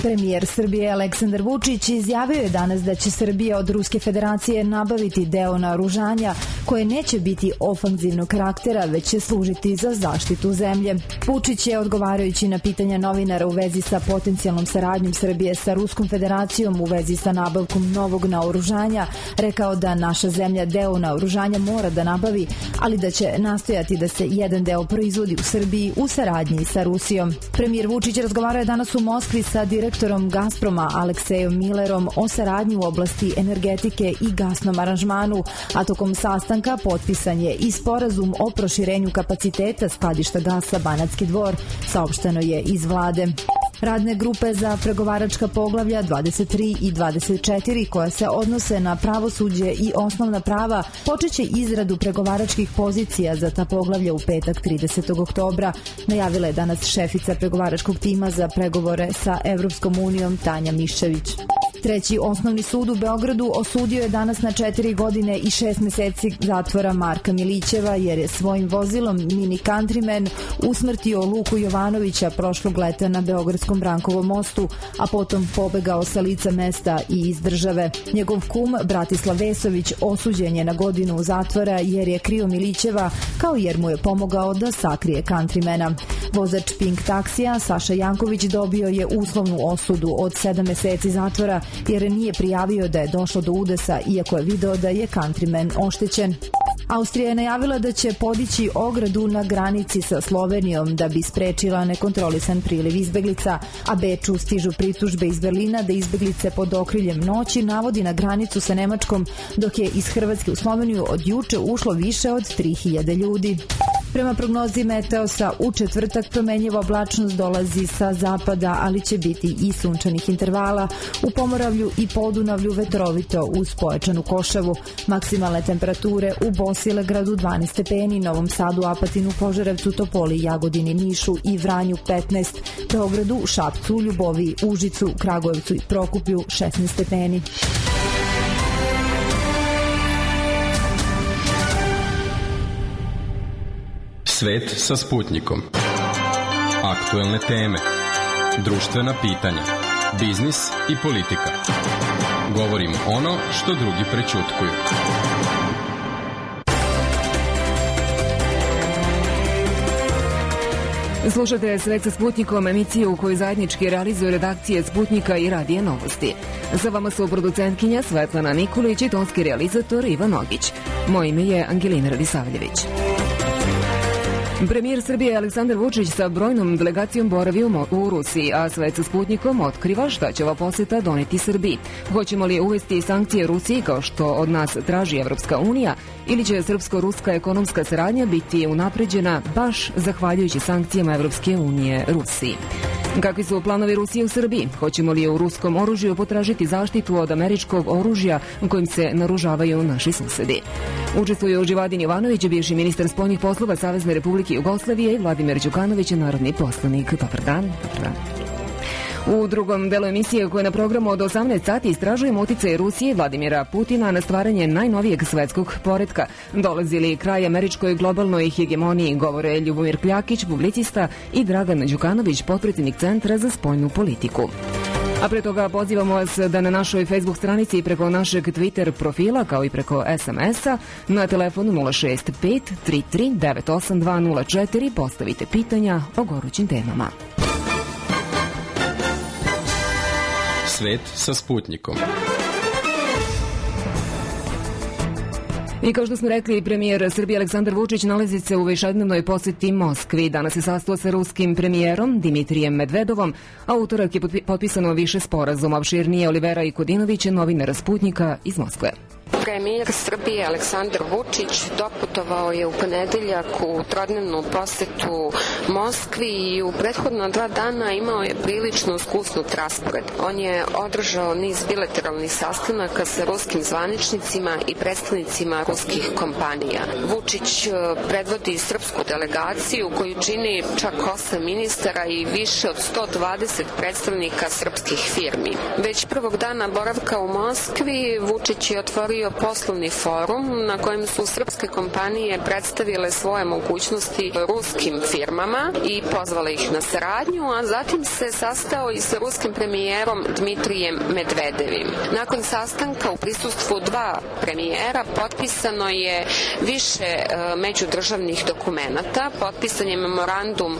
Premijer Srbije Aleksandar Vučić izjavio je danas da će Srbija od Ruske federacije nabaviti deo naoružanja koje neće biti ofanzivnog karaktera, već će služiti za zaštitu zemlje. Vučić je, odgovarajući na pitanja novinara u vezi sa potencijalnom saradnjom Srbije sa Ruskom federacijom u vezi sa nabavkom novog naoružanja, rekao da naša zemlja deo naoružanja mora da nabavi, ali da će nastojati da se jedan deo proizvodi u Srbiji u saradnji sa Rusijom. Premijer Vučić razgovarao je danas u Moskvi sa direktorom Gazproma Aleksejom Milerom o saradnji u oblasti energetike i gasnom aranžmanu, a tokom sastanka potpisan je i sporazum o proširenju kapaciteta skladišta gasa Banatski Dvor, saopšteno je iz vlade. Radne grupe za pregovaračka poglavlja 23 i 24 koja se odnose na pravosuđe i osnovna prava počeće izradu pregovaračkih pozicija za ta poglavlja u petak 30. oktobra, najavila je danas šefica pregovaračkog tima za pregovore sa Evropskom unijom Tanja Miščević. Treći osnovni sud u Beogradu osudio je danas na 4 godine i 6 meseci zatvora Marka Milićeva jer je svojim vozilom Mini Countryman usmrtio Luku Jovanovića prošlog leta na Beogradskom Brankovom mostu, a potom pobegao sa lica mesta i iz države. Njegov kum Bratislav Vesović osuđen je na godinu zatvora jer je krio Milićeva, kao jer mu je pomogao da sakrije Countrymana. Vozač Pink taksija Saša Janković dobio je uslovnu osudu od 7 meseci zatvora jer nije prijavio da je došlo do udesa, iako je video da je Countryman oštećen. Austrija je najavila da će podići ogradu na granici sa Slovenijom da bi sprečila nekontrolisan priliv izbeglica, a Beču stižu pritužbe iz Berlina da izbeglice pod okriljem noći navodi na granicu sa Nemačkom, dok je iz Hrvatske u Sloveniju od juče ušlo više od 3000 ljudi. Prema prognozi Meteosa, u četvrtak promenjiva oblačnost dolazi sa zapada, ali će biti i sunčanih intervala. U Pomoravlju i Podunavlju vetrovito uz pojačanu košavu. Maksimalne temperature u Bosilegradu 12 stepeni, Novom Sadu, Apatinu, Požarevcu, Topoli, Jagodini, Nišu i Vranju 15, Beogradu, Šapcu, Ljuboviji, Užicu, Kragujevcu i Prokuplju 16 stepeni. Svet sa Sputnikom. Aktuelne teme, društvena pitanja, biznis i politika. Govorimo ono što drugi prećutkuju. Slušate Svet sa Sputnikom, emisiju u kojoj zajednički realizuju redakcije Sputnika i Radija Novosti. Za vama su producentkinja Svetlana Nikolić i tonski realizator Ivan Ogić. Moje ime je Angelina Radisavljević. Premijer Srbije Aleksandar Vučić sa brojnom delegacijom boravi u Rusiji, a Svet sa Sputnikom otkriva šta će ova poseta doneti Srbiji. Hoćemo li uvesti sankcije Rusiji kao što od nas traži Evropska unija ili će srpsko-ruska ekonomska saradnja biti unapređena baš zahvaljujući sankcijama Evropske unije Rusiji? Kakvi su planovi Rusije u Srbiji? Hoćemo li u ruskom oružju potražiti zaštitu od američkog oružja kojim se naružavaju naši susedi? Učestvuju Živadin Jovanović, bivši ministar spoljnih poslova Savezne Republike Jugoslavije, i Vladimir Đukanović, narodni poslanik. Dobar dan. U drugom delu emisije, koje je na programu od 18 sati, istražujemo uticaj Rusije i Vladimira Putina na stvaranje najnovijeg svetskog poretka. Dolazi li kraj američkoj globalnoj hegemoniji, govore Ljubomir Kljakić, publicista, i Dragan Đukanović, potpredsjednik Centra za spoljnu politiku. A pre toga pozivamo vas da na našoj Facebook stranici i preko našeg Twitter profila, kao i preko SMS-a, na telefonu 065 33 98204 postavite pitanja o gorućim temama. Svet sa Sputnikom. I kao što smo rekli, premijer Srbije Aleksandar Vučić nalazi se u višednevnoj poseti Moskvi. Danas se sastao sa ruskim premijerom Dimitrijem Medvedovom, a utorak je potpisano više sporazuma. Opširnije Olivera Ikodinović, novinar Sputnika iz Moskve. Premijer Srbije Aleksandar Vučić doputovao je u ponedeljak u trodnevnu posetu Moskvi i u prethodna 2 dana imao je prilično skusnut raspored. On je održao niz bilateralnih sastanaka sa ruskim zvaničnicima i predstavnicima ruskih kompanija. Vučić predvodi srpsku delegaciju koju čini čak 8 ministara i više od 120 predstavnika srpskih firmi. Već prvog dana boravka u Moskvi Vučić je otvorio bio poslovni forum na kojem su srpske kompanije predstavile svoje mogućnosti ruskim firmama i pozvale ih na saradnju, a zatim se sastao i sa ruskim premijerom Dmitrijem Medvedevim. Nakon sastanka u prisustvu dva premijera potpisano je više međudržavnih dokumenata. Potpisan je memorandum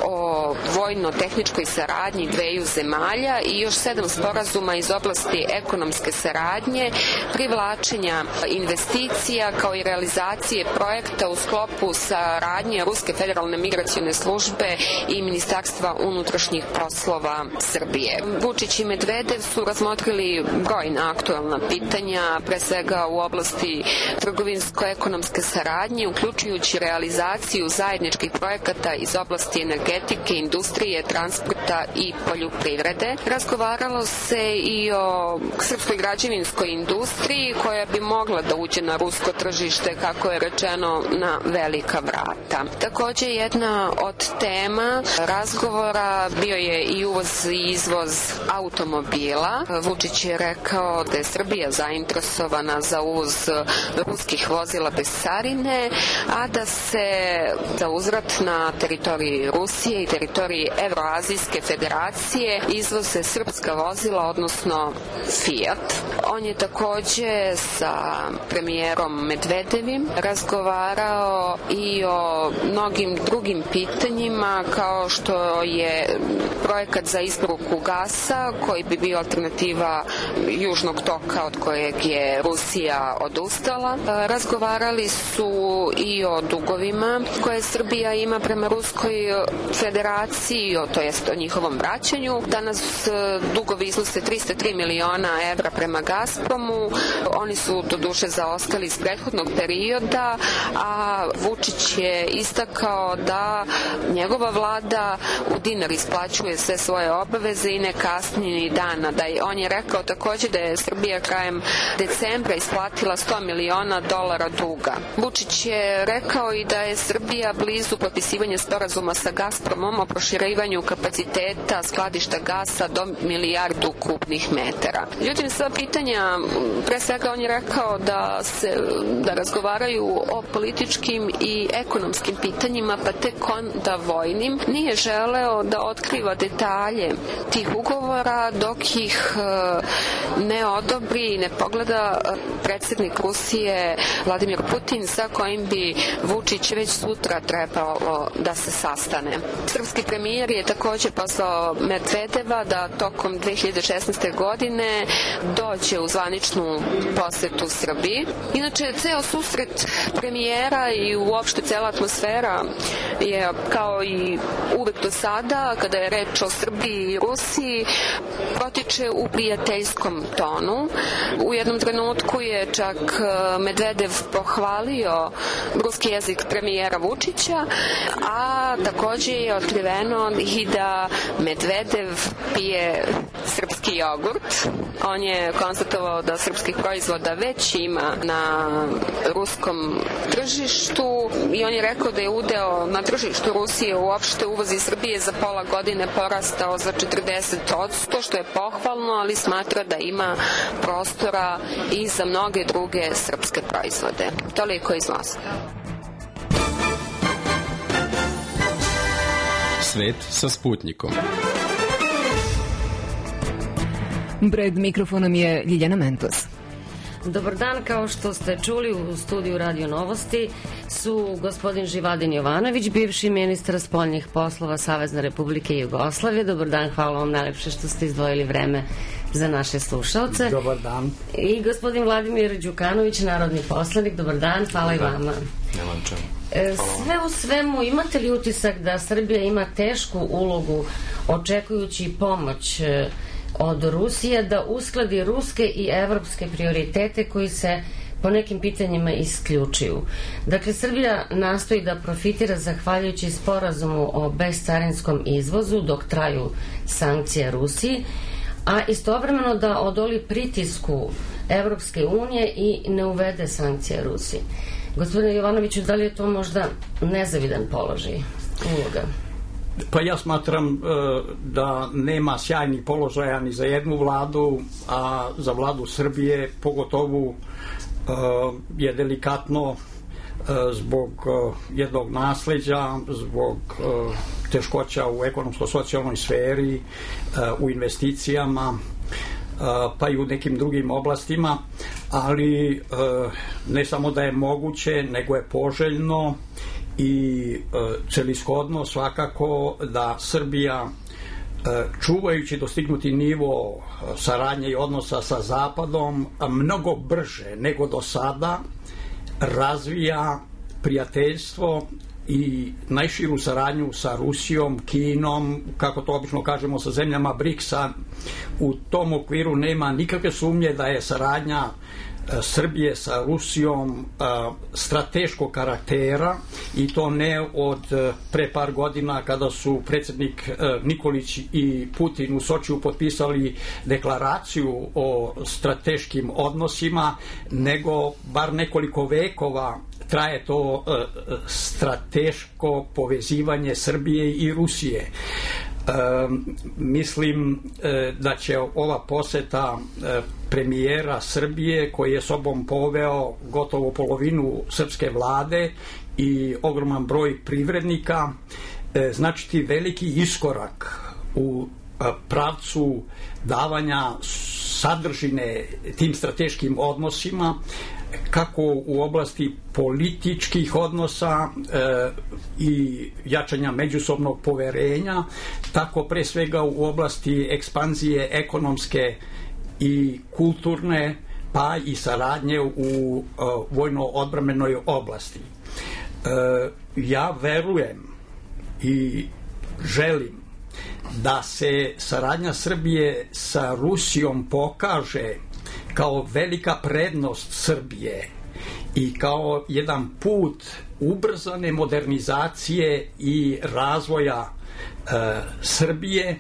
o vojno-tehničkoj saradnji dveju zemalja i još 7 sporazuma iz oblasti ekonomske saradnje, privlačenja investicija kao i realizacije projekta u sklopu saradnje Ruske federalne migracione službe i Ministarstva unutrašnjih poslova Srbije. Vučić i Medvedev su razmotrili brojna aktuelna pitanja, pre svega u oblasti trgovinsko-ekonomske saradnje, uključujući realizaciju zajedničkih projekata iz oblasti energetike, industrije, transporta i poljoprivrede. Razgovaralo se i o srpskoj građevinskoj industriji koja bi mogla da uđe na rusko tržište, kako je rečeno, na velika vrata. Takođe, jedna od tema razgovora bio je i uvoz i izvoz automobila. Vučić je rekao da je Srbija zainteresovana za uvoz ruskih vozila bez carine, a da se za uzvrat na teritoriji Rusije i teritoriji Evroazijske federacije izvoze srpska vozila, odnosno Fiat. On je takođe sa premijerom Medvedevim razgovarao i o mnogim drugim pitanjima, kao što je projekat za isporuku gasa, koji bi bio alternativa južnog toka od kojeg je Rusija odustala. Razgovarali su i o dugovima koje Srbija ima prema Ruskoj federaciji, to jest o njihovom vraćanju. Danas dugovi iznose 303 miliona evra prema Gazpromu. Oni su doduše zaostali iz prethodnog perioda, a Vučić je istakao da njegova vlada u dinar isplaćuje sve svoje obaveze i ne kasni ni dana. On je rekao takođe da je Srbija krajem decembra isplatila $100 miliona duga. Vučić je rekao i da je Srbija blizu potpisivanja sporazuma sa Gazpromom o proširivanju kapaciteta skladišta gasa do 1 milijardu kubnih metara. Međutim, sva pitanja, pre svega on je rekao da razgovaraju o političkim i ekonomskim pitanjima, pa tek onda vojnim. Nije želeo da otkriva detalje tih ugovora dok ih ne odobri i ne pogleda predsednik Rusije Vladimir Putin, sa kojim bi Vučić već sutra trebalo da se sastane. Srpski premijer je takođe pozvao Medvedeva da tokom 2016. godine dođe u zvaničnu posetu Srbiji. Inače, ceo susret premijera i uopšte cela atmosfera je kao i uvek do sada, kada je reč o Srbiji i Rusiji, protiče u prijateljskom tonu. U jednom trenutku je čak Medvedev pohvalio ruski jezik premijera Vučića, a takođe je otkriveno i da Medvedev pije srpski jogurt. On je konstatovao da srpskih proizvoda već ima na ruskom tržištu i on je rekao da je udeo na tržištu Rusije uopšte uvozi Srbije za pola godine porastao za 40%, što je pohvalno, ali smatra da ima prostora i za mnoge druge srpske proizvode. Toliko iz Moskve. Svet sa Sputnikom. Pred mikrofonom je Ljiljana Mentos. Dobar dan, kao što ste čuli u studiju Radio Novosti su gospodin Živadin Jovanović, bivši ministar spoljnih poslova Savezne Republike Jugoslavije. Dobar dan, hvala vam najlepše što ste izdvojili vreme za naše slušalce. Dobar dan. I gospodin Vladimir Đukanović, narodni poslanik. Dobar dan, hvala i vama. Nemam čemu. Sve u svemu, imate li utisak da Srbija ima tešku ulogu očekujući pomoć od Rusije da uskladi ruske i evropske prioritete koji se po nekim pitanjima isključuju? Dakle, Srbija nastoji da profitira zahvaljujući sporazumu o bescarinskom izvozu dok traju sankcije Rusiji, a istovremeno da odoli pritisku Evropske unije i ne uvede sankcije Rusiji. Gospodine Jovanoviću, da li je to možda nezavidan položaj, uloga? Pa ja smatram da nema sjajnih položaja ni za jednu vladu, a za vladu Srbije pogotovo je delikatno zbog jednog nasleđa, zbog teškoća u ekonomsko-socijalnoj sferi, u investicijama, pa i u nekim drugim oblastima, ali ne samo da je moguće, nego je poželjno i celishodno svakako da Srbija, čuvajući dostignuti nivo saradnje i odnosa sa Zapadom, mnogo brže nego do sada razvija prijateljstvo i najširu saradnju sa Rusijom, Kinom, kako to obično kažemo, sa zemljama BRICS-a. U tom okviru nema nikakve sumnje da je saradnja Srbije sa Rusijom strateškog karaktera, i to ne od pre par godina kada su predsjednik Nikolić i Putin u Sočiju potpisali deklaraciju o strateškim odnosima, nego bar nekoliko vekova traje to strateško povezivanje Srbije i Rusije. Mislim da će ova poseta premijera Srbije, koji je sobom poveo gotovo polovinu srpske vlade i ogroman broj privrednika, značiti veliki iskorak u pravcu davanja sadržine tim strateškim odnosima, kako u oblasti političkih odnosa i jačanja međusobnog poverenja, tako pre svega u oblasti ekspanzije ekonomske i kulturne, pa i saradnje u vojno-odbrambenoj oblasti. Ja verujem i želim da se saradnja Srbije sa Rusijom pokaže kao velika prednost Srbije i kao jedan put ubrzane modernizacije i razvoja Srbije,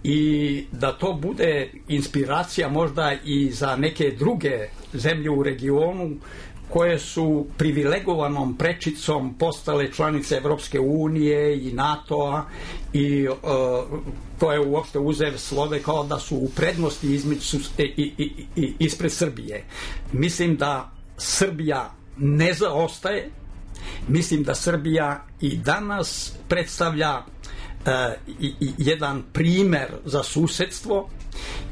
i da to bude inspiracija možda i za neke druge zemlje u regionu koje su privilegovanom prečicom postale članice Evropske unije i NATO-a, i to je uopšte uzev slove kao da su u prednosti ispred Srbije. Mislim da Srbija ne zaostaje, mislim da Srbija i danas predstavlja jedan primer za susedstvo,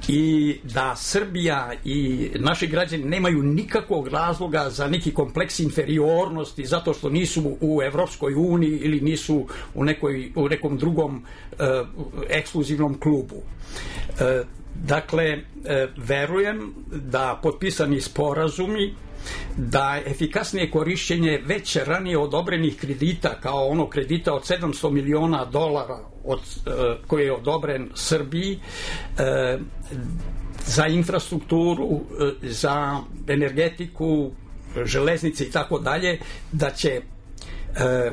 i da Srbija i naši građani nemaju nikakvog razloga za neki kompleks inferiornosti zato što nisu u Evropskoj uniji ili nisu u nekom drugom ekskluzivnom klubu. Dakle, verujem da potpisani sporazumi, da efikasnije korišćenje već ranije odobrenih kredita, kao onog kredita od $700 miliona koji je odobren Srbiji za infrastrukturu, za energetiku, železnice i tako dalje, da će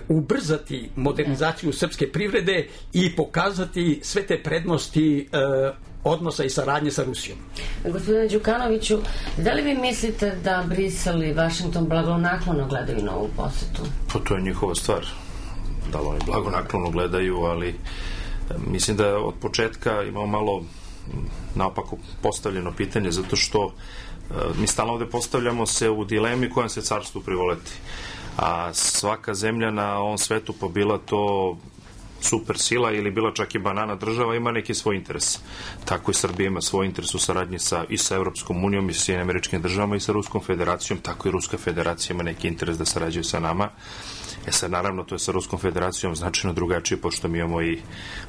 ubrzati modernizaciju srpske privrede i pokazati sve te prednosti odnosa i saradnje sa Rusijom. Gospodine Đukanoviću, da li vi mislite da Brisel i Vašington blagonaklono gledaju na ovu posetu? Pa to je njihova stvar. Da li oni blagonaklono gledaju, ali mislim da od početka imamo malo naopako postavljeno pitanje, zato što mi stalno ovde postavljamo se u dilemi kojem se carstvu privoleti. A svaka zemlja na ovom svetu, pa bila to super sila ili bila čak i banana država, ima neki svoj interes. Tako i Srbija ima svoj interes u saradnji i sa Evropskom unijom i sa Sjedinjenim Američkim Državama i sa Ruskom federacijom, tako i Ruska federacija ima neki interes da sarađuje sa nama. Sad, naravno, to je sa Ruskom federacijom značajno drugačije, pošto mi imamo i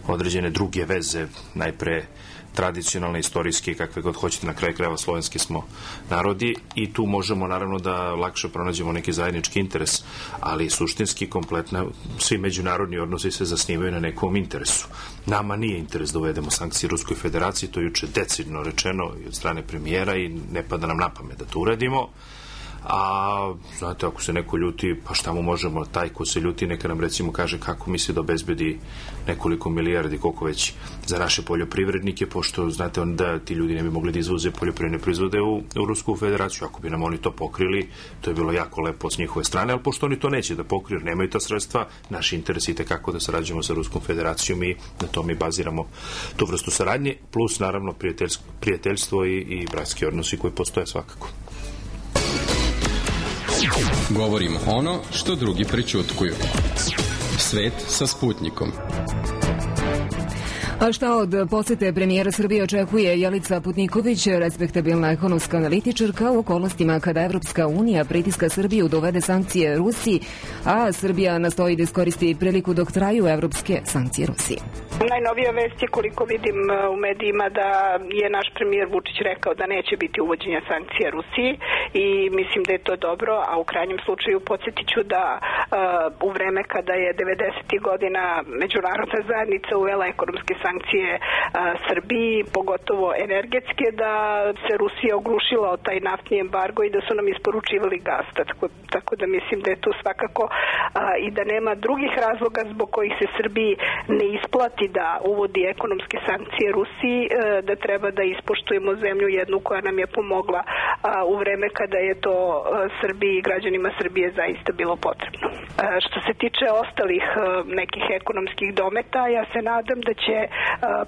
određene druge veze, najpre tradicionalne, istorijske, kakve god hoćete, na kraju krajeva slovenski smo narodi, i tu možemo naravno da lakše pronađemo neki zajednički interes, ali suštinski kompletno svi međunarodni odnosi se zasnivaju na nekom interesu. Nama nije interes da uvedemo sankcije Ruskoj federaciji, to je juče decidno rečeno i od strane premijera i ne pada nam na pamet da to uradimo. A, znate, ako se neko ljuti, pa šta mu možemo, taj ko se ljuti neka nam recimo kaže kako misli da obezbedi nekoliko milijardi, koliko već, za naše poljoprivrednike, pošto, znate, onda ti ljudi ne bi mogli da izvoze poljoprivredne proizvode u Rusku federaciju. Ako bi nam oni to pokrili, to je bilo jako lepo s njihove strane, ali pošto oni to neće da pokriju, nemaju ta sredstva, naši interesi kako da sarađujemo sa Ruskom federacijom i na to mi baziramo tu vrstu saradnje, plus naravno prijateljstvo i bratski odnosi koji postoje svakako. Govorimo ono što drugi prećutkuju. Svet sa Sputnikom. A šta od posete premijera Srbije očekuje Jelica Putniković, respektabilna ekonomska analitičarka, u okolnostima kada Evropska unija pritiska Srbiju da uvede sankcije Rusiji, a Srbija nastoji da iskoristi priliku dok traju evropske sankcije Rusiji? Najnovija vest je, koliko vidim u medijima, da je naš premijer Vučić rekao da neće biti uvođenja sankcija Rusiji i mislim da je to dobro, a u krajnjem slučaju podsjetit ću da u vreme kada je 90. godina međunarodna zajednica uvela ekonomske sankcije Srbiji, pogotovo energetske, da se Rusija oglušila o taj naftni embargo i da su nam isporučivali gas. Tako da mislim da je tu svakako i da nema drugih razloga zbog kojih se Srbiji ne isplati da uvodi ekonomske sankcije Rusiji, da treba da ispoštujemo zemlju jednu koja nam je pomogla u vreme kada je to Srbiji i građanima Srbije zaista bilo potrebno. Što se tiče ostalih nekih ekonomskih dometa, ja se nadam da će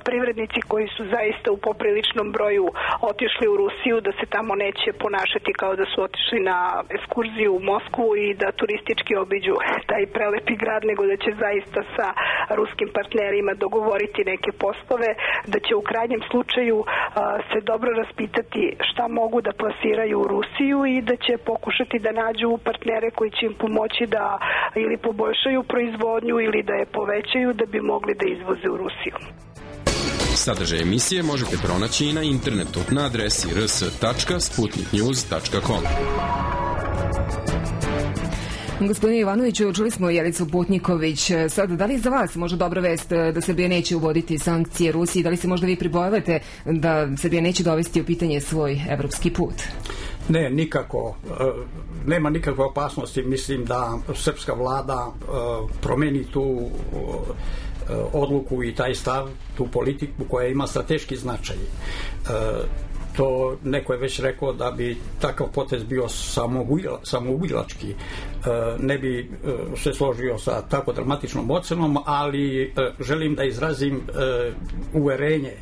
privrednici koji su zaista u popriličnom broju otišli u Rusiju, da se tamo neće ponašati kao da su otišli na ekskurziju u Moskvu i da turistički obiđu taj prelepi grad, nego da će zaista sa ruskim partnerima dogovoriti neke poslove, da će u krajnjem slučaju se dobro raspitati šta mogu da plasiraju u Rusiju i da će pokušati da nađu partnere koji će im pomoći da ili poboljšaju proizvodnju ili da je povećaju da bi mogli da izvoze u Rusiju. Sadržaj emisije možete pronaći i na internetu na adresi rs.sputniknews.com. Gospodine Ivanoviću, čuli smo Jelicu Putniković. Sad, da li je za vas možda dobra vest da Srbija neće uvoditi sankcije Rusiji? Da li se možda vi pribojavate da Srbija neće dovesti u pitanje svoj evropski put? Ne, nikako. Nema nikakve opasnosti. Mislim da srpska vlada promeni tu odluku i taj stav, tu politiku koja ima strateški značaj. To neko je već rekao da bi takav potez bio samoubilački. Ne bi se složio sa tako dramatičnom ocenom, ali želim da izrazim uverenje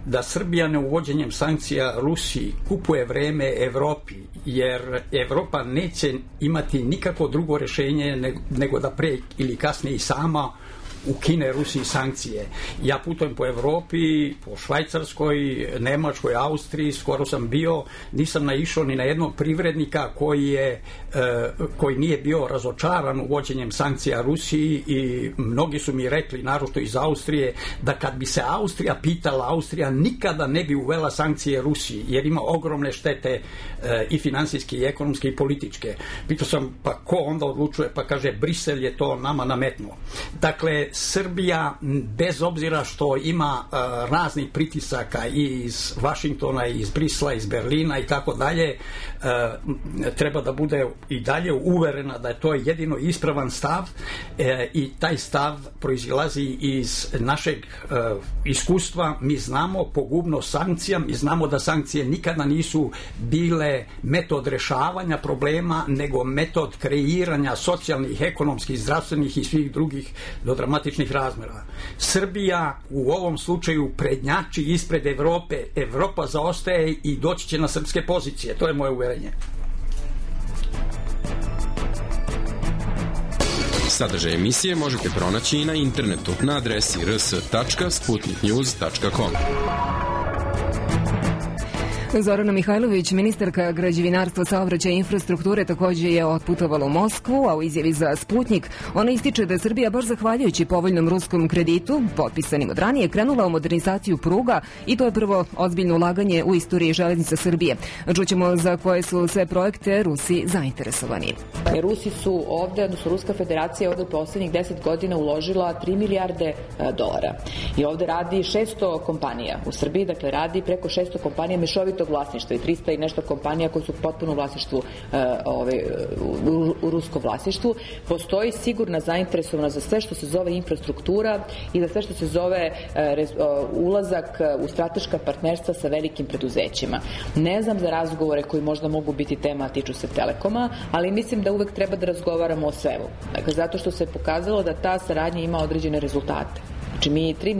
da Srbija neuvođenjem sankcija Rusiji kupuje vreme Evropi, jer Evropa neće imati nikako drugo rješenje nego da pre ili kasnije i sama ukine Rusiji sankcije. Ja putujem po Evropi, po Švajcarskoj, Nemačkoj, Austriji, skoro sam bio, nisam naišao ni na jednog privrednika koji nije bio razočaran uvođenjem sankcija Rusiji i mnogi su mi rekli, naročito iz Austrije, da kad bi se Austrija pitala, Austrija nikada ne bi uvela sankcije Rusiji, jer ima ogromne štete i finansijske, i ekonomske, i političke. Pitao sam, pa ko onda odlučuje? Pa kaže, Brisel je to nama nametnuo. Dakle, Srbija, bez obzira što ima raznih pritisaka iz Vašingtona, iz Brisla, iz Berlina i tako dalje, treba da bude i dalje uverena da je to jedino ispravan stav i taj stav proizilazi iz našeg iskustva. Mi znamo pogubnost sankcija, mi znamo da sankcije nikada nisu bile metod rešavanja problema, nego metod kreiranja socijalnih, ekonomskih, zdravstvenih i svih drugih do dramatičnih razmera. Srbija u ovom slučaju prednjači ispred Evrope. Evropa zaostaje i doći će na srpske pozicije. To je moje uverenje. Sadržaj emisije možete pronaći i na internetu na adresi rs.sputniknews.com. Zorana Mihajlović, ministarka građevinarstva, saobraćaja i infrastrukture, također je otputovala u Moskvu, a u izjavi za Sputnik ona ističe da je Srbija baš zahvaljujući povoljnom ruskom kreditu, potpisanim od ranije, krenula u modernizaciju pruga i to je prvo ozbiljno ulaganje u istoriji železnica Srbije. Čućemo za koje su sve projekte Rusi zainteresovani. Rusi su ovde, odnosno Ruska federacija ovde u poslednjih 10 godina uložila 3 milijarde dolara. I ovde radi 600 kompanija u Srbiji, dakle radi preko 600 kompanija mešovitog vlasništva i 300 i nešto kompanija koje su potpuno u vlasništvu, u ruskom vlasništvu. Postoji sigurna zainteresovanost za sve što se zove infrastruktura i za sve što se zove ulazak u strateška partnerstva sa velikim preduzećima. Ne znam za razgovore koji možda mogu biti tema, a tiču se Telekoma, ali mislim da uvek treba da razgovaramo o svemu. Dakle, zato što se pokazalo da ta saradnja ima određene rezultate. Znači mi 3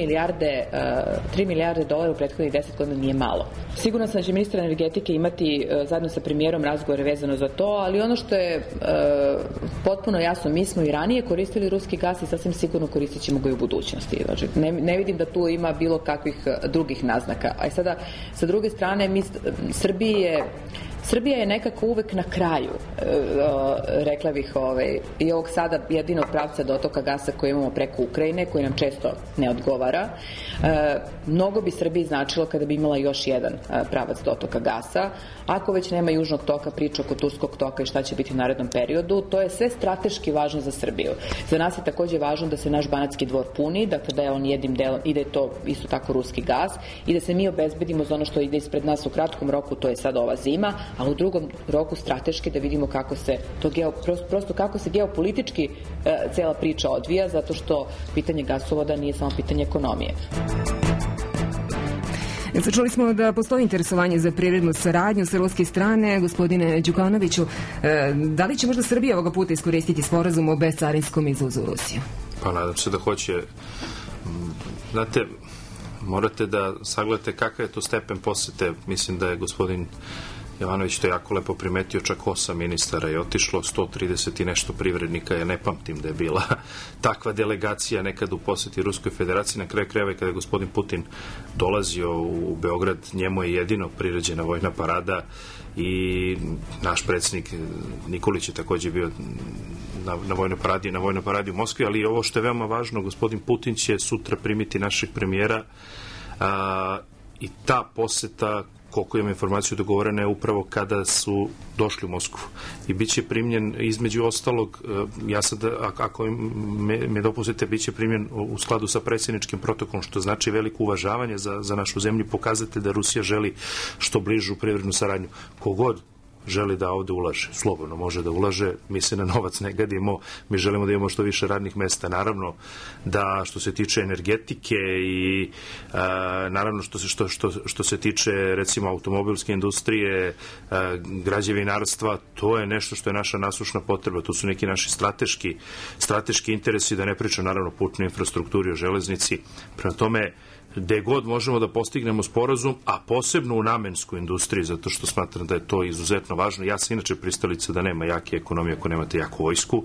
milijarde dolara u prethodnih 10 godina nije malo. Sigurno sam da će ministar energetike imati zajedno sa premijerom razgovore vezano za to, ali ono što je potpuno jasno, mi smo i ranije koristili ruski gas i sasvim sigurno koristit ćemo ga i u budućnosti. Znači, ne vidim da tu ima bilo kakvih drugih naznaka. A sada, sa druge strane, Srbija je nekako uvek na kraju, rekla bih, i ovog sada jedinog pravca dotoka gasa koji imamo preko Ukrajine, koji nam često ne odgovara. Mnogo bi Srbiji značilo kada bi imala još jedan pravac dotoka gasa. Ako već nema južnog toka, priča oko turskog toka i šta će biti u narednom periodu, to je sve strateški važno za Srbiju. Za nas je takođe važno da se naš Banatski dvor puni, dakle da je on jednim delom i da je to isto tako ruski gas i da se mi obezbedimo za ono što ide ispred nas u kratkom roku, to je sad ova zima, a u drugom roku strateški da vidimo kako se to kako se geopolitički cela priča odvija, zato što pitanje gasovoda nije samo pitanje ekonomije. Čuli smo da postoji interesovanje za privrednu saradnju sa ruske strane. Gospodine Đukanoviću, da li će možda Srbija ovoga puta iskoristiti sporazum o bezcarinskom izvozu u Rusiju? Pa nadam se da hoće. Znate, morate da sagledate kakav je to stepen posete. Mislim da je gospodin Jovanović to jako lepo primetio, čak 8 ministara je otišlo, 130 i nešto privrednika, ja ne pamtim da je bila takva delegacija nekad u poseti Ruskoj federaciji. Na kraju krajeva kada je gospodin Putin dolazio u Beograd, njemu je jedino priređena vojna parada i naš predsjednik Nikolić je također bio na vojnoj paradi u Moskvi, ali ovo što je veoma važno, gospodin Putin će sutra primiti našeg premijera i ta poseta, koliko imam informaciju, dogovorena je upravo kada su došli u Moskvu. I bit će primljen, između ostalog, ja sad, ako me dopustite, bit će primljen u skladu sa predsjedničkim protokolom, što znači veliko uvažavanje za našu zemlju, pokazate da Rusija želi što bližu privrednu saradnju. Kogod želi da ovde ulaže, slobodno može da ulaže, mi se na novac ne gadimo, mi želimo da imamo što više radnih mesta. Naravno da što se tiče energetike i naravno što se tiče recimo automobilske industrije, građevinarstva, to je nešto što je naša nasušna potreba, to su neki naši strateški interesi, da ne pričam naravno o putnoj infrastrukturi, o železnici. Prema tome, gde god možemo da postignemo sporazum, a posebno u namenskoj industriji, zato što smatram da je to izuzetno važno. Ja sam inače pristalica da nema jake ekonomije ako nemate jaku vojsku.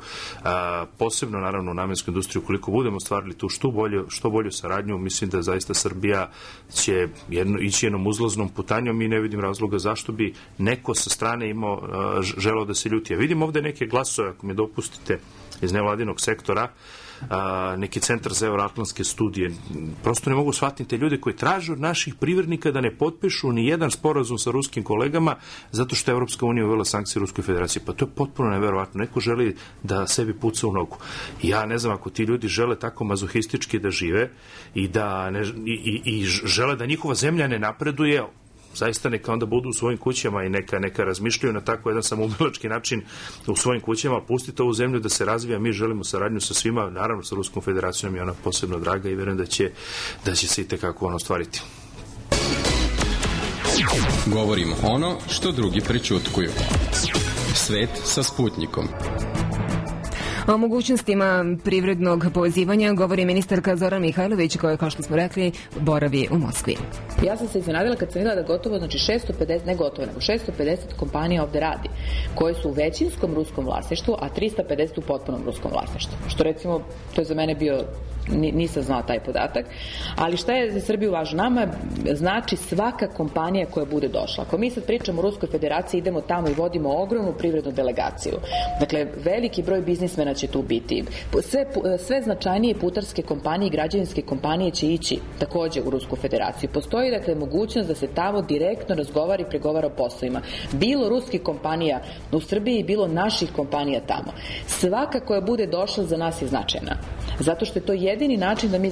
Posebno, naravno, u namenskoj industriji, ukoliko budemo stvarili tu što bolju saradnju, mislim da zaista Srbija će ići jednom uzlaznom putanjom i ne vidim razloga zašto bi neko sa strane želeo da se ljuti. Ja vidim ovde neke glasove, ako mi dopustite, iz nevladinog sektora, neki centar za euroatlantske studije. Prosto ne mogu shvatiti te ljude koji traže od naših privrednika da ne potpišu ni jedan sporazum sa ruskim kolegama zato što je Evropska unija uvela sankcije Ruskoj federaciji. Pa to je potpuno neverovatno. Neko želi da sebi puca u nogu. Ja ne znam, ako ti ljudi žele tako mazohistički da žive i žele da njihova zemlja ne napreduje, zaista neka onda budu u svojim kućama i neka razmišljaju na tako jedan samoubilački način u svojim kućama, pustite ovu zemlju da se razvija, mi želimo saradnju sa svima, naravno sa Ruskom federacijom je ona posebno draga i verujem da će se i tekako ono ostvariti. Govorimo ono što drugi prećutkuju. Svet sa Sputnikom. O mogućnostima privrednog povezivanja govori ministarka Zorana Mihajlović, koja, kao što smo rekli, boravi u Moskvi. Ja sam se iznenadila kad sam videla da gotovo, 650 kompanija ovde radi, koje su u većinskom ruskom vlasništvu, a 350 u potpunom ruskom vlasništvu. Što recimo, to je za mene bio, nisam znala taj podatak, ali šta je za Srbiju važno? Nama znači svaka kompanija koja bude došla. Ako mi sad pričamo o Ruskoj federaciji, idemo tamo i vodimo ogromnu privrednu delegaciju. Dakle, veliki broj biznismena će tu biti. Sve značajnije putarske kompanije i građevinske kompanije će ići takođe u Rusku federaciju. Postoji dakle mogućnost da se tamo direktno razgovara i pregovara o poslovima. Bilo ruskih kompanija u Srbiji, bilo naših kompanija tamo. Svaka koja bude došla za nas je značajna. Zato što je to jedini način da mi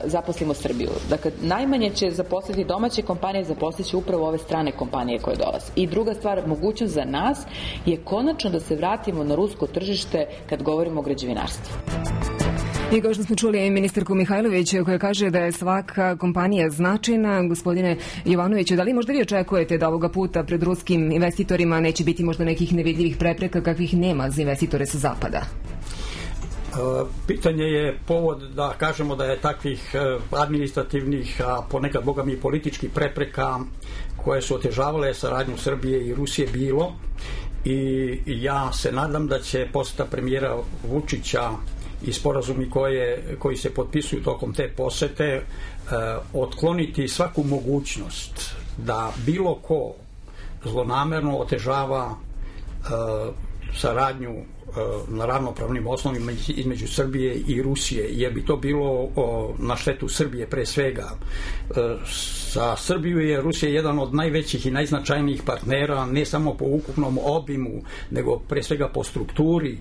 zaposlimo Srbiju. Dakle, najmanje će zaposliti domaće kompanije, zaposliće upravo ove strane kompanije koje dolaze. I druga stvar, mogućnost za nas je konačno da se vratimo na rusko tržište kad govorimo o građevinarstvu. I kao što smo čuli ministarku Mihajlović koja kaže da je svaka kompanija značajna. Gospodine Jovanoviću, da li možda vi očekujete da ovoga puta pred ruskim investitorima neće biti možda nekih nevidljivih prepreka kakvih nema za investitore sa zapada? Pitanje je povod da kažemo da je takvih administrativnih, a ponekad boga mi političkih prepreka koje su otežavale saradnju Srbije i Rusije bilo, i ja se nadam da će poseta premijera Vučića i sporazumi koji se potpisuju tokom te posete otkloniti svaku mogućnost da bilo ko zlonamerno otežava saradnju na ravnopravnim osnovima između Srbije i Rusije, jer bi to bilo na štetu Srbije pre svega. Za Srbiju je Rusija jedan od najvećih i najznačajnijih partnera, ne samo po ukupnom obimu, nego pre svega po strukturi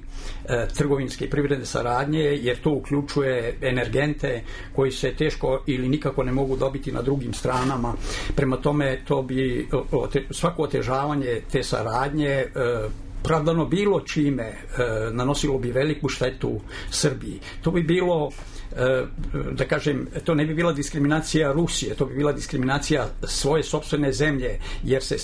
trgovinske i privredne saradnje, jer to uključuje energente koji se teško ili nikako ne mogu dobiti na drugim stranama. Prema tome, to bi svako otežavanje te saradnje pravdano bilo čime nanosilo bi veliku štetu Srbiji. To bi bilo, da kažem, to ne bi bila diskriminacija Rusije, to bi bila diskriminacija svoje sopstvene zemlje, jer se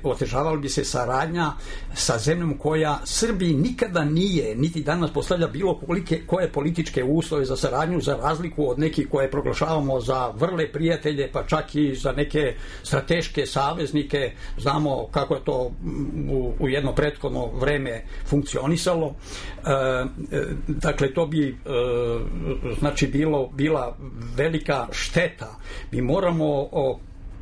otežavala bi se saradnja sa zemljom koja Srbiji nikada nije, niti danas postavlja bilo koje političke uslove za saradnju, za razliku od nekih koje proglašavamo za vrle prijatelje, pa čak i za neke strateške saveznike. Znamo kako je to u jedno prethodno vreme funkcionisalo. Dakle, to bi znači bila velika šteta. Mi moramo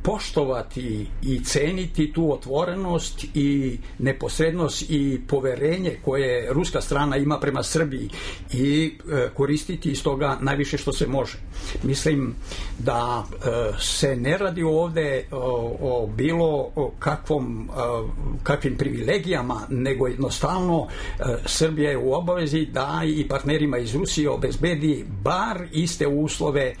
poštovati i ceniti tu otvorenost i neposrednost i poverenje koje ruska strana ima prema Srbiji i koristiti iz toga najviše što se može. Mislim da se ne radi ovde o bilo kakvim privilegijama, nego jednostavno Srbija je u obavezi da i partnerima iz Rusije obezbedi bar iste uslove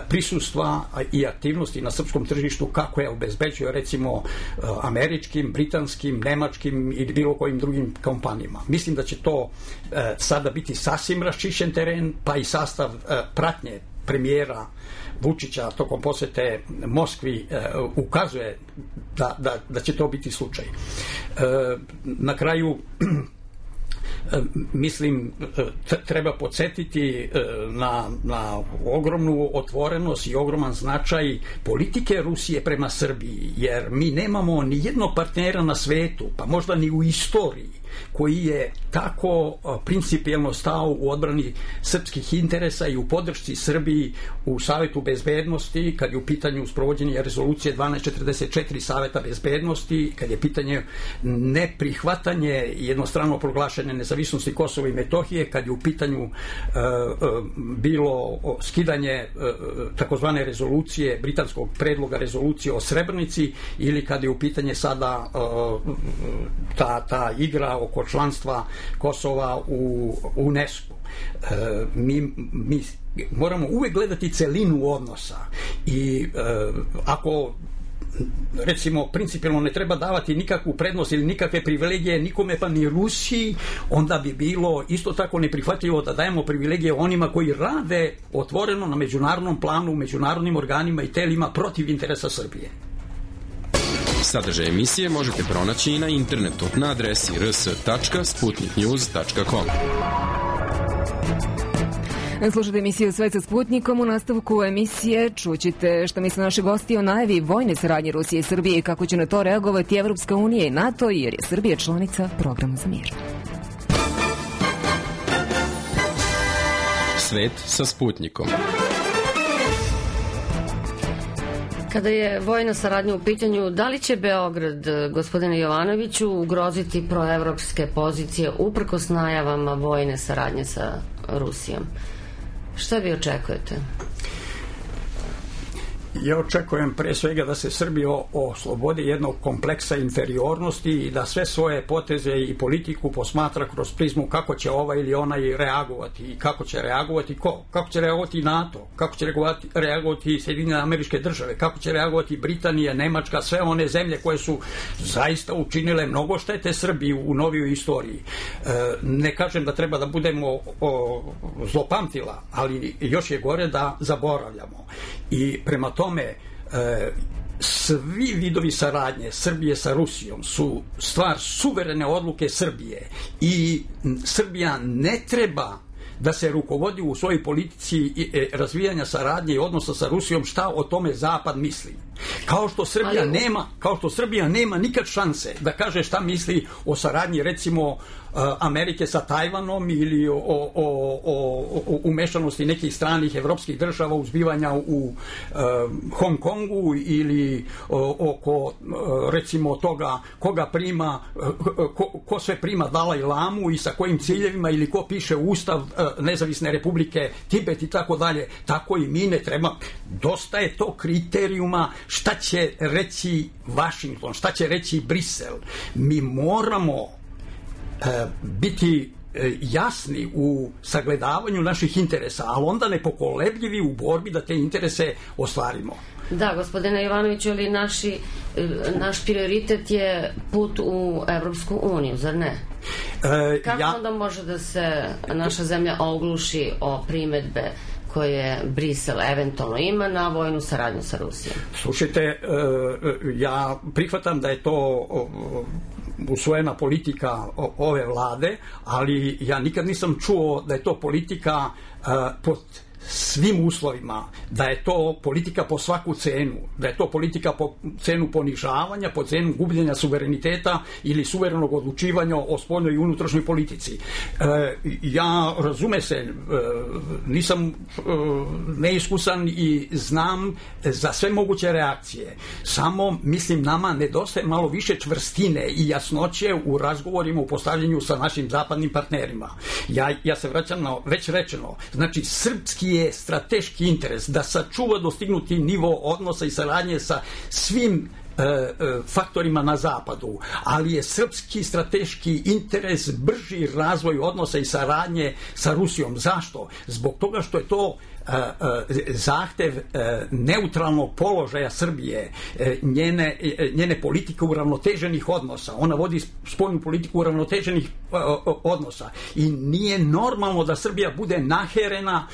prisustva i aktivnosti na srpskom tržištu kako je obezbeđuje recimo američkim, britanskim, nemačkim ili bilo kojim drugim kompanijama. Mislim da će to sada biti sasvim raščišćen teren, pa i sastav pratnje premijera Vučića tokom posete Moskvi ukazuje da će to biti slučaj. Na kraju mislim, treba podsjetiti na ogromnu otvorenost i ogroman značaj politike Rusije prema Srbiji, jer mi nemamo ni jednog partnera na svetu, pa možda ni u istoriji, koji je tako principijelno stao u odbrani srpskih interesa i u podršci Srbiji u Savetu bezbednosti, kad je u pitanju sprovođenje rezolucije 1244 Saveta bezbednosti, kad je pitanje neprihvatanje jednostrano proglašene nezavisnosti Kosova i Metohije, kad je u pitanju bilo skidanje takozvane rezolucije, britanskog predloga rezolucije o Srebrenici, ili kad je u pitanje sada ta igra oko članstva Kosova u UNESCO. Mi moramo uvek gledati celinu odnosa i ako recimo principijelno ne treba davati nikakvu prednost ili nikakve privilegije nikome, pa ni Rusiji, onda bi bilo isto tako neprihvatljivo da dajemo privilegije onima koji rade otvoreno na međunarodnom planu, u međunarodnim organima i telima protiv interesa Srbije. Sadržaj emisije možete pronaći i na internetu na adresi rs.sputniknews.com. Slušajte emisiju Svet sa Sputnikom. U nastavku emisije čućete što misle naši gosti o najavi vojne saradnje Rusije i Srbije i kako će na to reagovati Evropska unija i NATO, jer je Srbija članica Programa za mir. Svet sa Sputnikom. Kada je vojna saradnja u pitanju, da li će Beograd, gospodine Jovanoviću, ugroziti proevropske pozicije uprkos najavama vojne saradnje sa Rusijom? Šta vi očekujete? Ja očekujem pre svega da se Srbija oslobodi jednog kompleksa inferiornosti i da sve svoje poteze i politiku posmatra kroz prizmu kako će ovaj ili onaj reagovati i kako će reagovati ko? Kako će reagovati NATO? Kako će reagovati Sjedinjene Američke Države? Kako će reagovati Britanija, Nemačka, sve one zemlje koje su zaista učinile mnogo štete Srbiji u novijoj istoriji. Ne kažem da treba da budemo zlopamtila, ali još je gore da zaboravljamo. I prema tome, svi vidovi saradnje Srbije sa Rusijom su stvar suverene odluke Srbije i Srbija ne treba da se rukovodi u svojoj politici razvijanja saradnje i odnosa sa Rusijom šta o tome Zapad misli. Kao što Srbija nema nikad šanse da kaže šta misli o saradnji recimo Amerike sa Tajvanom ili o umešanosti nekih stranih evropskih država u zbivanja u Hong Kongu ili oko recimo toga koga prima, ko sve prima Dalaj Lamu i sa kojim ciljevima ili ko piše Ustav Nezavisne Republike Tibet i tako dalje. Tako i mi ne treba. Dosta je to kriterijuma šta će reći Vašington, šta će reći Brisel. Mi moramo biti jasni u sagledavanju naših interesa, ali onda nepokolebljivi u borbi da te interese ostvarimo. Da, gospodine Jovanoviću, ali naš prioritet je put u Evropsku uniju, zar ne? Kako onda može da se naša zemlja ogluši o primedbe koje Brisel eventualno ima na vojnu saradnju sa Rusijom? Slušajte, ja prihvatam da je to usvojena politika ove vlade, ali ja nikad nisam čuo da je to politika pod svim uslovima, da je to politika po svaku cenu, da je to politika po cenu ponižavanja, po cenu gubljenja suvereniteta ili suverenog odlučivanja o spoljnoj i unutrašnjoj politici. Ja, razume se, nisam neiskusan i znam za sve moguće reakcije. Samo, mislim, nama nedostaje malo više čvrstine i jasnoće u razgovorima, u postavljanju sa našim zapadnim partnerima. Ja se vraćam na već rečeno. Znači, srpski je strateški interes da sačuva dostignuti nivo odnosa i saradnje sa svim faktorima na zapadu, ali je srpski strateški interes brži razvoj odnosa i saradnje sa Rusijom. Zašto? Zbog toga što je to zahtev neutralnog položaja Srbije, njene politike uravnoteženih odnosa. Ona vodi spoljnu politiku uravnoteženih odnosa i nije normalno da Srbija bude naherena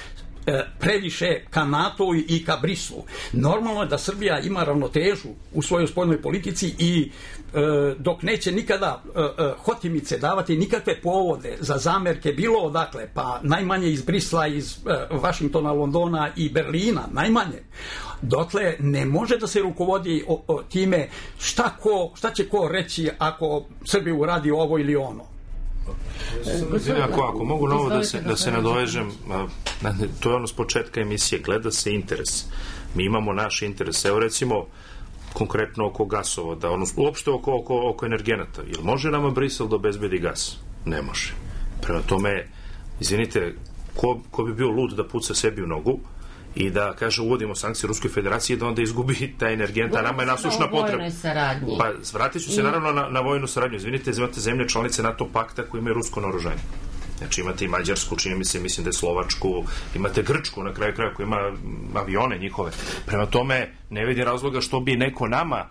previše ka NATO i ka Brislu. Normalno je da Srbija ima ravnotežu u svojoj spoljnoj politici i dok neće nikada hotimice davati nikakve povode za zamerke bilo odakle, pa najmanje iz Brisla, iz Vašingtona, Londona i Berlina, najmanje, dotle ne može da se rukovodi time šta će ko reći ako Srbija uradi ovo ili ono. Ako mogu novo da se nadovežem, to je ono s početka emisije, gleda se interes. Mi imamo naš interes. Evo recimo konkretno oko gasovoda, uopšte oko energenata. Jel može nama Brisel da obezbedi gas? Ne može. Prema tome, izvinite, ko bi bio lud da puca sebi u nogu i da kaže uvodimo sankcije Ruskoj federaciji da onda izgubi taj energent, a nama je nasušna potreba. Pa vratit ću se naravno na vojnu saradnju. Izvinite, imate zemlje članice NATO pakta koji imaju rusko naoružanje. Znači imate i Mađarsku, mislim da je Slovačku, imate Grčku na kraju kraja koja ima avione njihove. Prema tome ne vidi razloga što bi neko nama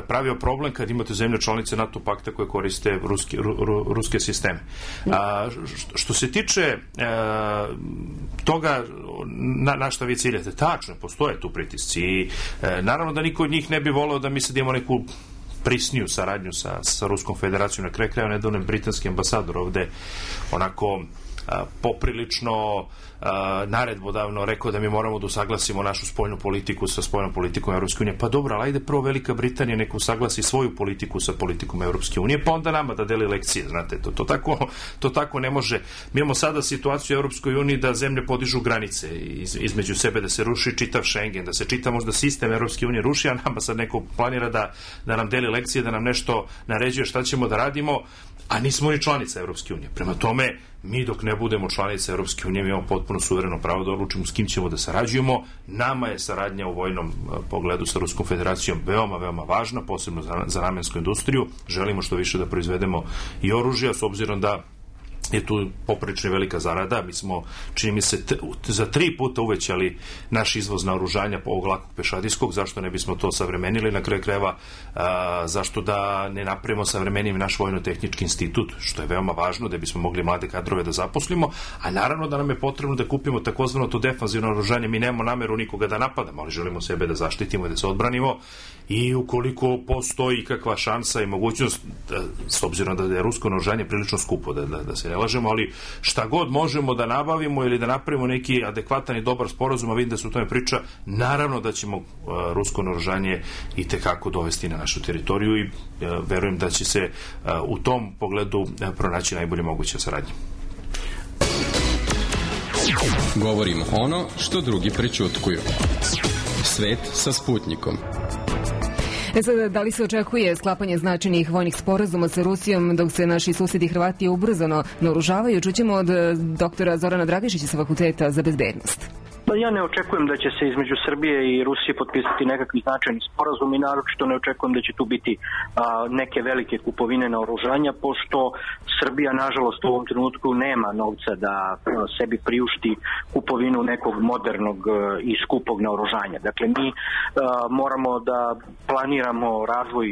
pravio problem kad imate zemlje članice NATO pakta koje koriste ruske sisteme. Što se tiče toga na šta vi ciljate, tačno, postoje tu pritisci i naravno da niko od njih ne bi voleo da misli da imamo neku prisniju saradnju sa Ruskom federacijom. Na kraju kraja nedavno je britanski ambasador ovde onako poprilično naredbodavno rekao da mi moramo da usaglasimo našu spoljnu politiku sa spoljnom politikom Evropske unije. Pa dobro, ali ajde prvo Velika Britanija neka usaglasi svoju politiku sa politikom Evropske unije, pa onda nama da deli lekcije, znate, to tako ne može. Mi imamo sada situaciju u Evropskoj uniji da zemlje podižu granice između sebe, da se ruši čitav Schengen, da se čita možda sistem Evropske unije ruši, a nama sad neko planira da nam deli lekcije, da nam nešto naređuje šta ćemo da radimo, a nismo ni članica Evropske unije. Prema tome, mi dok ne budemo članica Evropske unije, mi imamo potpuno suvereno pravo da odlučimo s kim ćemo da sarađujemo. Nama je saradnja u vojnom pogledu sa Ruskom federacijom veoma, veoma važna, posebno za namensku industriju. Želimo što više da proizvedemo i oružja, s obzirom da je tu poprilično velika zarada. Mi smo, čini mi se, za 3 puta uvećali naš izvoz naoružanja ovog lakog pešadijskog. Zašto ne bismo to savremenili? Na kraju krajeva, zašto da ne napravimo savremenim naš vojno-tehnički institut, što je veoma važno da bismo mogli mlade kadrove da zaposlimo, a naravno da nam je potrebno da kupimo takozvano to defanzivno naoružanje. Mi nemamo nameru nikoga da napadamo, ali želimo sebe da zaštitimo i da se odbranimo, i ukoliko postoji kakva šansa i mogućnost, s obzirom da je rusko naoružanje prilično skupo, da se ne raspolažemo, ali šta god možemo da nabavimo ili da napravimo neki adekvatan i dobar sporazum, a vidim da se o tome priča, naravno da ćemo rusko naoružanje i tekako dovesti na našu teritoriju i verujem da će se u tom pogledu pronaći najbolje moguće saradnje. Govorimo ono što drugi prećutkuju. Svet sa Sputnikom. Sada, da li se očekuje sklapanje značajnih vojnih sporazuma sa Rusijom dok se naši susedi Hrvati ubrzano naoružavaju? Čućemo od doktora Zorana Dragišića sa Fakulteta za bezbednost. Ja ne očekujem da će se između Srbije i Rusije potpisati nekakvi značajni sporazum i naročito ne očekujem da će tu biti neke velike kupovine naoružanja, pošto Srbija nažalost u ovom trenutku nema novca da sebi priušti kupovinu nekog modernog i skupog naoružanja. Dakle, mi moramo da planiramo razvoj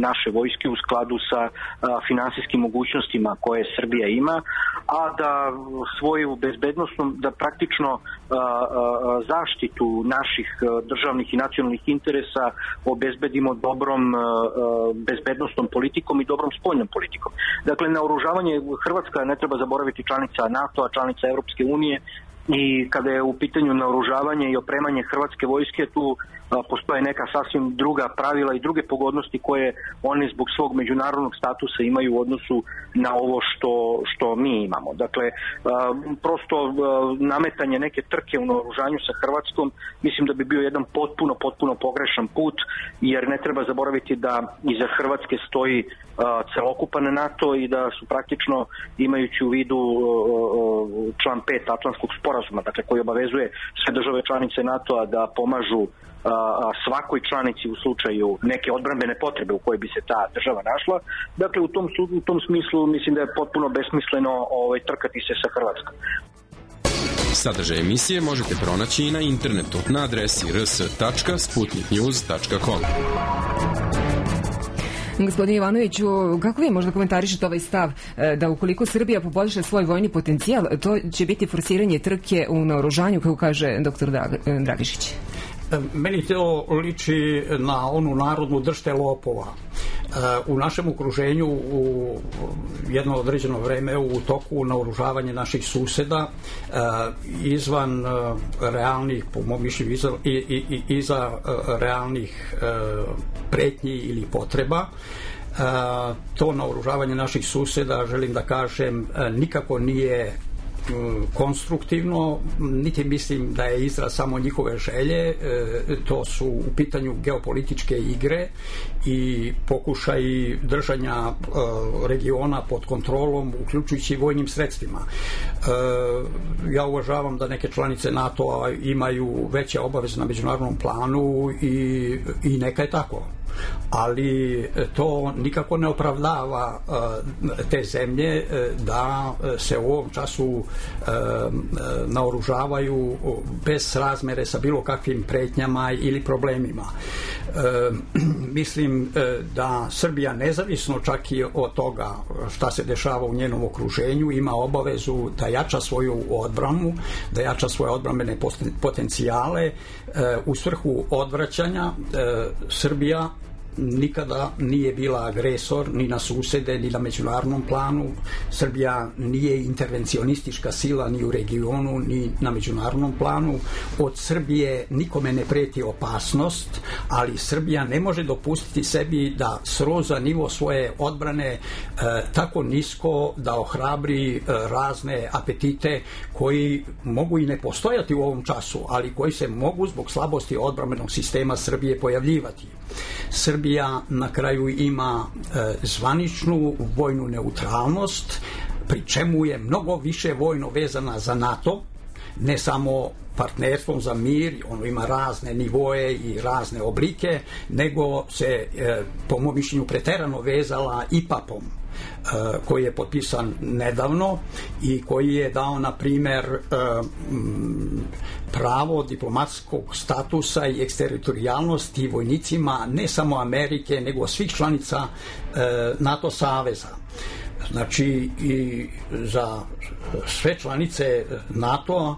naše vojske u skladu sa finansijskim mogućnostima koje Srbija ima, a da svoju bezbednosnu, da praktično zaštitu naših državnih i nacionalnih interesa obezbedimo dobrom bezbednosnom politikom i dobrom spoljnom politikom. Dakle, naoružavanje Hrvatska, ne treba zaboraviti, članica NATO-a, članica Evropske unije, i kada je u pitanju naoružavanje i opremanje hrvatske vojske, tu postoje neka sasvim druga pravila i druge pogodnosti koje oni zbog svog međunarodnog statusa imaju u odnosu na ovo što mi imamo. Dakle, prosto nametanje neke trke u naoružanju sa Hrvatskom mislim da bi bio jedan potpuno pogrešan put, jer ne treba zaboraviti da iza Hrvatske stoji celokupan NATO i da su praktično, imajući u vidu član 5 Atlantskog sporazuma, dakle koji obavezuje sve države članice NATO-a da pomažu svakoj članici u slučaju neke odbrambene potrebe u kojoj bi se ta država našla. Dakle, u tom smislu mislim da je potpuno besmisleno trkati se sa Hrvatskom. Sadržaj emisije možete pronaći i na internetu na adresi rs.sputniknews.com. Gospodine Ivanoviću, kako vi možda komentarišete ovaj stav da ukoliko Srbija poboljša svoj vojni potencijal, to će biti forsiranje trke u naoružanju, kako kaže doktor Dragišić? Meni to liči na onu narodnu držte lopova. U našem okruženju u jedno određeno vreme u toku naoružavanja naših suseda izvan realnih, po mom mišljenju, iza realnih pretnji ili potreba, to naoružavanje naših suseda, želim da kažem, nikako nije konstruktivno, niti mislim da je izraz samo njihove želje. To su u pitanju geopolitičke igre i pokušaj držanja regiona pod kontrolom, uključujući vojnim sredstvima. Ja uvažavam da neke članice NATO-a imaju veće obaveze na međunarodnom planu i neka je tako, ali to nikako ne opravdava te zemlje da se u ovom času naoružavaju bez razmere sa bilo kakvim pretnjama ili problemima. Mislim da Srbija, nezavisno čak i od toga šta se dešava u njenom okruženju, ima obavezu da jača svoju odbranu, da jača svoje odbrambene potencijale u svrhu odvraćanja. Srbija nikada nije bila agresor ni na susede, ni na međunarodnom planu. Srbija nije intervencionistička sila ni u regionu, ni na međunarodnom planu. Od Srbije nikome ne preti opasnost, ali Srbija ne može dopustiti sebi da sroza nivo svoje odbrane tako nisko da ohrabri razne apetite koji mogu i ne postojati u ovom času, ali koji se mogu zbog slabosti odbrambenog sistema Srbije pojavljivati. Srbija na kraju ima zvaničnu vojnu neutralnost, pri čemu je mnogo više vojno vezana za NATO, ne samo partnerstvom za mir, ono ima razne nivoe i razne oblike, nego se po mom mišljenju preterano vezala IPAP-om, koji je potpisan nedavno i koji je dao, na primer, pravo diplomatskog statusa i eksteritorijalnosti vojnicima ne samo Amerike, nego svih članica NATO saveza. Znači, i za sve članice NATO-a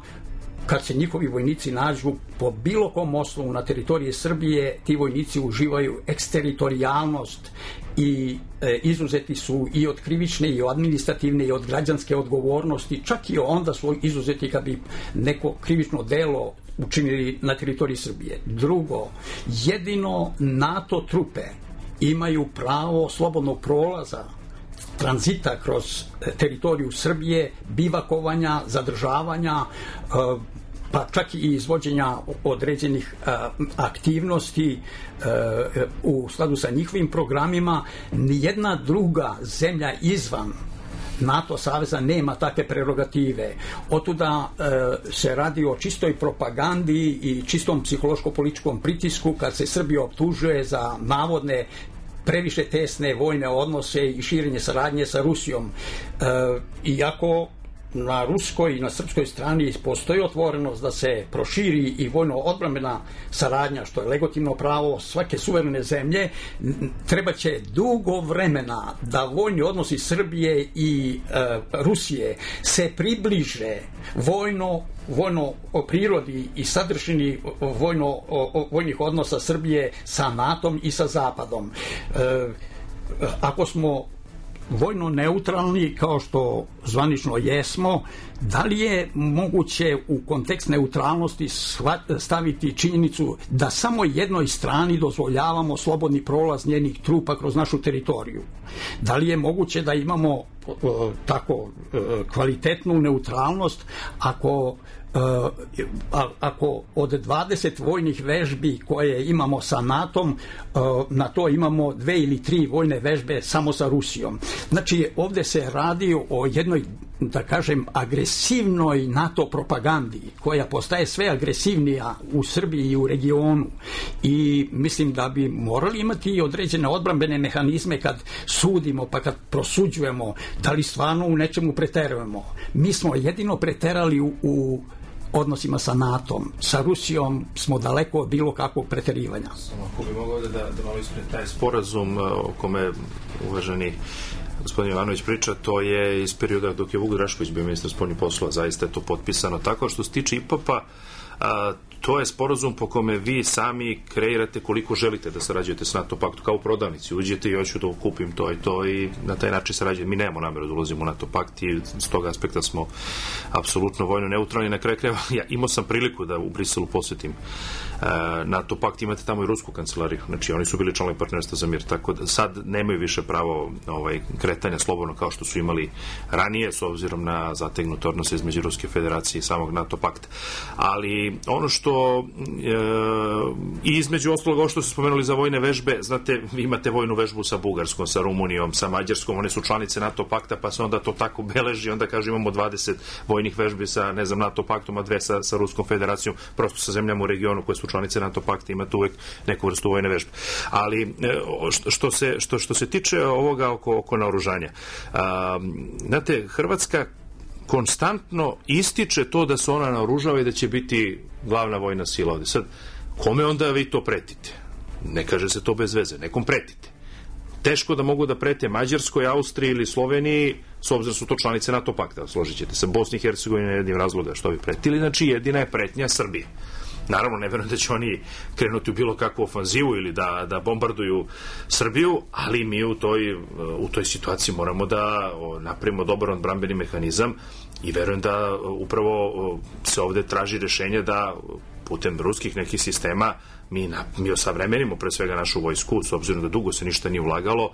kad se njihovi vojnici nađu po bilo kom osnovu na teritoriji Srbije, ti vojnici uživaju eksteritorijalnost i izuzeti su i od krivične i od administrativne i od građanske odgovornosti, čak i onda su izuzeti kad bi neko krivično delo učinili na teritoriji Srbije. Drugo, jedino NATO trupe imaju pravo slobodnog prolaza, tranzita kroz teritoriju Srbije, bivakovanja, zadržavanja, pa čak i izvođenja određenih aktivnosti u skladu sa njihovim programima. Nijedna druga zemlja izvan NATO saveza nema takve prerogative. Otuda se radi o čistoj propagandi i čistom psihološko-političkom pritisku kad se Srbija optužuje za navodne previše tesne vojne odnose i širenje saradnje sa Rusijom. Iako na ruskoj i na srpskoj strani postoji otvorenost da se proširi i vojno-odbrambena saradnja, što je legitimno pravo svake suverene zemlje, treba će dugo vremena da vojni odnosi Srbije i Rusije se približe vojno o prirodi i sadržini vojnih odnosa Srbije sa NATO-om i sa Zapadom. Ako smo vojno neutralni, kao što zvanično jesmo, da li je moguće u kontekst neutralnosti staviti činjenicu da samo jednoj strani dozvoljavamo slobodni prolaz njenih trupa kroz našu teritoriju? Da li je moguće da imamo tako kvalitetnu neutralnost ako od 20 vojnih vežbi koje imamo sa NATO-om, na to imamo 2 ili 3 vojne vežbe samo sa Rusijom? Znači, ovde se radi o jednoj, da kažem, agresivnoj NATO propagandi koja postaje sve agresivnija u Srbiji i u regionu, i mislim da bi morali imati određene odbrambene mehanizme kad sudimo, pa kad prosuđujemo da li stvarno u nečemu preterujemo. Mi smo jedino preterali u odnosima sa NATO-om. Sa Rusijom smo daleko od bilo kakvog preterivanja. Ako bi mogao da malo ispred taj sporazum o kome uvaženi gospodin Jovanović priča, to je iz perioda dok je Vuk Drašković bio ministar spoljnih poslova, zaista je to potpisano tako. Što se tiče IPAP-a, to je sporazum po kome vi sami kreirate koliko želite da sarađujete s NATO paktu, kao u prodavnici. Uđete i hoću da kupim to i to i na taj način sarađujete. Mi nemamo nameru da ulazimo u NATO pakt i s tog aspekta smo apsolutno vojno neutralni. Na kraju krajeva, ja imao sam priliku da u Briselu posetim NATO pakt, imate tamo i rusku kancelariju, znači oni su bili članovi partnerstva za mir, tako da sad nemaju više pravo kretanja slobodno kao što su imali ranije, s obzirom na zategnute odnose između Ruske federacije i samog NATO pakta. Ali ono što i između ostalog, ovo što ste spomenuli za vojne vežbe, znate, vi imate vojnu vežbu sa Bugarskom, sa Rumunijom, sa Mađarskom, one su članice NATO pakta, pa se onda to tako beleži, onda kaže imamo 20 vojnih vežbi sa, ne znam, NATO paktom, a 2 sa Ruskom federacijom, prosto sa zemljama u regionu koje su članice NATO pakta, imate uvek neku vrstu vojne vežbe. Ali što se tiče ovoga oko naoružanja, znate, Hrvatska konstantno ističe to da se ona naoružava i da će biti glavna vojna sila ovde. Sad, kome onda vi to pretite? Ne kaže se to bez veze, nekom pretite. Teško da mogu da prete Mađarskoj, Austriji ili Sloveniji, s obzirom su to članice NATO pakta, složit ćete se. Bosni i Hercegovina je jednim razloga što bi pretili, znači jedina je pretnja Srbije. Naravno, ne verujem da će oni krenuti u bilo kakvu ofanzivu ili da bombarduju Srbiju, ali mi u toj situaciji moramo da napravimo dobar odbrambeni mehanizam i verujem da upravo se ovde traži rešenje da putem ruskih nekih sistema mi osavremenimo pre svega našu vojsku, s obzirom da dugo se ništa nije ulagalo.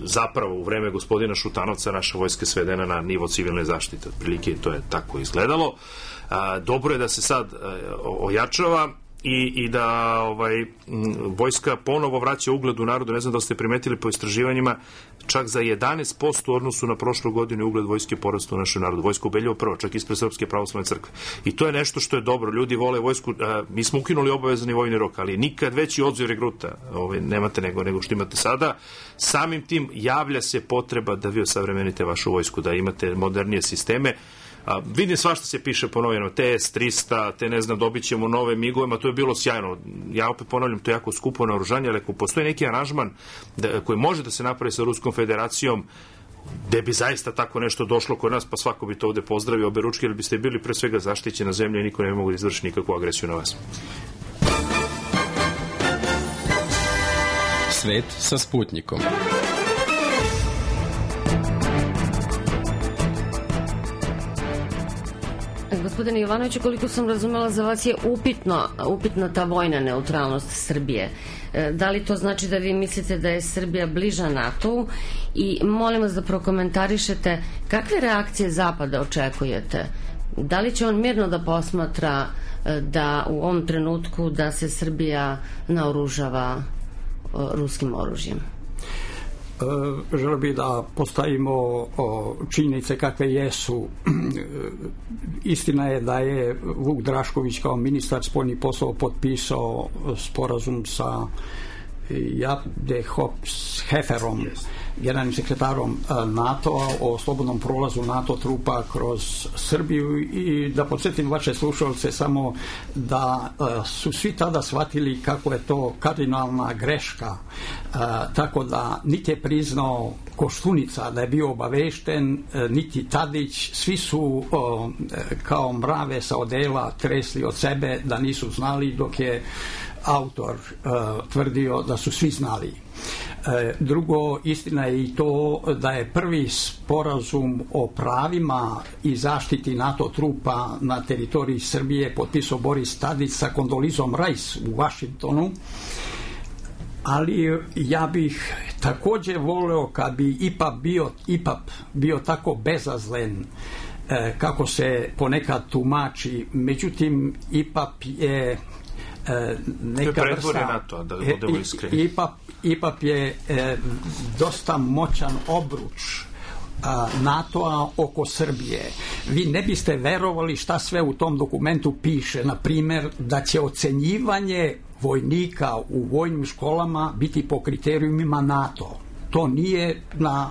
Zapravo u vreme gospodina Šutanovca naša vojska svedena na nivo civilne zaštite, otprilike to je tako izgledalo. Dobro je da se sad ojačava i da vojska ponovo vraća ugled u narodu. Ne znam da ste primetili po istraživanjima, čak za 11% u odnosu na prošlu godinu ugled vojske porastao u našem narodu. Vojska ubedljivo prvo, čak ispred Srpske pravoslavne crkve. I to je nešto što je dobro. Ljudi vole vojsku. Mi smo ukinuli obavezani vojni rok, ali nikad veći odziv regruta nemate nego što imate sada. Samim tim javlja se potreba da vi osavremenite vašu vojsku, da imate modernije sisteme. Vidim svašta se piše po novinama, TS-300, te ne znam, dobit ćemo nove migovima, to je bilo sjajno. Ja opet ponavljam, to je jako skupo naoružanje, ali ako postoji neki aranžman koji može da se napravi sa Ruskom federacijom gde bi zaista tako nešto došlo kod nas, pa svako bi to ovde pozdravio obe ručke, jer biste bili pre svega zaštićena zemlja i niko ne mogu da izvrši nikakvu agresiju na vas. Svet sa Sputnikom. Gospodine Jovanoviću, koliko sam razumela, za vas je upitna ta vojna neutralnost Srbije. Da li to znači da vi mislite da je Srbija bliža NATO-u i molim vas da prokomentarišete kakve reakcije Zapada očekujete? Da li će on mirno da posmatra da u ovom trenutku da se Srbija naoružava ruskim oružjem? Želeo bih da postavimo činjenice kakve jesu. Istina je da je Vuk Drašković kao ministar spoljnih poslova potpisao sporazum sa Jade Heferom, generalnim sekretarom NATO-a, o slobodnom prolazu NATO trupa kroz Srbiju, i da podsjetim vaše slušalce samo da su svi tada shvatili kako je to kardinalna greška, tako da niti je priznao Koštunica da je bio obavešten, niti Tadić, svi su kao mrave sa odela tresli od sebe da nisu znali, dok je autor tvrdio da su svi znali. Drugo, istina je i to da je prvi sporazum o pravima i zaštiti NATO trupa na teritoriji Srbije potpisao Boris Tadić sa Kondolizom Rice u Vašingtonu, ali ja bih takođe voleo kad bi IPAP bio tako bezazlen kako se ponekad tumači. Međutim, IPAP je neka vrsta, IPAP je dosta moćan obruč NATO-a oko Srbije. Vi ne biste verovali šta sve u tom dokumentu piše, na primer da će ocenjivanje vojnika u vojnim školama biti po kriterijumima NATO. To nije na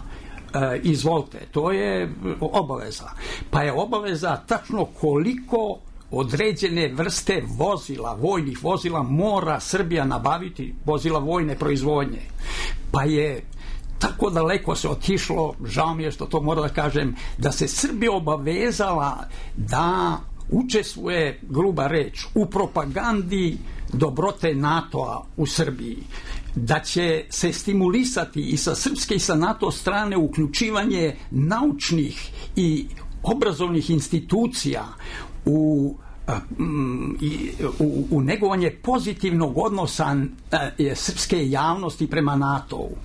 izvolite, to je obaveza. Pa je obaveza tačno koliko određene vrste vozila, vojnih vozila mora Srbija nabaviti, vozila vojne proizvodnje. Pa je tako daleko se otišlo, žao mi je što to moram da kažem, da se Srbija obavezala da učestvuje, gruba reč, u propagandi dobrote NATO-a u Srbiji, da će se stimulisati i sa srpske i sa NATO strane uključivanje naučnih i obrazovnih institucija u negovanje pozitivnog odnosa srpske javnosti prema NATO-u.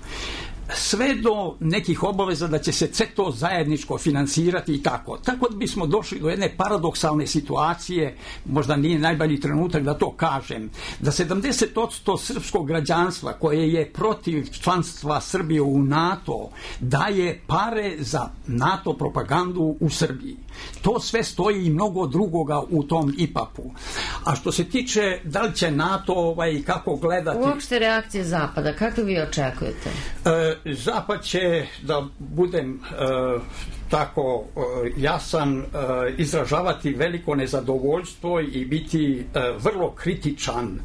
Sve do nekih obaveza da će se to zajedničko finansirati i tako. Tako da bismo došli do jedne paradoksalne situacije, možda nije najbolji trenutak da to kažem, da 70% srpskog građanstva koje je protiv članstva Srbije u NATO daje pare za NATO propagandu u Srbiji. To sve stoji i mnogo drugoga u tom IPAP-u. A što se tiče da li će NATO kako gledati... Uopšte reakcije Zapada, kako vi očekujete? Zapad će, da budem tako jasan, izražavati veliko nezadovoljstvo i biti vrlo kritičan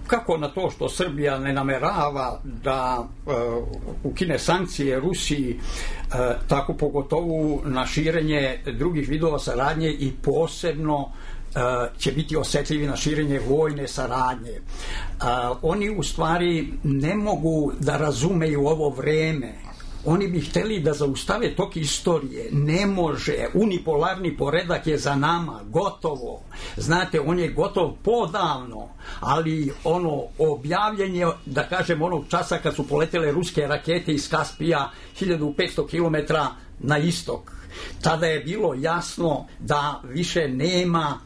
kako na to što Srbija ne namerava da ukine sankcije Rusiji, tako pogotovo na širenje drugih vidova saradnje i posebno će biti osetljivi na širenje vojne saradnje. Oni u stvari ne mogu da razumeju ovo vreme. Oni bi hteli da zaustave tok istorije. Ne može. Unipolarni poredak je za nama. Gotovo. Znate, on je gotov podavno, ali ono objavljenje, da kažem, onog časa kad su poletele ruske rakete iz Kaspija 1500 km na istok, tada je bilo jasno da više nema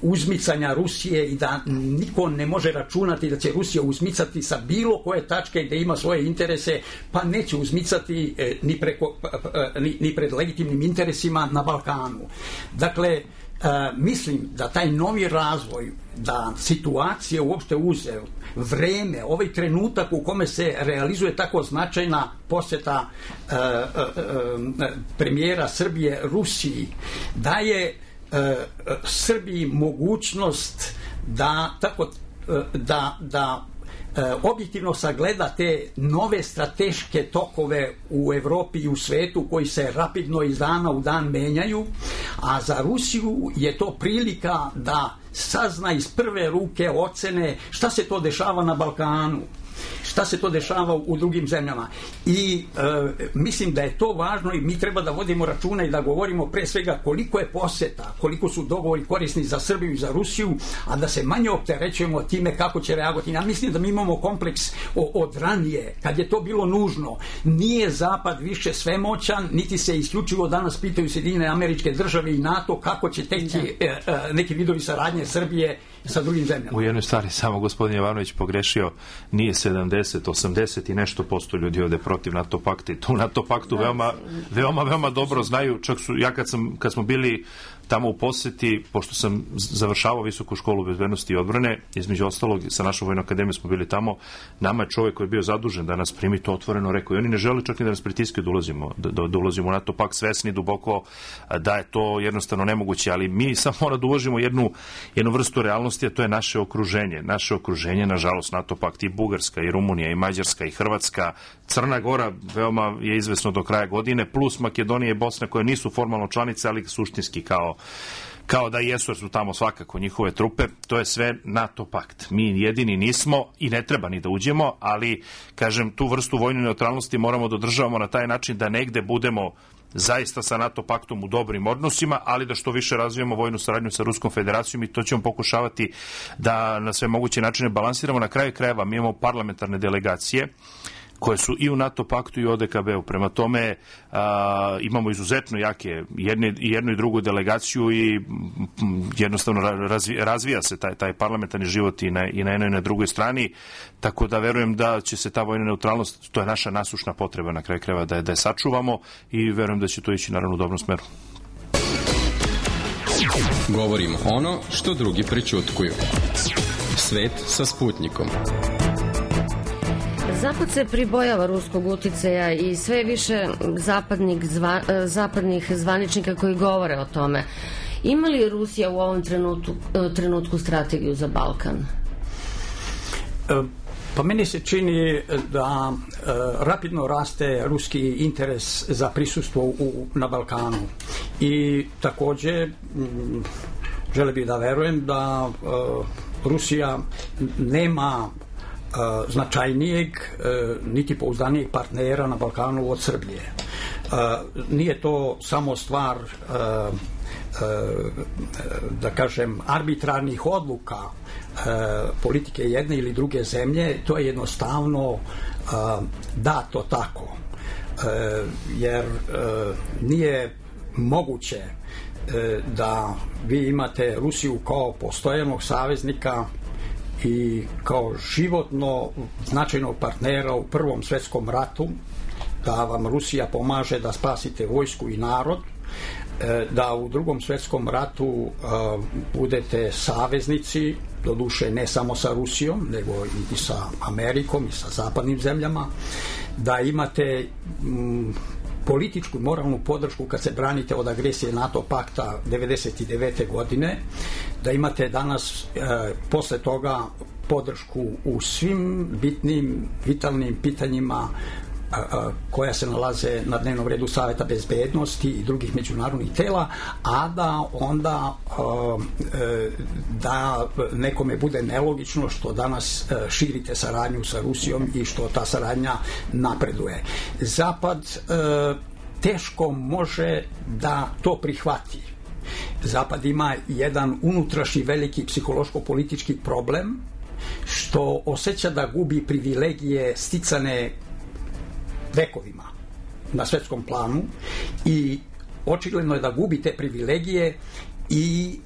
uzmicanja Rusije i da niko ne može računati da će Rusija uzmicati sa bilo koje tačke gde ima svoje interese, pa neće uzmicati ni pred legitimnim interesima na Balkanu. Dakle, mislim da taj novi razvoj, da situacija uopšte uzeo vreme, ovaj trenutak u kome se realizuje tako značajna poseta premijera Srbije Rusiji, daje Srbiji mogućnost da objektivno sagleda te nove strateške tokove u Evropi i u svetu koji se rapidno iz dana u dan menjaju, a za Rusiju je to prilika da sazna iz prve ruke ocene šta se to dešava na Balkanu, šta se to dešava u drugim zemljama. I mislim da je to važno i mi treba da vodimo računa i da govorimo pre svega koliko je poseta, koliko su dogovori korisni za Srbiju i za Rusiju, a da se manje opterećujemo time kako će reagovati. Ja mislim da mi imamo kompleks od ranije, kad je to bilo nužno. Nije Zapad više svemoćan, niti se isključivo danas pitaju Sjedinjene Američke Države i NATO kako će teći neki vidovi saradnje Srbije sa drugim zemljama. U jednoj stvari samo gospodin Jovanović pogrešio, nije 70, 80 i nešto posto ljudi ovde protiv NATO pakta i tu NATO paktu veoma dobro znaju, čak su, ja kad smo bili tamo u poseti, pošto sam završavao visoku školu bezbednosti i odbrane, između ostalog sa našom vojnom akademijom smo bili tamo, nama je čovjek koji je bio zadužen da nas primi to otvoreno rekao i oni ne žele čak ni da nas pritiskaju da ulazimo u NATO pakt, svesni duboko da je to jednostavno nemoguće, ali mi samo mora da uvažimo jednu vrstu realnosti, a to je naše okruženje. Naše okruženje, nažalost, NATO pakt i Bugarska, i Rumunija, i Mađarska, i Hrvatska, Crna Gora, veoma je izvesno do kraja godine, plus Makedonija i Bosna koje nisu formalno članice, ali suštinski kao da jesu, jer su tamo svakako njihove trupe, to je sve NATO pakt. Mi jedini nismo i ne treba ni da uđemo, ali, kažem, tu vrstu vojne neutralnosti moramo da održavamo na taj način da negde budemo zaista sa NATO paktom u dobrim odnosima, ali da što više razvijemo vojnu saradnju sa Ruskom federacijom i to ćemo pokušavati da na sve moguće načine balansiramo. Na kraju krajeva mi imamo parlamentarne delegacije koje su i u NATO paktu i u ODKB-u. Prema tome imamo izuzetno jake jednu i drugu delegaciju i jednostavno razvija se taj parlamentarni život i na jednoj i na drugoj strani, tako da verujem da će se ta vojna neutralnost, to je naša nasušna potreba na kraju krajeva da je sačuvamo i verujem da će to ići naravno u dobrom smeru. Govorimo ono što drugi prećutkuju. Svet sa Sputnikom. Zapad se pribojava ruskog uticaja i sve više zapadnih zvaničnika koji govore o tome. Ima li Rusija u ovom trenutku strategiju za Balkan? Pa meni se čini da rapidno raste ruski interes za prisustvo na Balkanu i takođe želeo bih da verujem da Rusija nema značajnijeg niti pouzdanijeg partnera na Balkanu od Srbije. Nije to samo stvar da kažem arbitrarnih odluka politike jedne ili druge zemlje, to je jednostavno dato tako, jer nije moguće da vi imate Rusiju kao postojanog saveznika i kao životno značajnog partnera u Prvom svetskom ratu, da vam Rusija pomaže da spasite vojsku i narod, da u Drugom svetskom ratu budete saveznici, doduše ne samo sa Rusijom, nego i sa Amerikom i sa zapadnim zemljama, da imate političku i moralnu podršku kad se branite od agresije NATO pakta 1999. godine, da imate danas posle toga podršku u svim bitnim, vitalnim pitanjima koja se nalaze na dnevnom redu Saveta bezbednosti i drugih međunarodnih tela, a da onda da nekome bude nelogično što danas širite saradnju sa Rusijom i što ta saradnja napreduje. Zapad teško može da to prihvati. Zapad ima jedan unutrašnji veliki psihološko-politički problem što osjeća da gubi privilegije sticane vekovima na svetskom planu i očigledno je da gubi te privilegije i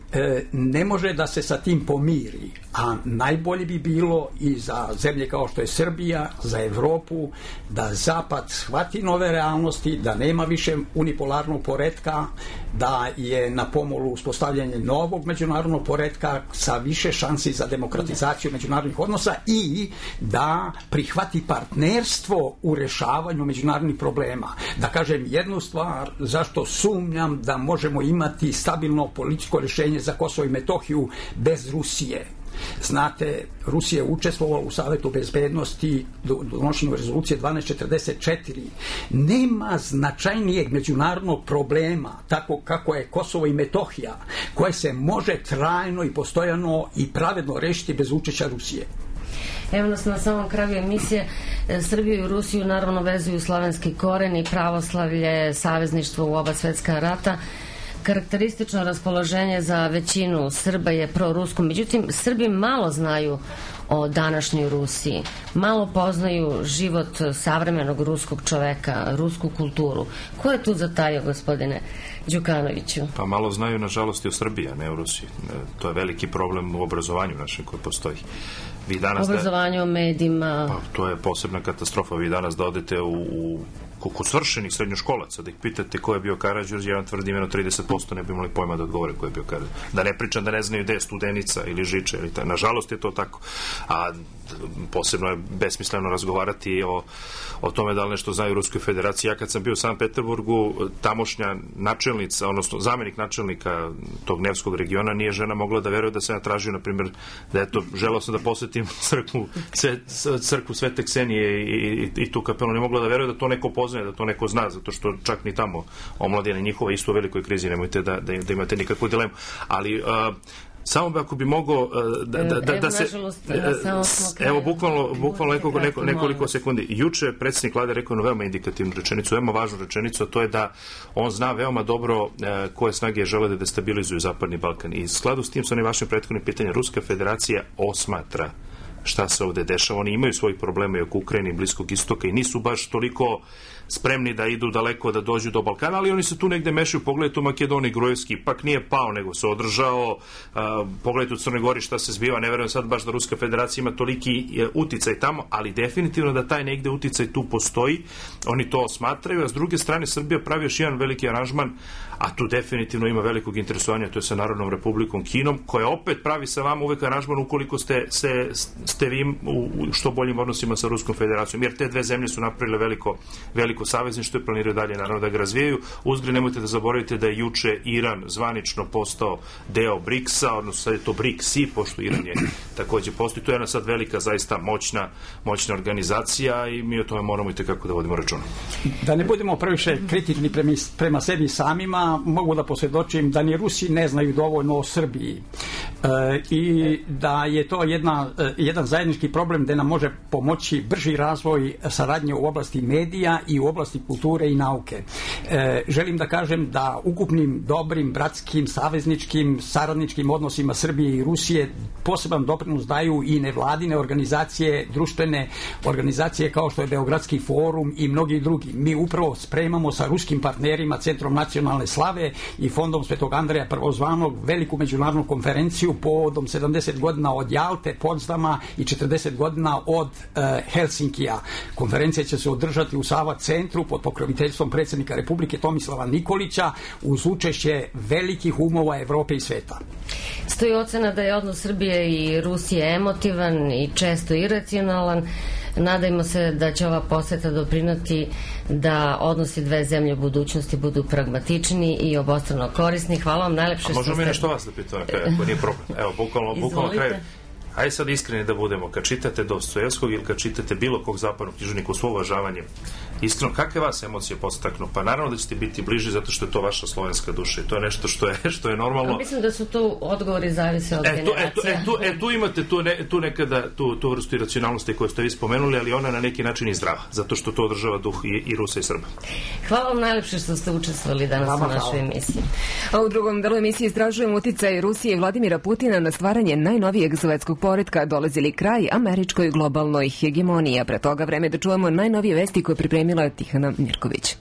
ne može da se sa tim pomiri, a najbolje bi bilo i za zemlje kao što je Srbija, za Evropu, da Zapad shvati nove realnosti, da nema više unipolarnog poretka, da je na pomolu uspostavljanje novog međunarodnog poretka sa više šansi za demokratizaciju međunarodnih odnosa i da prihvati partnerstvo u rešavanju međunarodnih problema. Da kažem jednu stvar, zašto sumnjam da možemo imati stabilno političko rešenje za Kosovo i Metohiju bez Rusije. Znate, Rusija je učestvovala u Savetu bezbednosti donošenju rezolucije 1244. Nema značajnijeg međunarodnog problema, tako kako je Kosovo i Metohija, koje se može trajno i postojano i pravedno rešiti bez učešća Rusije. Evo nas na samom kraju emisije. Srbiju i Rusiju naravno vezuju slovenski koreni, pravoslavlje, savezništvo u oba svetska rata. Karakteristično raspoloženje za većinu Srba je prorusko. Međutim, Srbi malo znaju o današnjoj Rusiji. Malo poznaju život savremenog ruskog čoveka, rusku kulturu. Ko je tu zatajio, gospodine Đukanoviću? Pa malo znaju, nažalost, i o Srbiji, a ne o Rusiji. To je veliki problem u obrazovanju našem koji postoji. Obrazovanje o medijima. Pa, to je posebna katastrofa. Vi danas da odete u kod svršenih srednjoškolaca, da ih pitate ko je bio Karađorđe, ja vam tvrdim 30% ne bi imali pojma da odgovore ko je bio Karađorđe. Da ne pričam da ne znaju gde je Studenica ili Žiča. Nažalost je to tako. A posebno je besmisleno razgovarati o tome da li nešto znaju u Ruskoj federaciji. Ja kad sam bio u Sankt Peterburgu, tamošnja načelnica, odnosno zamenik načelnika tog Nevskog regiona, nije žena mogla da veruje da se ja tražio, na primjer, da eto, želeo sam da posetim crkvu Svete Ksenije i tu kapelu, ne mogla da veruje da to neko poznaje, da to neko zna, zato što čak ni tamo omladina njihova isto u velikoj krizi, nemojte da imate nikakvu dilemu. Ali samo ako bi mogao da se... Evo, bukvalno nekoliko sekundi. Juče predsjednik vlade rekao veoma indikativnu rečenicu, veoma važnu rečenicu, a to je da on zna veoma dobro koje snage žele da destabilizuju Zapadni Balkan. I u skladu s tim sa onim vašim prethodnim pitanjem, Ruska federacija osmatra šta se ovde dešava. Oni imaju svojih problema i oko Ukrajine i Bliskog istoka i nisu baš toliko spremni da idu daleko, da dođu do Balkana, ali oni se tu negde mešaju. Pogledajte u Makedoniji, Grujevski ipak nije pao, nego se održao. Pogledajte u Crnoj Gori šta se zbiva. Ne verujem sad baš da Ruska federacija ima toliki uticaj tamo, ali definitivno da taj negde uticaj tu postoji. Oni to smatraju, a s druge strane Srbija pravi još jedan veliki aranžman, a tu definitivno ima velikog interesovanja, to je sa Narodnom republikom Kinom, koja opet pravi sa vama uvek aranžman ukoliko ste vi u što boljim odnosima sa Ruskom federacijom, jer te dve zemlje su napravile veliko savezništvo i planiraju dalje naravno da ga razvijaju. Uzgred nemojte da zaboravite da je juče Iran zvanično postao deo BRICS-a, odnosno sad je to BRICS-i, pošto Iran je takođe postoji. To je jedna sad velika, zaista moćna organizacija i mi o tome moramo i tekako da vodimo računa. Da ne budemo previše kritični prema sebi samima, mogu da posvjedočim da ni Rusi ne znaju dovoljno o Srbiji i da je to jedan zajednički problem gde nam može pomoći brži razvoj saradnje u oblasti medija i u oblasti kulture i nauke. Želim da kažem da ukupnim dobrim, bratskim, savezničkim, saradničkim odnosima Srbije i Rusije poseban doprinos daju i nevladine organizacije, društvene organizacije kao što je Beogradski forum i mnogi drugi. Mi upravo spremamo sa ruskim partnerima, Centrom nacionalne slave i Fondom Svetog Andreja Prvozvanog veliku međunarodnu konferenciju povodom 70 godina od Jalte, Potsdama i 40 godina od Helsinkija. Konferencija će se održati u Sava centru pod pokroviteljstvom predsjednika Republike Tomislava Nikolića uz učešće velikih umova Evrope i sveta. Stoji ocena da je odnos Srbije i Rusije emotivan i često iracionalan. Nadajmo se da će ova poseta doprinoti da odnosi dve zemlje u budućnosti budu pragmatični i obostrano korisni. Hvala vam najlepše što ste... Možemo mi nešto vas da pitam na kraju, ako nije problem. Evo, bukvalno kraju. Ajde sad iskreni da budemo. Kad čitate Dostojevskog ili kad čitate bilo kog zapadnog književnika, u svo uvažavanje, iskreno, kakve vas emocije podstaknu? Pa naravno da ćete biti bliži zato što je to vaša slovenska duša i to je nešto što je normalno. A mislim da su tu odgovori zavise od generacija. Tu imate tu nekada tu vrstu iracionalnosti koju ste vi spomenuli, ali ona na neki način i zdrava, zato što to održava duh i Rusa i Srba. Hvala vam najlepše što ste učestvovali danas u našoj emisiji. A u drugom delu emisije istražujemo uticaj Rusije i Vladimira Putina na stvaranje najnovijeg svetskog poretka, dolazili kraj američkoj globalnoj hegemoniji, a pre toga vreme da čujemo najnovije vesti koje pripremila Tihana Mirković.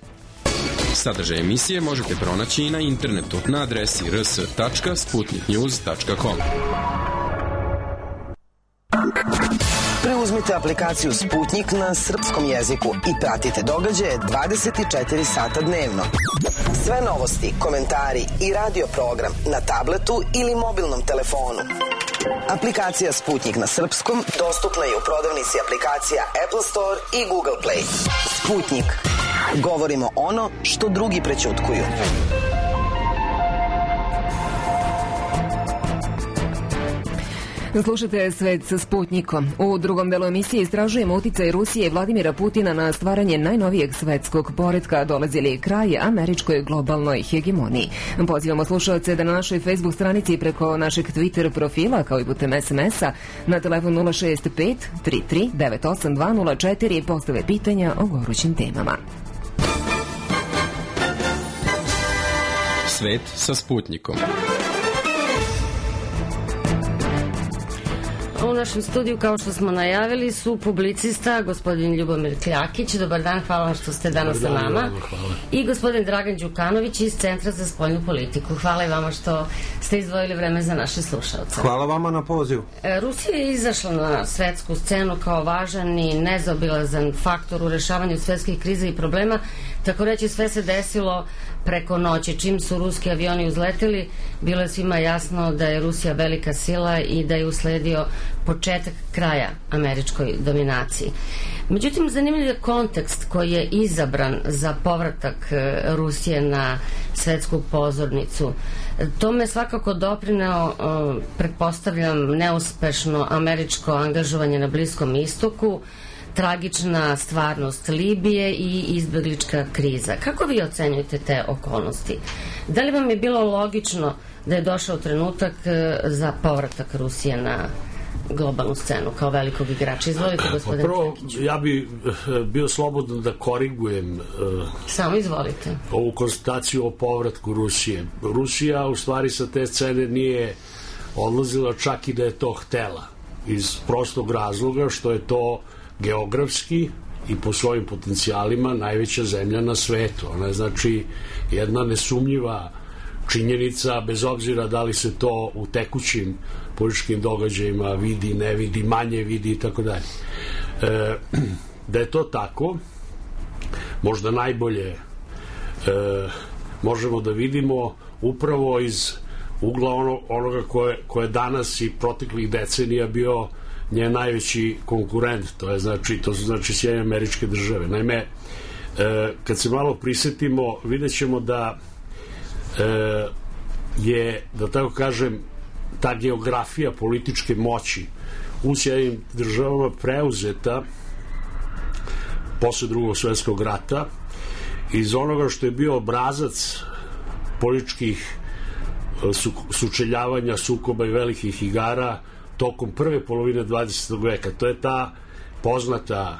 Sadržaj emisije možete pronaći i na internetu na adresi rs.sputniknews.com. Preuzmite aplikaciju Sputnik na srpskom jeziku i pratite događaje 24 sata dnevno. Sve novosti, komentari i radio program na tabletu ili mobilnom telefonu. Aplikacija Sputnik na srpskom dostupna je u prodavnici aplikacija Apple Store i Google Play. Sputnik. Govorimo ono što drugi prećutkuju. Slušate Svet sa Sputnikom. U drugom delu emisije istražujemo uticaj Rusije i Vladimira Putina na stvaranje najnovijeg svetskog poretka, dolazi li kraj američkoj globalnoj hegemoniji. Pozivamo slušalce da na našoj Facebook stranici preko našeg Twitter profila, kao i putem SMS-a, na telefon 065 33 98204 postave pitanja o gorućim temama. Svet sa Sputnikom. U našem studiju, kao što smo najavili, su publicista gospodin Ljubomir Kljakić. Dobar dan, hvala vam što ste danas sa nama. I gospodin Dragan Đukanović iz Centra za spoljnu politiku. Hvala i vama što ste izdvojili vreme za naše slušalce. Hvala vama na pozivu. Rusija je izašla na svetsku scenu kao važan i nezaobilazan faktor u rešavanju svetskih kriza i problema. Tako reći, sve se desilo preko noći. Čim su ruski avioni uzleteli, bilo je svima jasno da je Rusija velika sila i da je usledio početak kraja američkoj dominaciji. Međutim, zanimljiv je kontekst koji je izabran za povratak Rusije na svetsku pozornicu. Tome svakako doprineo, pretpostavljam, neuspešno američko angažovanje na Bliskom istoku, tragična stvarnost Libije i izbeglička kriza. Kako vi ocenjujete te okolnosti? Da li vam je bilo logično da je došao trenutak za povratak Rusije na globalnu scenu kao velikog igrača? Izvolite, gospodine Kljakiću. Ja bi bio slobodan da korigujem samo izvolite ovu konstataciju o povratku Rusije. Rusija u stvari sa te scene nije odlazila čak i da je to htela, iz prostog razloga što je to geografski i po svojim potencijalima najveća zemlja na svetu. Ona je znači jedna nesumnjiva činjenica, bez obzira da li se to u tekućim političkim događajima vidi, ne vidi, manje vidi i tako dalje. Da je to tako, možda najbolje možemo da vidimo upravo iz ugla onoga koje danas i proteklih decenija bio njen najveći konkurent, to su Sjedinjene Američke Države. Naime, kad se malo prisetimo, vidjet ćemo da je, da tako kažem, ta geografija političke moći u Sjedinjenim Državama preuzeta posle Drugog svjetskog rata iz onoga što je bio obrazac političkih sučeljavanja, sukoba i velikih igara tokom prve polovine 20. veka. To je ta poznata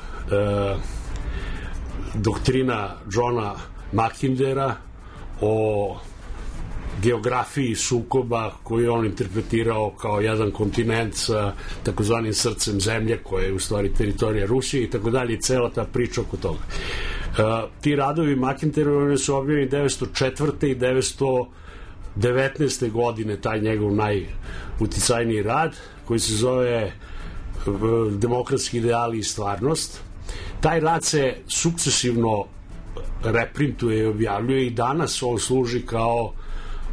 doktrina Johna Mackindera o geografiji sukoba koju je on interpretirao kao jedan kontinent sa takozvanim srcem zemlje koje je u stvari teritorija Rusije i tako dalje, i cela ta priča oko toga. Ti radovi Mackinderove su objavljeni 1904. i 1919. godine, taj njegov najuticajniji rad koji se zove Demokratski ideali i stvarnost. Taj rad se sukcesivno reprintuje i objavljuje i danas on služi kao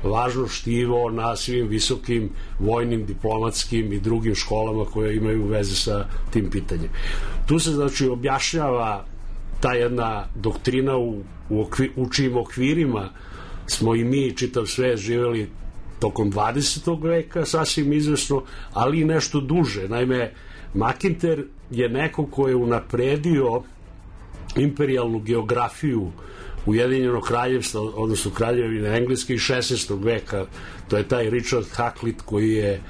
važno štivo na svim visokim vojnim, diplomatskim i drugim školama koje imaju veze sa tim pitanjem. Tu se znači objašnjava ta jedna doktrina u čijim okvirima smo i mi, čitav svet, živjeli tokom 20. veka, sasvim izvesno, ali i nešto duže. Naime, Mackinder je neko ko je unapredio imperijalnu geografiju Ujedinjenog kraljevstva, odnosno kraljevine Engleske iz 16. veka. To je taj Richard Hakluyt koji je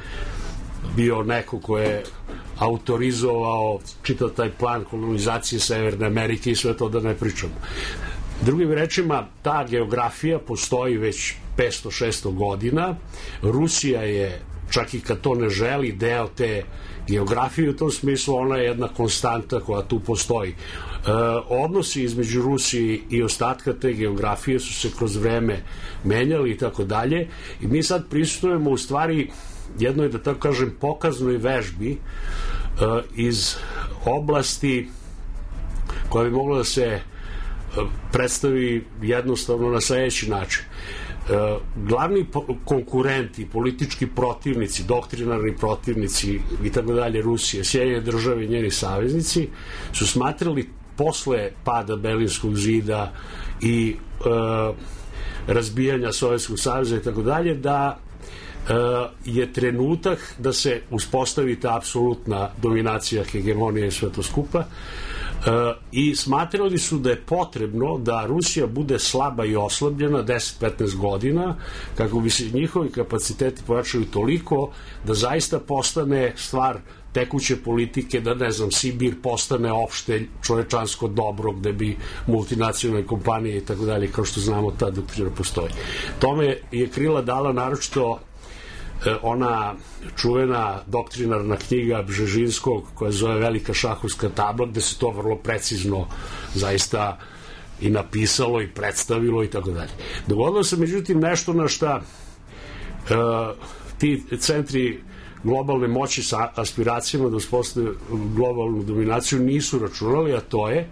bio neko ko je autorizovao čitav taj plan kolonizacije Severne Amerike i sve to da ne pričamo. Drugim rečima, ta geografija postoji već 500-600 godina. Rusija je, čak i kad to ne želi, deo te geografije. U tom smislu ona je jedna konstanta koja tu postoji. Odnosi između Rusije i ostatka te geografije su se kroz vreme menjali i tako dalje. I mi sad prisutujemo u stvari jednoj, da tako kažem, pokaznoj vežbi iz oblasti koja bi mogla da se predstavi jednostavno na sledeći način. Glavni konkurenti, politički protivnici, doktrinarni protivnici i tako dalje Rusije, Sjedinjene Države i njeni saveznici su smatrali posle pada Berlinskog zida i razbijanja Sovjetskog saveza i tako dalje da je trenutak da se uspostavi ta apsolutna dominacija, hegemonija i sve to skupa, i smatrali su da je potrebno da Rusija bude slaba i oslabljena 10-15 godina kako bi se njihovi kapaciteti pojačali toliko da zaista postane stvar tekuće politike, da ne znam, Sibir postane opšte čovečansko dobro gde bi multinacionalne kompanije i tako dalje, kao što znamo, ta doktrina postoji. Tome je krila dala naročito ona čuvena doktrinarna knjiga Bžežinskog koja zove Velika šahovska tabla, gde se to vrlo precizno zaista i napisalo i predstavilo i tako dalje. Dogodilo se međutim nešto na šta ti centri globalne moći sa aspiracijama da uspostave globalnu dominaciju nisu računali, a to je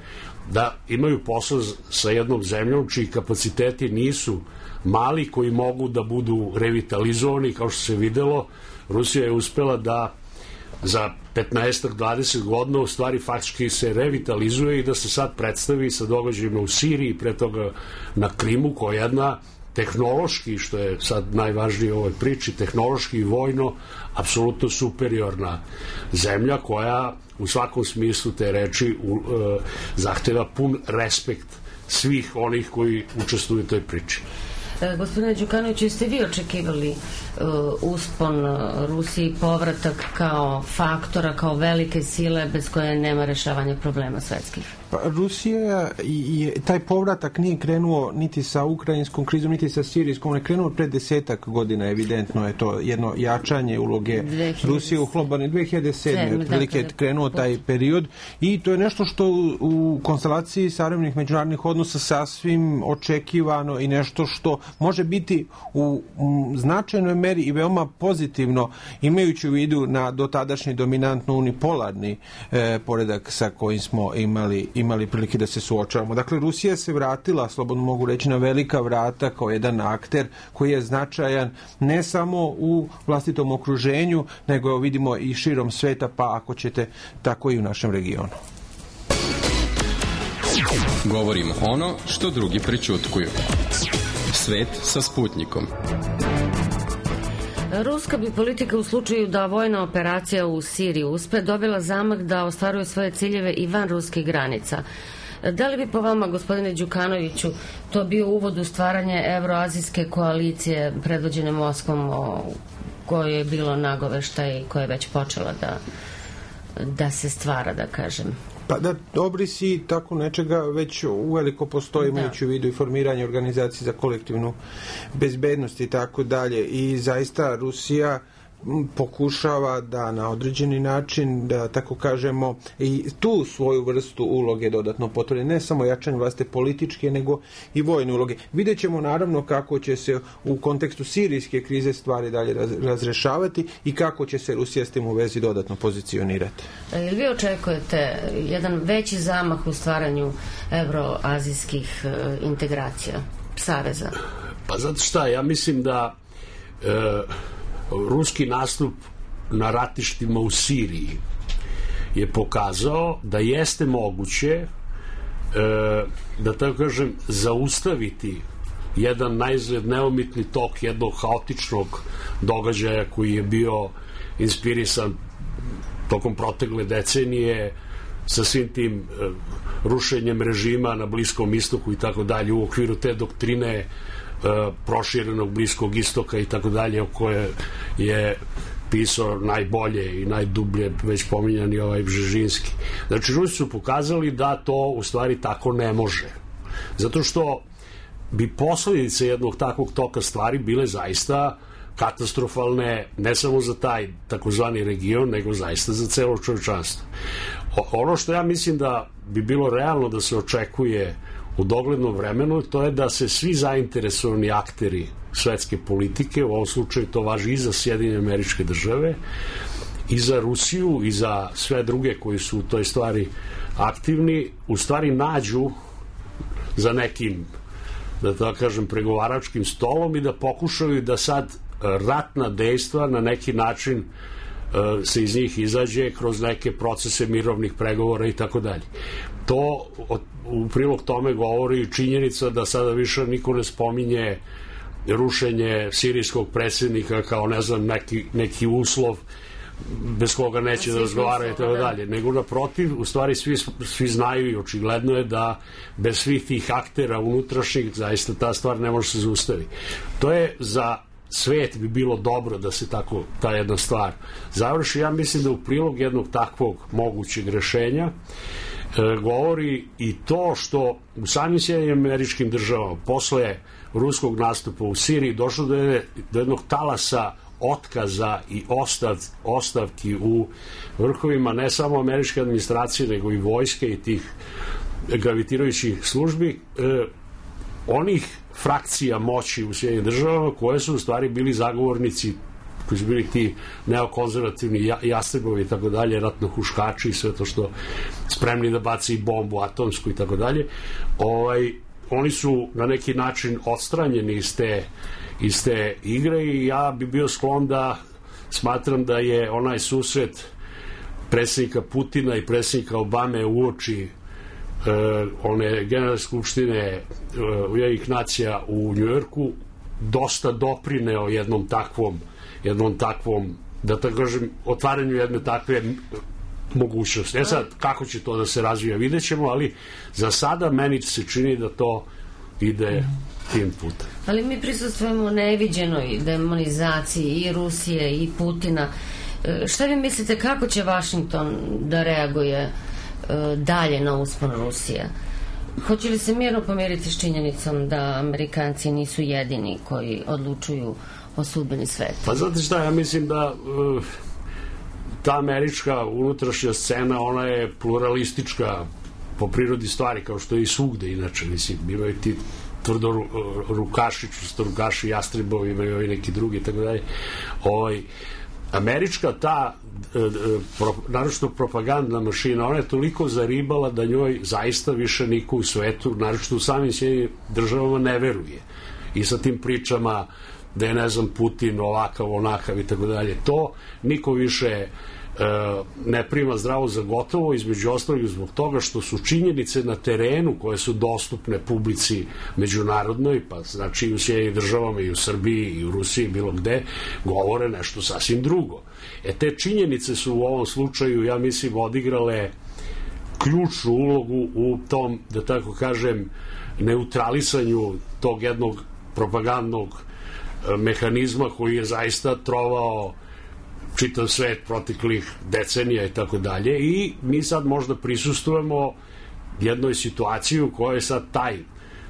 da imaju posao sa jednom zemljom čiji kapaciteti nisu mali, koji mogu da budu revitalizovani. Kao što se videlo, Rusija je uspela da za 15-20 godina u stvari faktički se revitalizuje i da se sad predstavi sa događajima u Siriji, pre toga na Krimu, koja je jedna tehnološki, što je sad najvažnije u ovoj priči, tehnološki i vojno apsolutno superiorna zemlja koja u svakom smislu te reči zahteva pun respekt svih onih koji učestvuju u toj priči. Gospodine Đukanoviću, jeste vi očekivali uspon Rusiji i povratak kao faktora, kao velike sile bez koje nema rešavanja problema svetskih? Pa, Rusija i taj povratak nije krenuo niti sa ukrajinskom krizom, niti sa sirijskom, on je krenuo pred 10 godina, evidentno je to jedno jačanje uloge Rusije u globalnoj 2007. Otprilike je krenuo taj period i to je nešto što u konstelaciji savremenih međunarodnih odnosa sasvim očekivano i nešto što može biti u značajnoj meri i veoma pozitivno, imajući u vidu na dotadašnji dominantno unipolarni poredak sa kojim smo imali prilike da se suočavamo. Dakle, Rusija se vratila, slobodno mogu reći, na velika vrata kao jedan akter koji je značajan ne samo u vlastitom okruženju, nego vidimo i širom sveta, pa ako ćete, tako i u našem regionu. Govorimo ono što drugi prećutkuju. Svet sa Sputnikom. Ruska bi politika u slučaju da vojna operacija u Siriji uspe dobila zamah da ostvaruje svoje ciljeve i van ruskih granica. Da li bi po vama, gospodine Đukanoviću, to bio uvod u stvaranje evroazijske koalicije predvođene Moskvom, koje je bilo nagoveštaj i koja je već počela da se stvara, da kažem? Pa da, obrisi tako nečega već uveliko postoji, imajući u vidu i formiranje organizacije za kolektivnu bezbednost i tako dalje. I zaista Rusija pokušava da na određeni način, da tako kažemo, i tu svoju vrstu uloge dodatno potvrdi, ne samo jačanje vlastite političke, nego i vojne uloge. Vidjet ćemo naravno kako će se u kontekstu sirijske krize stvari dalje razrešavati i kako će se Rusija s tim u vezi dodatno pozicionirati. Ili vi očekujete jedan veći zamah u stvaranju evroazijskih integracija, saveza? Pa zato šta, ja mislim da ruski nastup na ratištima u Siriji je pokazao da jeste moguće da tako kažem zaustaviti jedan najzgled neumitni tok jednog haotičnog događaja koji je bio inspirisan tokom protekle decenije sa svim tim rušenjem režima na Bliskom istoku i tako dalje u okviru te doktrine proširenog Bliskog istoka i tako dalje, o koje je pisao najbolje i najdublje već pominjani ovaj Bžežinski. Znači, Rusi su pokazali da to u stvari tako ne može. Zato što bi posledice jednog takvog toka stvari bile zaista katastrofalne ne samo za taj takozvani region, nego zaista za celo čovečanstvo. Ono što ja mislim da bi bilo realno da se očekuje u doglednom vremenu, to je da se svi zainteresovani akteri svetske politike, u ovom slučaju to važi i za Sjedinjene Američke Države, i za Rusiju, i za sve druge koji su u toj stvari aktivni, u stvari nađu za nekim, da tako kažem, pregovaračkim stolom i da pokušaju da sad ratna dejstva na neki način se iz njih izađe kroz neke procese mirovnih pregovora i tako dalje. To u prilog tome govori činjenica da sada više niko ne spominje rušenje sirijskog predsjednika kao, ne znam, neki uslov bez koga neće da razgovaraju i tako dalje, nego naprotiv, u stvari svi znaju i očigledno je da bez svih tih aktera unutrašnjih zaista ta stvar ne može se zaustaviti. To je za svet bi bilo dobro da se tako ta jedna stvar završi. Ja mislim da u prilog jednog takvog mogućeg rešenja govori i to što u samim Sjedinjenim Američkim Državama posle ruskog nastupa u Siriji došlo do jednog talasa otkaza i ostavki u vrhovima ne samo američke administracije nego i vojske i tih gravitirajućih službi, onih frakcija moći u Sjedinjenim Državama koje su u stvari bili zagovornici, koji su bili ti neokonzervativni jastrebovi i tako dalje, ratnohuškači i sve to što spremni da baci bombu atomsku i tako dalje. Oni su na neki način odstranjeni iz te igre i ja bi bio sklon da smatram da je onaj susret predsjednika Putina i predsjednika Obame uoči one generalne skupštine Ujedinjenih nacija u Njujorku dosta doprineo jednom takvom, da tako kažem, otvaranju jedne takve mogućnosti. Sad, kako će to da se razvija, vidjet ćemo, ali za sada meni se čini da to ide tim putem. Ali mi prisustvujemo neviđenoj demonizaciji i Rusije i Putina. Šta vi mislite, kako će Vašington da reaguje dalje na uspon Rusije? Hoće li se mirno pomiriti s činjenicom da Amerikanci nisu jedini koji odlučuju o sudbini sveta? Pa znate šta, ja mislim da ta američka unutrašnja scena, ona je pluralistička po prirodi stvari, kao što je i svugde inače, mislim, imaju ti tvrdo rukaši, čvrstorukaši, jastrebovi, imaju i neki drugi i tako dalje. Američka ta naročito propagandna mašina, ona je toliko zaribala da njoj zaista više niko u svetu, naročito u samim Sjedinjenim Državama, ne veruje. I sa tim pričama da je, ne znam, Putin ovakav, onakav i tako dalje, to niko više ne prima zdravo za gotovo, između ostalog zbog toga što su činjenice na terenu koje su dostupne publici međunarodnoj, pa znači i u Sjedinjenim Državama i u Srbiji i u Rusiji, bilo gde, govore nešto sasvim drugo. Te činjenice su u ovom slučaju, ja mislim, odigrale ključnu ulogu u tom, da tako kažem, neutralisanju tog jednog propagandnog mehanizma koji je zaista trovao čitav svet proteklih decenija i tako dalje, i mi sad možda prisustujemo jednoj situaciji u kojoj sad taj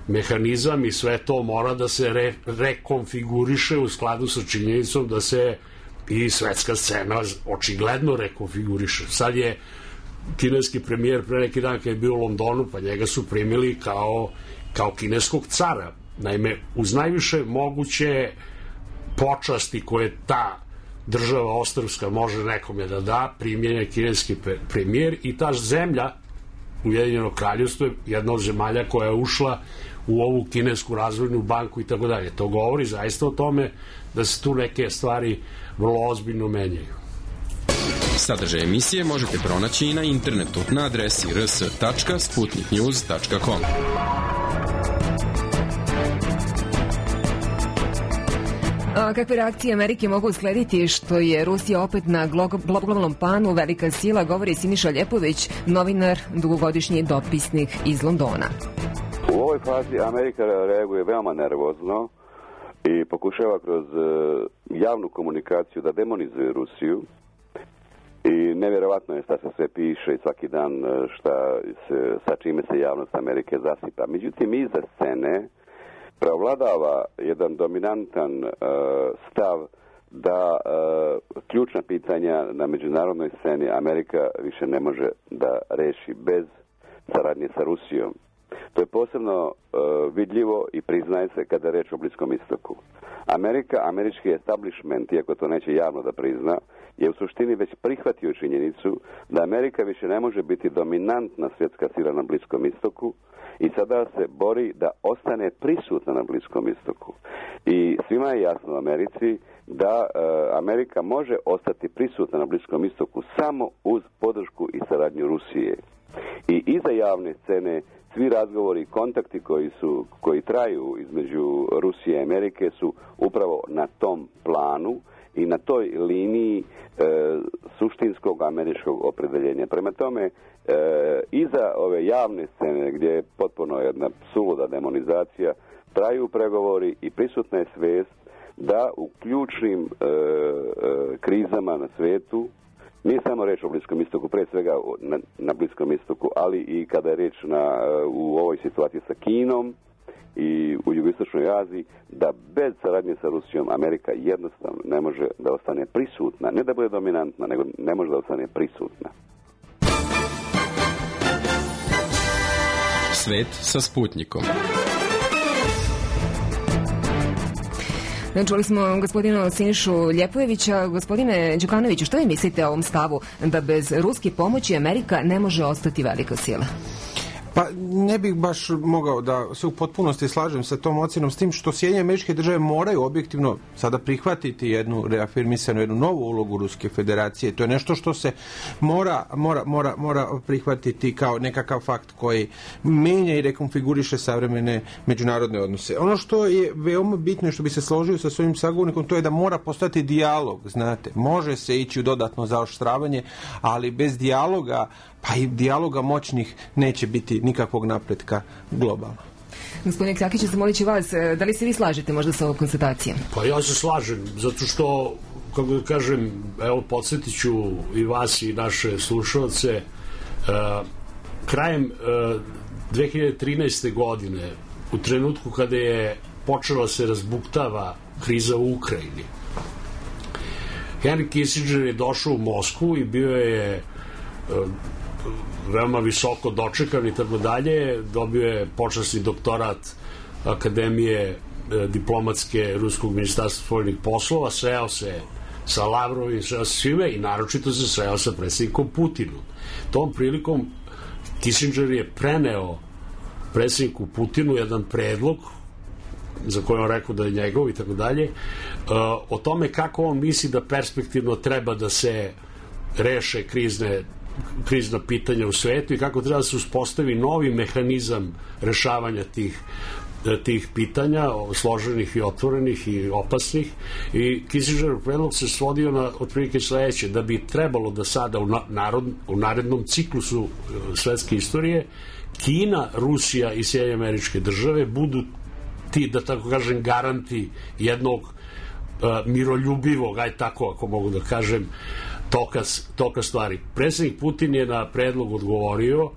mehanizam i sve to mora da se rekonfiguriše u skladu sa činjenicom da se i svetska scena očigledno rekonfiguriše. Sad je kineski premijer pre neki dan kad je bio u Londonu, pa njega su primili kao kineskog cara. Naime, uz najviše moguće počasti koje ta država ostrvska može nekome da da, primljen je kineski premijer i ta zemlja, Ujedinjeno Kraljevstvo, je jedna od zemalja koja je ušla u ovu kinesku razvojnu banku i tako dalje. To govori zaista o tome da se tu neke stvari vrlo ozbiljno menjaju. Sadržaj emisije možete pronaći i na internetu na adresi rs.sputniknews.com. A kakve reakcije Amerike mogu uslediti što je Rusija opet na globalnom planu velika sila, govori Siniša Ljepović, novinar, dugogodišnji dopisnik iz Londona. U ovoj fazi Amerika reaguje veoma nervozno i pokušava kroz javnu komunikaciju da demonizuje Rusiju. I nevjerovatno je šta se sve piše i svaki dan sa čime se javnost Amerike zasipa. Međutim, iza scene preovladava jedan dominantan stav da ključna pitanja na međunarodnoj sceni Amerika više ne može da reši bez saradnje sa Rusijom. To je posebno vidljivo i priznaje se kada je reč o Bliskom istoku. Američki establishment, iako to neće javno da prizna, je u suštini već prihvatio činjenicu da Amerika više ne može biti dominantna svjetska sila na Bliskom istoku i sada se bori da ostane prisutna na Bliskom istoku. I svima je jasno u Americi da Amerika može ostati prisutna na Bliskom istoku samo uz podršku i saradnju Rusije. I iza javne scene svi razgovori i kontakti koji traju između Rusije i Amerike su upravo na tom planu i na toj liniji suštinskog američkog opredeljenja. Prema tome, iza ove javne scene, gdje je potpuno jedna suluda demonizacija, traju pregovori i prisutna je svest da u ključnim krizama na svetu, nije samo reč o Bliskom istoku, pre svega na Bliskom istoku, ali i kada je reč u ovoj situaciji sa Kinom i u jugoistočnoj Aziji, da bez saradnje sa Rusijom Amerika jednostavno ne može da ostane prisutna. Ne da bude dominantna, nego ne može da ostane prisutna. Svet sa Sputnikom. Čuli smo gospodina Sinišu Ljepojevića. Gospodine Đukanoviću, što vi mislite o ovom stavu da bez ruske pomoći Amerika ne može ostati velika sila? Pa ne bih baš mogao da se u potpunosti slažem sa tom ocjenom, s tim što Sjedinjene Američke Države moraju objektivno sada prihvatiti jednu reafirmisanu, jednu novu ulogu Ruske federacije. To je nešto što se mora prihvatiti kao nekakav fakt koji menja i rekonfiguriše savremene međunarodne odnose. Ono što je veoma bitno i što bi se složio sa svojim sagovornikom, to je da mora postati dijalog, znate. Može se ići u dodatno zaoštravanje, ali bez dijaloga, pa i dijaloga moćnih, neće biti nikakvog napretka globalno. Gospodine Kljakić, zamolit ću vas, da li se vi slažete možda sa ovom konstatacijom? Pa ja se slažem, zato što, kako da kažem, evo, podsjetit ću i vas i naše slušalce, krajem 2013. godine, u trenutku kada je počela se razbuktava kriza u Ukrajini, Henry Kissinger je došao u Moskvu i bio je veoma visoko dočekan i tako dalje, dobio je počasni doktorat Akademije diplomatske Ruskog ministarstva spoljnih poslova, sreo se sa Lavrovim, sreo se svime i naročito se sreo sa predsjednikom Putinom. Tom prilikom Kissinger je preneo predsjedniku Putinu jedan predlog za koje on rekao da je njegov i tako dalje, o tome kako on misli da perspektivno treba da se reše krizna pitanja u svetu i kako treba da se uspostavi novi mehanizam rešavanja tih pitanja, složenih i otvorenih i opasnih. I Kissingerov predlog se svodio na otprilike sledeće, da bi trebalo da sada u narednom ciklusu svetske istorije Kina, Rusija i Sjedinjene Američke Države budu ti, da tako kažem, garanti jednog miroljubivog, aj tako ako mogu da kažem, toka stvari. Predsjednik Putin je na predlog odgovorio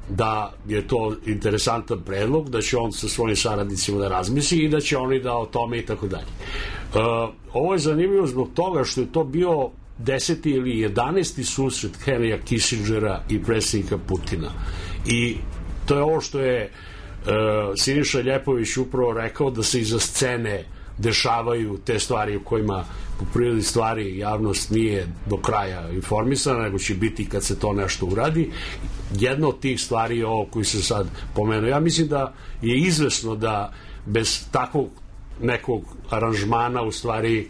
da je to interesantan predlog, da će on sa svojim saradnicima da razmisli i da će oni da o tome i tako dalje. Ovo je zanimljivo zbog toga što je to bio 10. ili 11. susret Henrya Kissingera i predsjednika Putina. I to je ovo što je Siniša Ljepović upravo rekao, da se iza scene dešavaju te stvari u kojima po prirodi stvari javnost nije do kraja informisana, nego će biti kad se to nešto uradi. Jedna od tih stvari je ovo koji se sad pomenuo. Ja mislim da je izvesno da bez takvog nekog aranžmana u stvari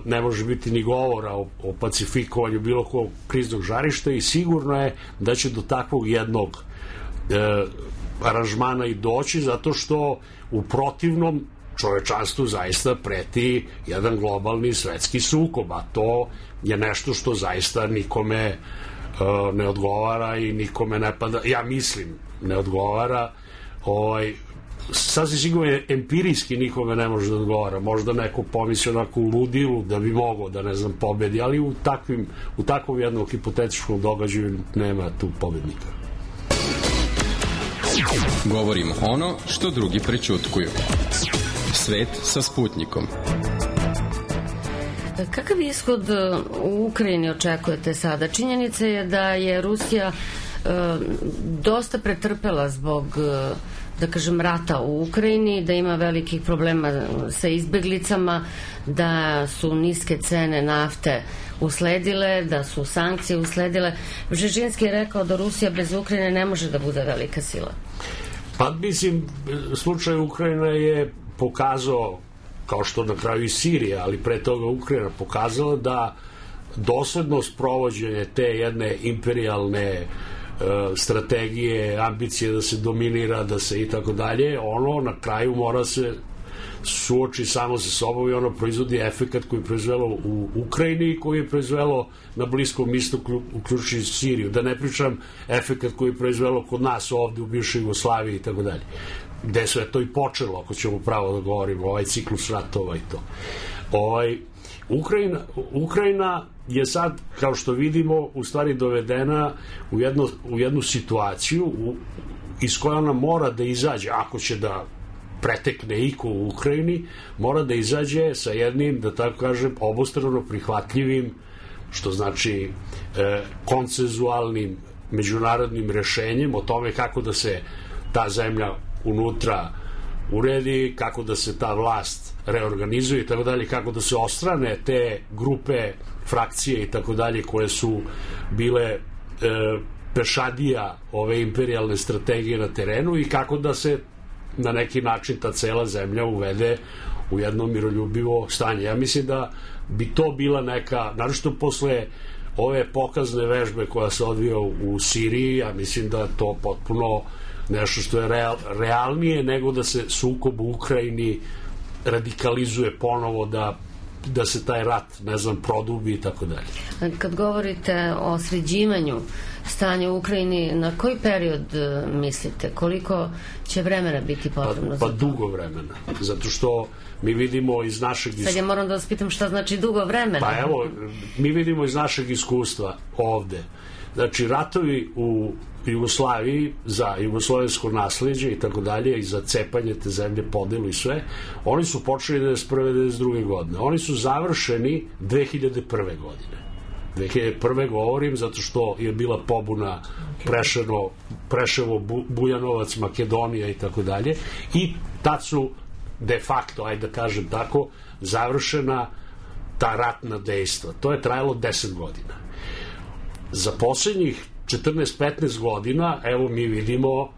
ne može biti ni govora o pacifikovanju bilo kog kriznog žarišta i sigurno je da će do takvog jednog aranžmana i doći, zato što u protivnom čovečanstvu zaista preti jedan globalni svetski sukob, a to je nešto što zaista nikome ne odgovara i nikome ne pada, ja mislim, ne odgovara. Sasvim sigurno empirijski nikome ne može da odgovara. Možda neko pomisli onako u ludilu da bi mogao da, ne znam, pobedi, ali u takvom jednom hipotetičkom događaju nema tu pobednika. Govorimo ono što drugi prećutkuju. Svet sa Sputnikom. Kakav ishod u Ukrajini očekujete sada? Činjenica je da je Rusija dosta pretrpela zbog, da kažem, rata u Ukrajini, da ima velikih problema sa izbeglicama, da su niske cene nafte usledile, da su sankcije usledile. Bžežinski je rekao da Rusija bez Ukrajine ne može da bude velika sila. Pa mislim, slučaj Ukrajina je pokazao, kao što na kraju i Sirija, ali pre toga Ukrajina pokazala da doslednost provođenja te jedne imperijalne strategije, ambicije da se dominira, da se i tako dalje, ono na kraju mora se suoči samo sa sobom i ono proizvodi efekat koji je proizvelo u Ukrajini i koji je proizvelo na Bliskom istoku, uključujući Siriju. Da ne pričam efekat koji je proizvelo kod nas ovde u bivšoj Jugoslaviji i tako dalje. Gde sve to i počelo, ako ćemo pravo da govorimo, ovaj ciklus ratova i to. Ukrajina je sad, kao što vidimo, u stvari dovedena u jednu situaciju iz koje ona mora da izađe, ako će da pretekne iko u Ukrajini, mora da izađe sa jednim, da tako kažem, obostrano prihvatljivim, što znači konsenzualnim međunarodnim rešenjem o tome kako da se ta zemlja unutra uredi, kako da se ta vlast reorganizuje i tako dalje, kako da se ostrane te grupe, frakcije i tako dalje koje su bile pešadija ove imperijalne strategije na terenu i kako da se na neki način ta cela zemlja uvede u jedno miroljubivo stanje. Ja mislim da bi to bila neka, naročito posle ove pokazne vežbe koja se odvija u Siriji, ja mislim da je to potpuno nešto što je realnije nego da se sukob u Ukrajini radikalizuje ponovo, da se taj rat, ne znam, produbi i tako dalje. Kad govorite o sređivanju stanja u Ukrajini, na koji period mislite? Koliko će vremena biti potrebno za to? Pa dugo vremena, zato što mi vidimo iz našeg iskustva... Sad ja moram da vas pitam šta znači dugo vremena. Pa evo, mi vidimo iz našeg iskustva ovde. Znači, ratovi u Jugoslaviji za jugoslovensko nasleđe i tako dalje i za cepanje te zemlje, podelu i sve, oni su počeli 91. 92. godine. Oni su završeni 2001. godine. 2001. govorim zato što je bila pobuna Preševo, Bujanovac, Makedonija i tako dalje i tad su de facto, ajde da kažem tako, završena ta ratna dejstva. To je trajalo 10 godina. Za poslednjih 14-15 godina, evo mi vidimo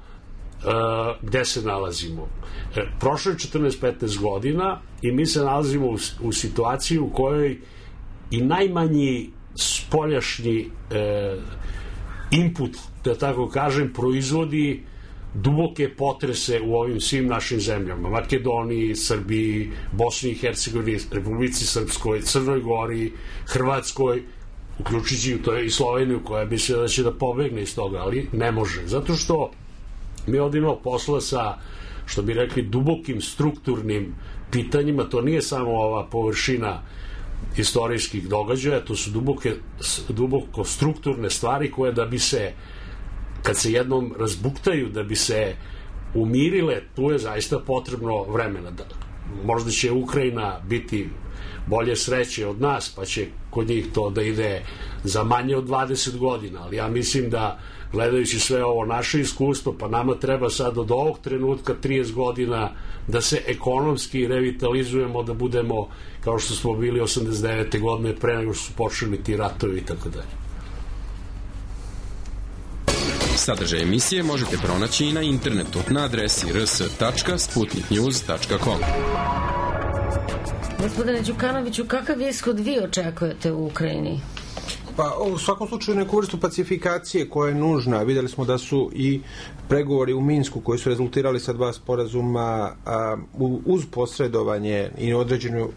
gde se nalazimo. Prošlo je 14-15 godina i mi se nalazimo u situaciji u kojoj i najmanji spoljašnji input, da tako kažem, proizvodi duboke potrese u ovim svim našim zemljama. Makedoniji, Srbiji, Bosni i Hercegovini, Republici Srpskoj, Crnoj Gori, Hrvatskoj, uključujući to i Sloveniju koja bi se da će da pobegne iz toga, ali ne može. Zato što mi ovdje imamo posla sa, što bi rekli, dubokim strukturnim pitanjima. To nije samo ova površina istorijskih događaja, to su duboko strukturne stvari koje da bi se, kad se jednom razbuktaju, da bi se umirile, tu je zaista potrebno vremena. Možda će Ukrajina biti bolje sreće od nas, pa će kod njih to da ide za manje od 20 godina, ali ja mislim da gledajući sve ovo naše iskustvo, pa nama treba sad od ovog trenutka 30 godina da se ekonomski revitalizujemo, da budemo kao što smo bili 89. godine pre nego što su počeli ti ratovi i tako dalje. Sadržaj emisije možete pronaći i na internetu na adresi rs.sputniknews.com. Gospodine Đukanoviću, kakav ishod vi očekujete u Ukrajini? Pa u svakom slučaju neku vrstu pacifikacije koja je nužna. Videli smo da su i pregovori u Minsku koji su rezultirali sa 2 sporazuma uz posredovanje i određenu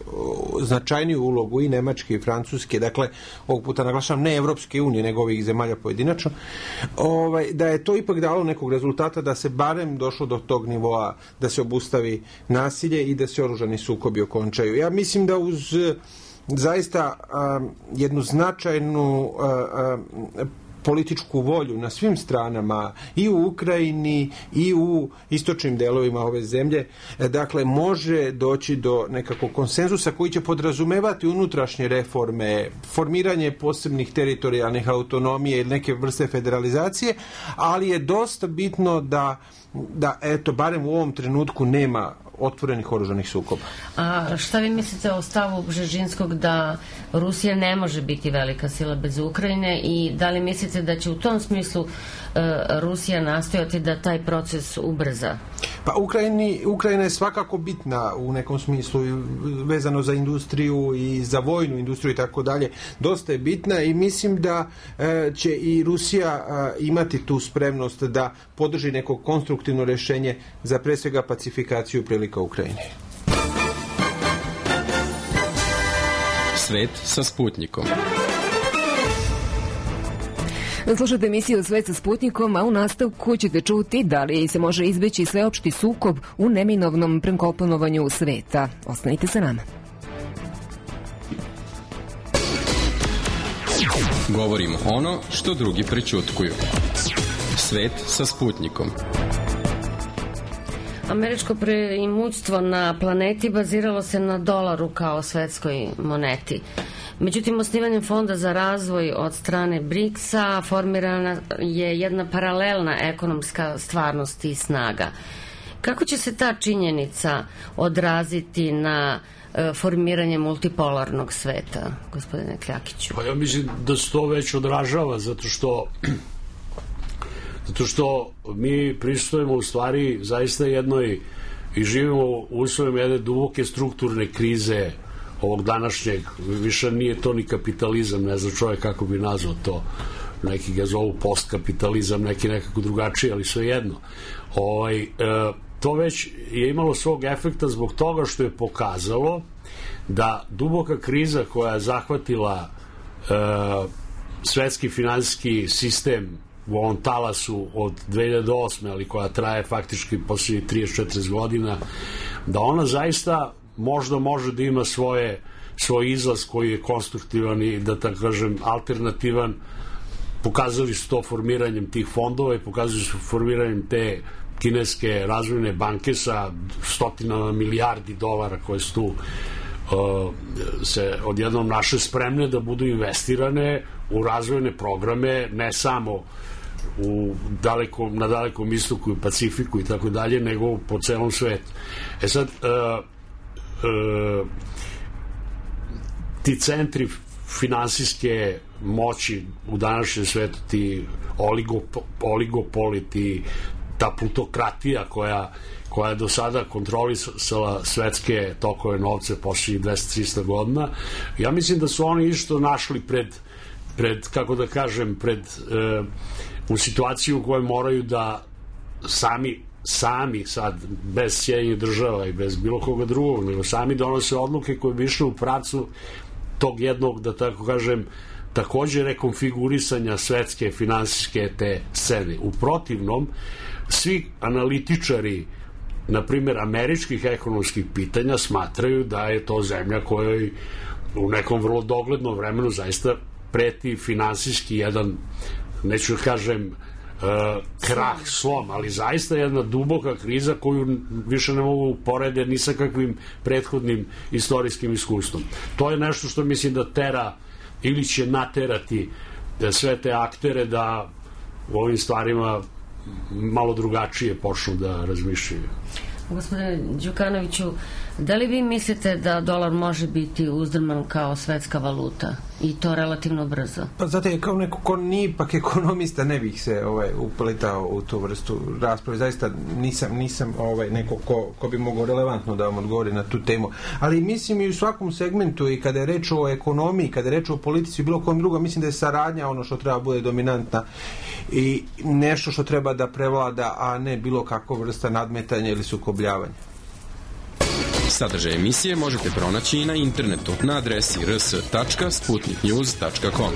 značajniju ulogu i Nemačke i Francuske, dakle ovog puta naglašavam ne Evropske unije nego ovih zemalja pojedinačno, da je to ipak dalo nekog rezultata, da se barem došlo do tog nivoa da se obustavi nasilje i da se oružani sukobi okončaju. Ja mislim da uz zaista jednu značajnu političku volju na svim stranama i u Ukrajini i u istočnim delovima ove zemlje, dakle može doći do nekakvog konsenzusa koji će podrazumevati unutrašnje reforme, formiranje posebnih teritorijalnih autonomije ili neke vrste federalizacije, ali je dosta bitno da eto, barem u ovom trenutku nema otvorenih oružanih sukoba. A šta vi mislite o stavu Bžežinskog da Rusija ne može biti velika sila bez Ukrajine i da li mislite da će u tom smislu Rusija nastojati da taj proces ubrza? Pa Ukrajina je svakako bitna u nekom smislu vezano za industriju i za vojnu industriju i tako dalje. Dosta je bitna i mislim da će i Rusija imati tu spremnost da podrži neko konstruktivno rješenje za pre svega pacifikaciju prilika Ukrajine. Svet sa Sputnikom. Slušate emisiju Svet sa Sputnikom, a u nastavku ćete čuti da li se može izbeći sveopšti sukob u neminovnom prekomponovanju sveta. Ostanite sa nama. Govorimo ono što drugi prećutkuju. Svet sa Sputnikom. Američko preimućstvo na planeti baziralo se na dolaru kao svetskoj moneti. Međutim, osnivanjem Fonda za razvoj od strane BRICS-a formirana je jedna paralelna ekonomska stvarnost i snaga. Kako će se ta činjenica odraziti na formiranje multipolarnog sveta, gospodine Kljakiću? Pa ja mislim da se to već odražava, zato što mi pristojimo u stvari zaista jednoj i živimo u uslovima jedne duboke strukturne krize ovog današnjeg, više nije to ni kapitalizam, ne znam čovjek kako bi nazvao to, neki ga zovu postkapitalizam, neki nekako drugačiji, ali sve jedno. To već je imalo svog efekta zbog toga što je pokazalo da duboka kriza koja je zahvatila svetski finansijski sistem u ovom talasu od 2008. ali koja traje faktički posljednjih 30-40 godina, da ona zaista možda može da ima svoj izlaz koji je konstruktivan i da tako kažem alternativan. Pokazali su to formiranjem tih fondova i pokazali su formiranjem te kineske razvojne banke sa stotinama milijardi dolara koje su tu se odjednom naše spremne da budu investirane u razvojne programe, ne samo na dalekom istoku i Pacifiku i tako dalje, nego po celom svetu. Sad, ti centri finansijske moći u današnjem svetu, ti oligopoli, ta plutokratija koja je do sada kontrolisala svetske tokove novce posljednjih 200-300 godina, ja mislim da su oni isto našli kako da kažem, u situaciju u kojoj moraju da sami sad, bez Sjedinjenih država i bez bilo koga drugog, nego sami donose odluke koje bi išle u pravcu tog jednog, da tako kažem, takođe rekonfigurisanja svetske finansijske te scene. U protivnom, svi analitičari, na primjer, američkih ekonomskih pitanja smatraju da je to zemlja kojoj u nekom vrlo doglednom vremenu zaista preti finansijski jedan, neću kažem krah, slom, ali zaista jedna duboka kriza koju više ne mogu porede ni sa kakvim prethodnim istorijskim iskustvom. To je nešto što mislim da tera ili će naterati sve te aktere da u ovim stvarima malo drugačije počnu da razmišljaju. Gospodine Đukanoviću, da li vi mislite da dolar može biti uzdrman kao svetska valuta i to relativno brzo? Pa zato je kao neko ko nije ipak ekonomista, ne bih se upletao u tu vrstu rasprave. Zaista nisam neko ko bi mogao relevantno da vam odgovori na tu temu. Ali mislim i u svakom segmentu, i kada je reč o ekonomiji, kada je reč o politici i bilo kom drugom, mislim da je saradnja ono što treba bude dominantna i nešto što treba da prevlada, a ne bilo kakva vrsta nadmetanja ili sukobljavanja. Sadržaj emisije možete pronaći i na internetu na adresi rs.sputniknews.com.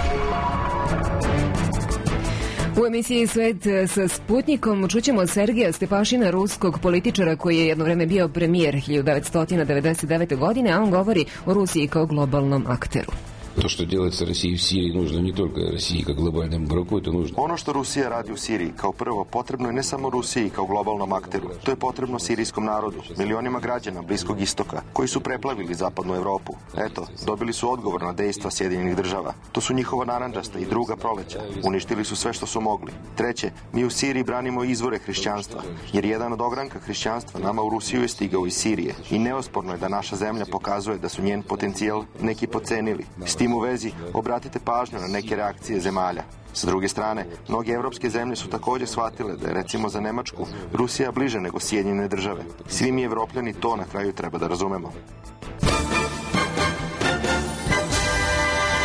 U emisiji Svet sa Sputnikom čućemo Sergeja Stepašina, ruskog političara koji je jedno vreme bio premijer 1999. godine, a on govori o Rusiji kao globalnom akteru. To što делается России в Сирии нужно не только России как глобальному игроку, это нужно. Ono što Rusija radi u Siriji, kao prvo, potrebno je ne samo Rusiji kao globalnom akteru. To je potrebno sirijskom narodu, milionima građana Bliskog istoka, koji su preplavili zapadnu Evropu. Eto, dobili su odgovor na dejstva Sjedinjenih država. To su njihova narandžasta i druga proleća. Uništili su sve što su mogli. Treće, mi u Siriji branimo izvore hrišćanstva, jer jedan od ogranka hrišćanstva nama u Rusiju je stigao iz Sirije. I neosporno je da naša zemlja pokazuje da su njen potencijal neki pocenili. S tim u vezi obratite pažnju na neke reakcije zemalja. S druge strane, mnoge evropske zemlje su također shvatile da je recimo za Nemačku Rusija bliže nego Sjedinjene države. Svi mi Evropljani to na kraju treba da razumemo.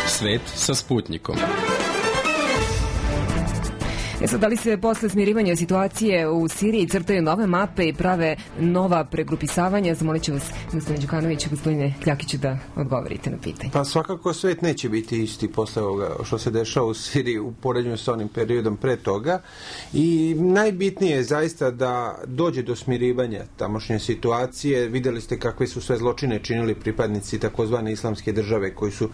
Svet sa Sputnikom. Sad, da li se posle smirivanja situacije u Siriji crtaju nove mape i prave nova pregrupisavanja? Zamolit ću vas, gospodine Đukanović i gospodine Kljakiću, da odgovorite na pitanje. Pa svakako svet neće biti isti posle ovoga što se dešava u Siriji u poređenju sa onim periodom pre toga i najbitnije je zaista da dođe do smirivanja tamošnje situacije. Videli ste kakve su sve zločine činili pripadnici takozvane islamske države koji su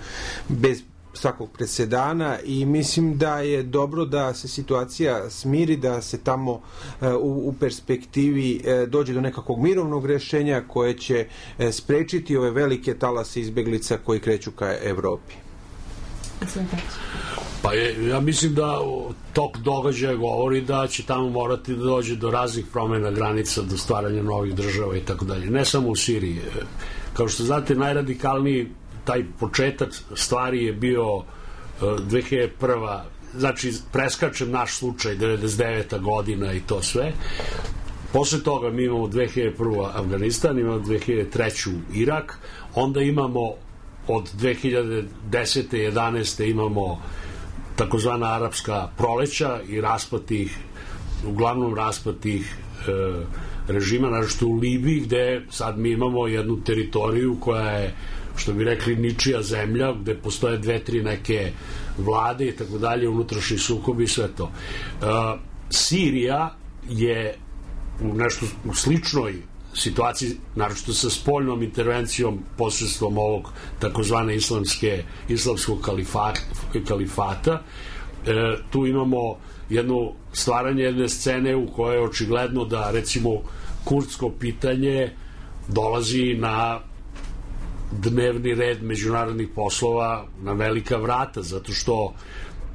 bez svakog presedana i mislim da je dobro da se situacija smiri, da se tamo u perspektivi dođe do nekakvog mirovnog rješenja koje će sprečiti ove velike talase izbeglica koji kreću ka Evropi. Pa ja mislim da tok događaja govori da će tamo morati da dođe do raznih promjena granica, do stvaranja novih država i tako dalje. Ne samo u Siriji. Kao što znate, najradikalniji taj početak stvari je bio 2001. Znači, preskačem naš slučaj, 99. godina i to sve. Posle toga mi imamo 2001. Afganistan, imamo 2003. Irak, onda imamo od 2010. 11. imamo takozvana arapska proleća i uglavnom raspad tih režima, naravno u Libiji, gde sad mi imamo jednu teritoriju koja je, što bi rekli, ničija zemlja, gde postoje 2-3 neke vlade i tako dalje, unutrašnji sukobi i sve to. Sirija je u sličnoj situaciji, naročito sa spoljnom intervencijom posredstvom ovog takozvane islamskog kalifata. Tu imamo stvaranje jedne scene u kojoj je očigledno da, recimo, kurdsko pitanje dolazi na dnevni red međunarodnih poslova na velika vrata, zato što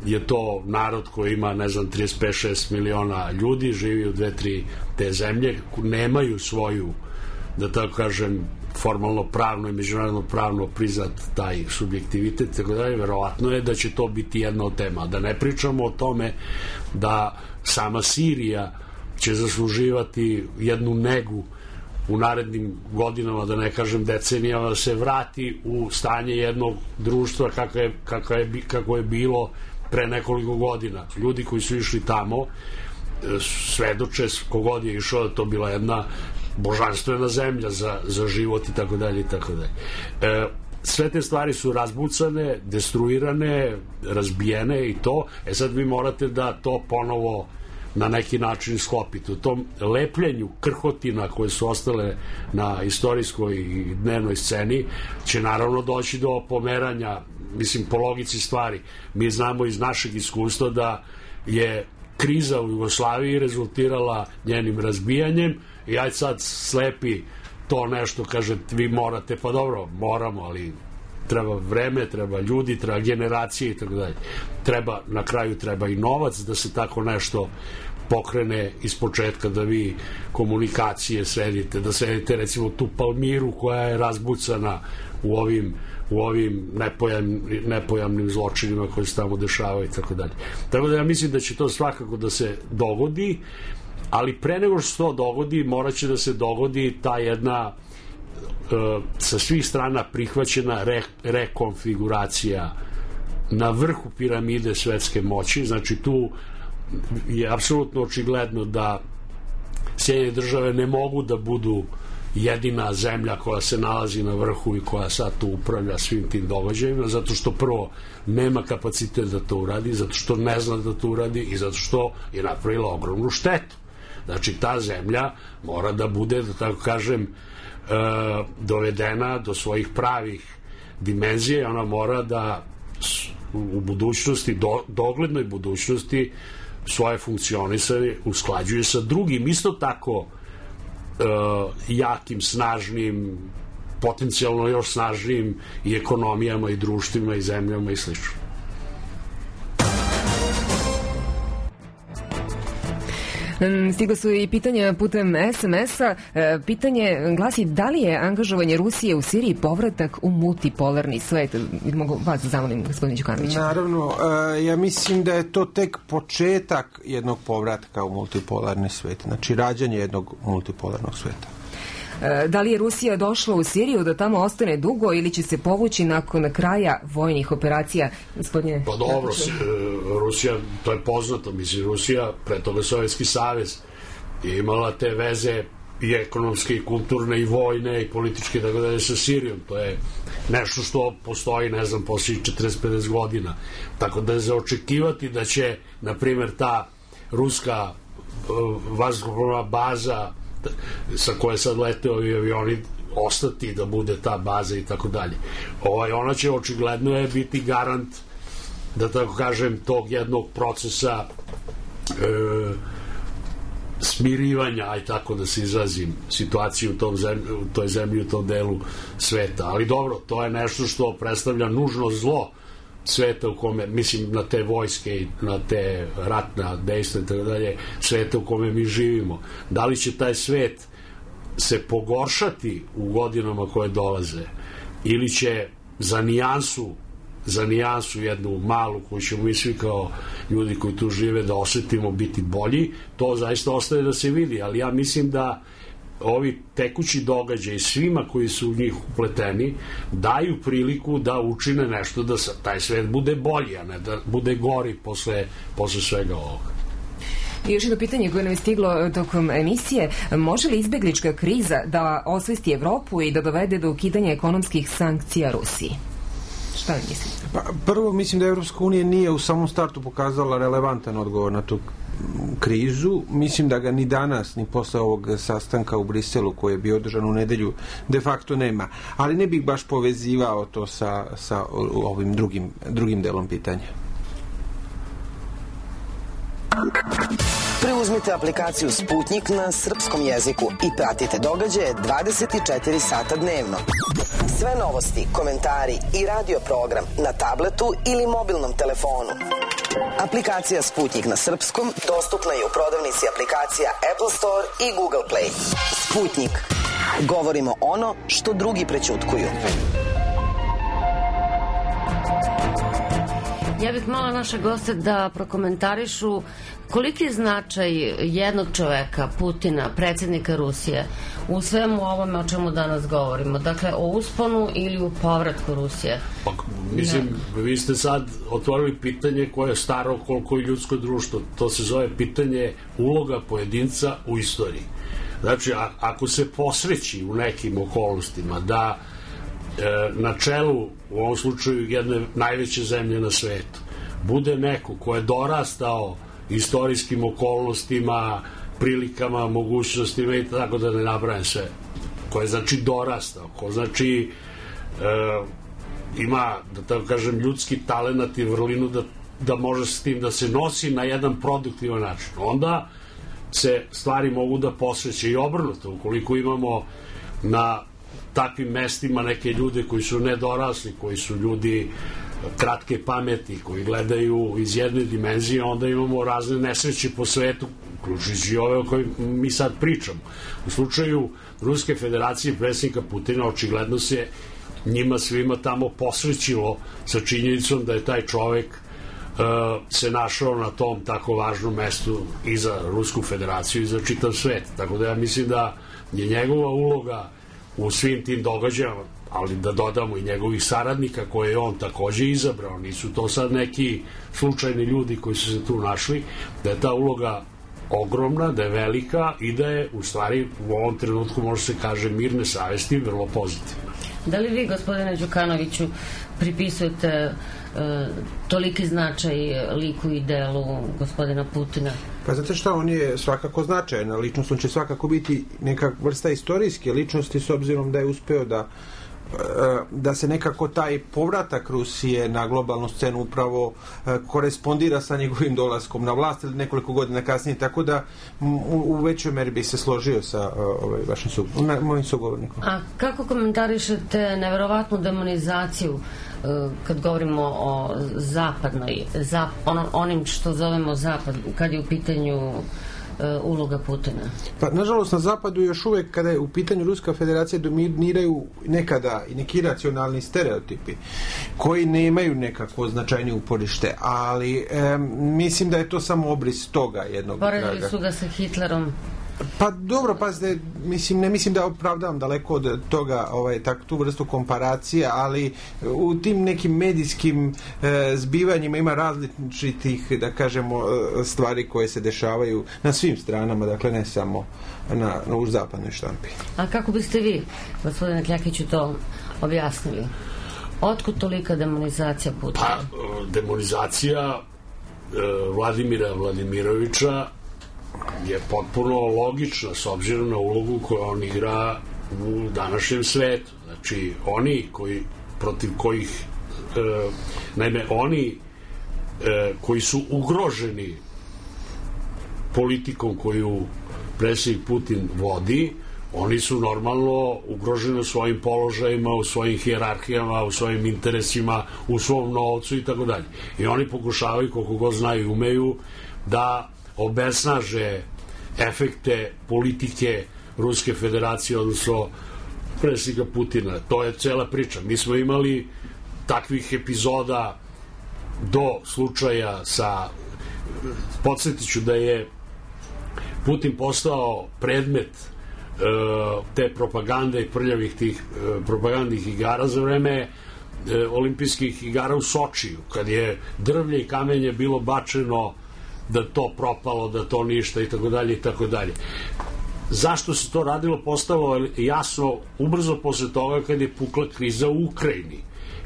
je to narod koji ima, 35-6 miliona ljudi, živi u 2-3 te zemlje, nemaju svoju, da tako kažem, formalno pravno i međunarodno pravno priznat taj subjektivitet, tako da je verovatno je da će to biti jedna od tema. Da ne pričamo o tome da sama Sirija će zasluživati jednu negu u narednim godinama, da ne kažem decenijama, da se vrati u stanje jednog društva kako je bilo pre nekoliko godina. Ljudi koji su išli tamo svedoče, kogod je išao, da to bila jedna božanstvena zemlja za život i tako dalje i tako dalje. Sve te stvari su razbucane, destruirane, razbijene i to. Sad vi morate da to ponovo na neki način sklopiti. U tom lepljenju krhotina koje su ostale na istorijskoj i dnevnoj sceni će naravno doći do pomeranja, mislim, po logici stvari. Mi znamo iz našeg iskustva da je kriza u Jugoslaviji rezultirala njenim razbijanjem i aj sad slepi to nešto, kaže, vi morate, pa dobro, moramo, ali treba vreme, treba ljudi, treba generacije i tako dalje. Na kraju treba i novac da se tako nešto pokrene iz početka, da vi komunikacije sredite, da sredite recimo tu Palmiru koja je razbucana u ovim nepojamnim zločinima koji se tamo dešavaju i tako dalje. Tako da ja mislim da će to svakako da se dogodi, ali pre nego što se to dogodi, morat će da se dogodi ta jedna sa svih strana prihvaćena rekonfiguracija na vrhu piramide svetske moći. Znači tu je apsolutno očigledno da Sjedinjene države ne mogu da budu jedina zemlja koja se nalazi na vrhu i koja sad tu upravlja svim tim događajima, zato što prvo nema kapacitet da to uradi, zato što ne zna da to uradi i zato što je napravila ogromnu štetu. Znači ta zemlja mora da bude, da tako kažem, dovedena do svojih pravih dimenzija i ona mora da u budućnosti, doglednoj budućnosti, svoje funkcionisanje usklađuje sa drugim isto tako jakim, snažnim, potencijalno još snažnijim i ekonomijama i društvima i zemljama i slično. Stigla su i pitanja putem SMS-a. Pitanje glasi da li je angažovanje Rusije u Siriji povratak u multipolarni svet? Mogu vas zamolim, gospodin Đukanović. Naravno, ja mislim da je to tek početak jednog povratka u multipolarni svet. Znači, rađanje jednog multipolarnog sveta. Da li je Rusija došla u Siriju da tamo ostane dugo ili će se povući nakon kraja vojnih operacija? Gospodine? Pa dobro, Rusija, to je poznato, mislim, Rusija, pre toga Sovjetski savez, je imala te veze i ekonomske, i kulturne, i vojne, i političke, tako dalje, sa Sirijom. To je nešto što postoji, ne znam, poslije 40-50 godina. Tako da je za očekivati da će, na primjer, ta ruska vazduhoplovna baza sa koje sad lete ovi avioni ostati da bude ta baza i tako dalje. Ona će očigledno je biti garant, da tako kažem, tog jednog procesa smirivanja, aj tako da se izrazim, situaciju u toj zemlji, u tom delu sveta. Ali dobro, to je nešto što predstavlja nužno zlo sveta u kome, mislim, na te vojske i na te ratna dejstva i tako dalje, sveta u kome mi živimo. Da li će taj svet se pogoršati u godinama koje dolaze ili će za nijansu jednu malu koju ćemo mi svi kao ljudi koji tu žive da osetimo biti bolji, to zaista ostaje da se vidi, ali ja mislim da ovi tekući događaji svima koji su u njih upleteni daju priliku da učine nešto da taj svet bude bolji, a ne da bude gori posle svega ovoga. I još jedno pitanje koje nam je stiglo tokom emisije. Može li izbeglička kriza da osvesti Evropu i da dovede do ukidanja ekonomskih sankcija Rusiji? Šta vi mislite? Pa, prvo, mislim da Evropska unija nije u samom startu pokazala relevantan odgovor na tu krizu. Mislim da ga ni danas, ni posle ovog sastanka u Briselu koji je bio održan u nedelju, de facto nema. Ali ne bih baš povezivao to sa ovim drugim delom pitanja. Preuzmite aplikaciju Sputnik na srpskom jeziku i pratite događaje 24 sata dnevno. Sve novosti, komentari i radio program na tabletu ili mobilnom telefonu. Aplikacija Sputnik na srpskom dostupna je u prodavnici aplikacija Apple Store i Google Play. Sputnik. Govorimo ono što drugi prećutkuju. Ja bih molila naše goste da prokomentarišu koliki je značaj jednog čoveka, Putina, predsjednika Rusije, u svemu ovome o čemu danas govorimo. Dakle, o usponu ili u povratku Rusije. Pa, mislim, vi ste sad otvorili pitanje koje je staro koliko i ljudsko društvo. To se zove pitanje uloga pojedinca u istoriji. Znači, ako se posreći u nekim okolnostima da na čelu, u ovom slučaju, jedne najveće zemlje na svetu, bude neko ko je dorastao istorijskim okolnostima, prilikama, mogućnostima i tako da ne nabrajam sve, ko je znači dorastao, ko znači ima, da tako kažem, ljudski talenat i vrlinu da može s tim da se nosi na jedan produktivan način. Onda se stvari mogu da posreće i obrnuto. Ukoliko imamo na takvim mestima neke ljude koji su nedorasli, koji su ljudi kratke pameti, koji gledaju iz jedne dimenzije, onda imamo razne nesreće po svetu, uključujući ove o kojim mi sad pričamo. U slučaju Ruske federacije predsjednika Putina očigledno se njima svima tamo posrećilo sa činjenicom da je taj čovek se našao na tom tako važnom mestu i za Rusku federaciju i za čitav svet. Tako da ja mislim da je njegova uloga u svim tim događajama, ali da dodamo i njegovih saradnika koje je on takođe izabrao, nisu to sad neki slučajni ljudi koji su se tu našli, da je ta uloga ogromna, da je velika i da je u stvari u ovom trenutku, može se kaže, mirne savesti vrlo pozitivna. Da li vi, gospodine Đukanoviću, pripisujete toliki značaj liku i delu gospodina Putina? Pa znate šta, on je svakako značajna ličnost, on će svakako biti neka vrsta istorijske ličnosti s obzirom da je uspeo da se nekako taj povratak Rusije na globalnu scenu upravo korespondira sa njegovim dolaskom na vlast ili nekoliko godina kasnije, tako da u većoj meri bi se složio sa mojim sugovornikom. A kako komentarišete neverovatnu demonizaciju kad govorimo o zapadnoj, onim što zovemo zapad, kad je u pitanju uloga Putina? Pa, nažalost, na zapadu još uvek, kada je u pitanju Ruska federacija, dominiraju nekada i neki racionalni stereotipi koji nemaju nekako značajnije uporište, ali mislim da je to samo obris toga jednog traga. Poredili su ga sa Hitlerom. Pa dobro, pazite, ne mislim da opravdavam daleko od toga tu vrstu komparacija, ali u tim nekim medijskim zbivanjima ima različitih, da kažemo, stvari koje se dešavaju na svim stranama, dakle ne samo u zapadnoj štampi. A kako biste vi, gospodine Kljakiću, to objasnili? Otkud tolika demonizacija Putina? Pa, demonizacija Vladimira Vladimirovića je potpuno logična s obzirom na ulogu koju on igra u današnjem svetu. Znači, oni protiv kojih naime, oni koji su ugroženi politikom koju predsjednik Putin vodi, oni su normalno ugroženi u svojim položajima, u svojim hijerarhijama, u svojim interesima, u svom novcu i tako dalje. I oni pokušavaju, koliko god znaju i umeju, da obesnaže efekte politike Ruske federacije, odnosno predsjednika Putina. To je cela priča. Mi smo imali takvih epizoda do slučaja sa... Podsjetiću da je Putin postao predmet te propagande i prljavih tih propagandnih igara za vreme olimpijskih igara u Sočiju, kad je drvlje i kamenje bilo bačeno da to propalo, da to ništa i tako dalje i tako dalje. Zašto se to radilo postalo jasno ubrzo posle toga kad je pukla kriza u Ukrajini,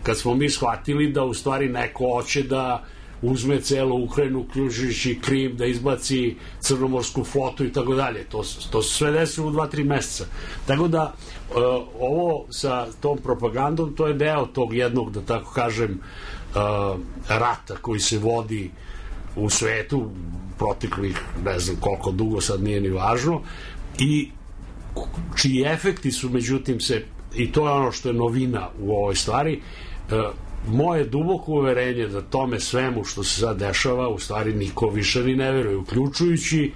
kad smo mi shvatili da u stvari neko hoće da uzme celu Ukrajinu, uključujući Krim, da izbaci crnomorsku flotu i tako dalje. To se sve desilo u 2-3 meseca. Tako da ovo sa tom propagandom, to je deo tog jednog, da tako kažem, rata koji se vodi u svetu proteklih, ne znam koliko dugo, sad nije ni važno, i čiji efekti su, međutim, i to je ono što je novina u ovoj stvari, moje duboko uverenje da tome svemu što se sad dešava u stvari niko više ni ne veruje, uključujući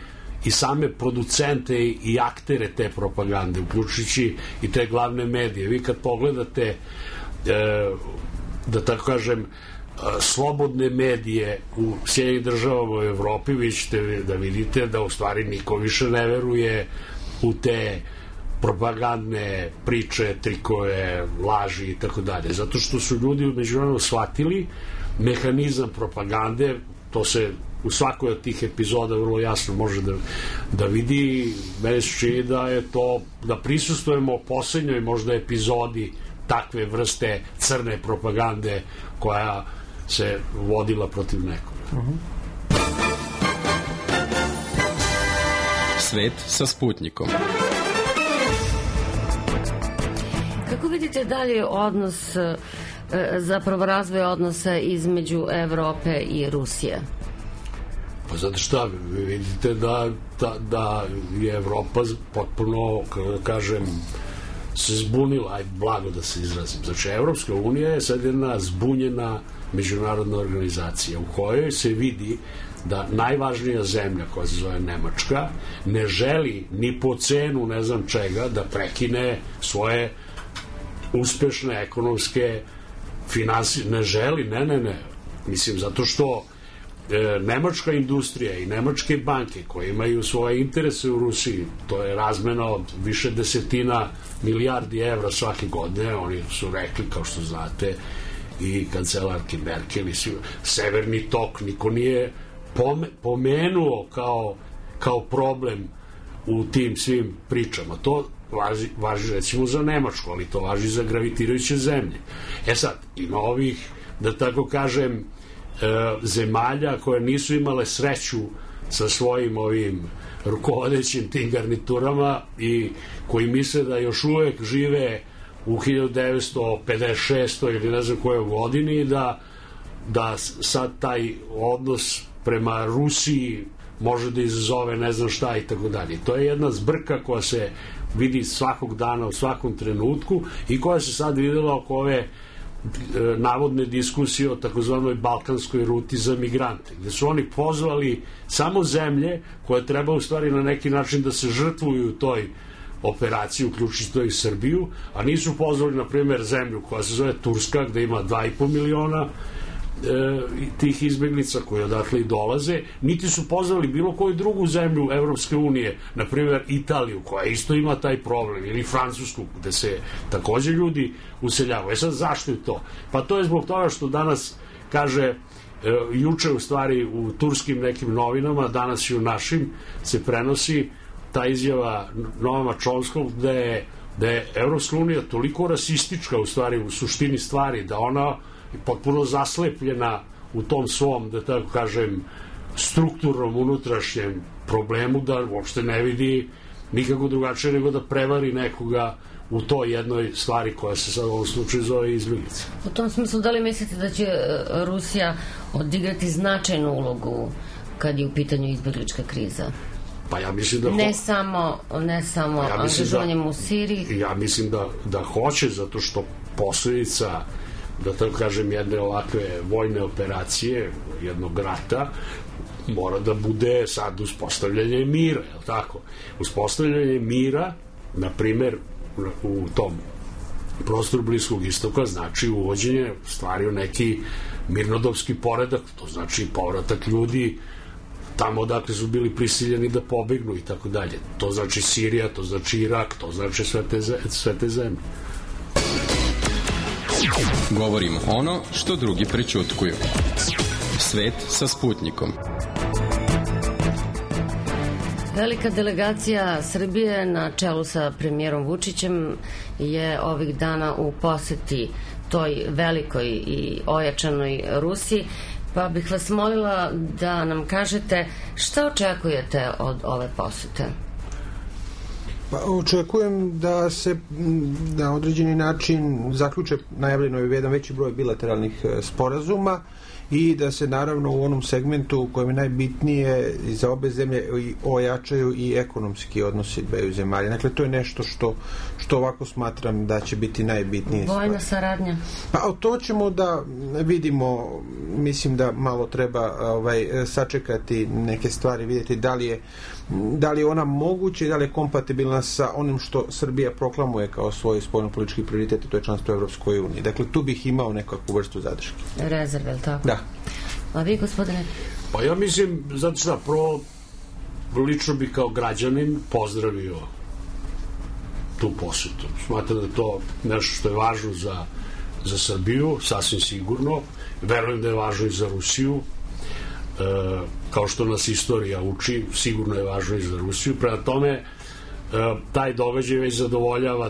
i same producente i aktere te propagande, uključujući i te glavne medije. Vi kad pogledate, da tako kažem, slobodne medije u Sjedinjenim državama u Evropi, vi ćete da vidite da u stvari niko više ne veruje u te propagandne priče, trikove, laži i tako dalje. Zato što su ljudi međunarodno shvatili mehanizam propagande, to se u svakoj od tih epizoda vrlo jasno može da vidi. Meni se čini da je to, da prisustvujemo poslednjoj možda epizodi takve vrste crne propagande koja se vodila protiv nekoga. Svet sa Sputnikom. Kako vidite dalje odnos, zapravo razvoj odnosa između Evrope i Rusije? Pa zato šta, vi vidite da je Evropa potpuno, kako kažem, se zbunila, aj blago da se izrazim. Znači, Evropska unija je sad jedna zbunjena međunarodna organizacija u kojoj se vidi da najvažnija zemlja koja se zove Nemačka ne želi ni po cenu ne znam čega da prekine svoje uspešne ekonomske finansije. Ne želi, ne. Mislim, zato što nemačka industrija i nemačke banke koje imaju svoje interese u Rusiji, to je razmena od više desetina milijardi evra svake godine. Oni su rekli, kao što znate, i kancelarki Merkel i Severni tok niko nije pomenuo kao problem u tim svim pričama. To važi recimo za Nemačku, ali to važi za gravitirajuće zemlje. Sad, ima ovih, da tako kažem, zemalja koje nisu imale sreću sa svojim ovim rukovodećim tim garniturama i koji misle da još uvek žive u 1956. ili ne znam kojoj godini, da sad taj odnos prema Rusiji može da izazove ne znam šta i tako dalje. To je jedna zbrka koja se vidi svakog dana u svakom trenutku i koja se sad videla oko ove navodne diskusije o takozvanoj balkanskoj ruti za migrante, gde su oni pozvali samo zemlje koje treba u stvari na neki način da se žrtvuju u toj operaciji, uključujući i Srbiju, a nisu pozvali, na primjer, zemlju koja se zove Turska, gde ima 2,5 miliona tih izbeglica koji odatle i dolaze, niti su pozvali bilo koju drugu zemlju Evropske unije, na primjer Italiju, koja isto ima taj problem, ili Francusku, gde se takođe ljudi useljavaju. Sad, zašto je to? Pa to je zbog toga što danas, kaže, juče u stvari u turskim nekim novinama, danas i u našim, se prenosi ta izjava Noama Chomskog da je Evropska unija toliko rasistička u stvari, u suštini stvari, da ona potpuno zaslepljena u tom svom, da tako kažem, strukturnom unutrašnjem problemu, da uopšte ne vidi nikako drugačije nego da prevari nekoga u toj jednoj stvari koja se sad u ovom slučaju zove izbjeglica. U tom smislu, da li mislite da će Rusija odigrati značajnu ulogu kad je u pitanju izbjeglička kriza? Pa ja mislim da ne samo angažovanjem u Siriji. Ja mislim da hoće, zato što posledica, da tako kažem, jedne ovakve vojne operacije, jednog rata, mora da bude sad uspostavljanje mira, je li tako? Uspostavljanje mira, na primer, u tom prostoru Bliskog istoka, znači uvođenje stvari u neki mirnodopski poredak, to znači povratak ljudi tamo odakle su bili prisiljeni da pobegnu i tako dalje. To znači Sirija, to znači Irak, to znači sve te zemlje. Govorimo ono što drugi prećutkuju. Svet sa Sputnikom. Velika delegacija Srbije na čelu sa premijerom Vučićem je ovih dana u poseti toj velikoj i ojačanoj Rusiji, pa bih vas molila da nam kažete šta očekujete od ove posete? Pa, očekujem da se na određeni način zaključe, najavljeno je jedan veći broj bilateralnih sporazuma i da se naravno u onom segmentu u kojem je najbitnije za obe zemlje ojačaju i ekonomski odnosi dveju zemalja. Dakle, to je nešto što ovako smatram da će biti najbitnije. Vojna saradnja? Pa to ćemo da vidimo, mislim da malo treba sačekati neke stvari, vidjeti da li je ona moguća i da li je kompatibilna sa onim što Srbija proklamuje kao svoj spoljnopolitički prioritet, to je članstvo u Evropskoj uniji. Dakle, tu bih imao nekakvu vrstu zadrške. Rezerve, ili tako? Da. A vi, gospodine? Pa ja mislim, zato šta, prvo lično bih kao građanin pozdravio tu posetu. Smatram da je to nešto što je važno za Srbiju, sasvim sigurno. Verujem da je važno i za Rusiju. Kao što nas istorija uči, sigurno je važno i za Rusiju. Prema tome, taj događaj već zadovoljava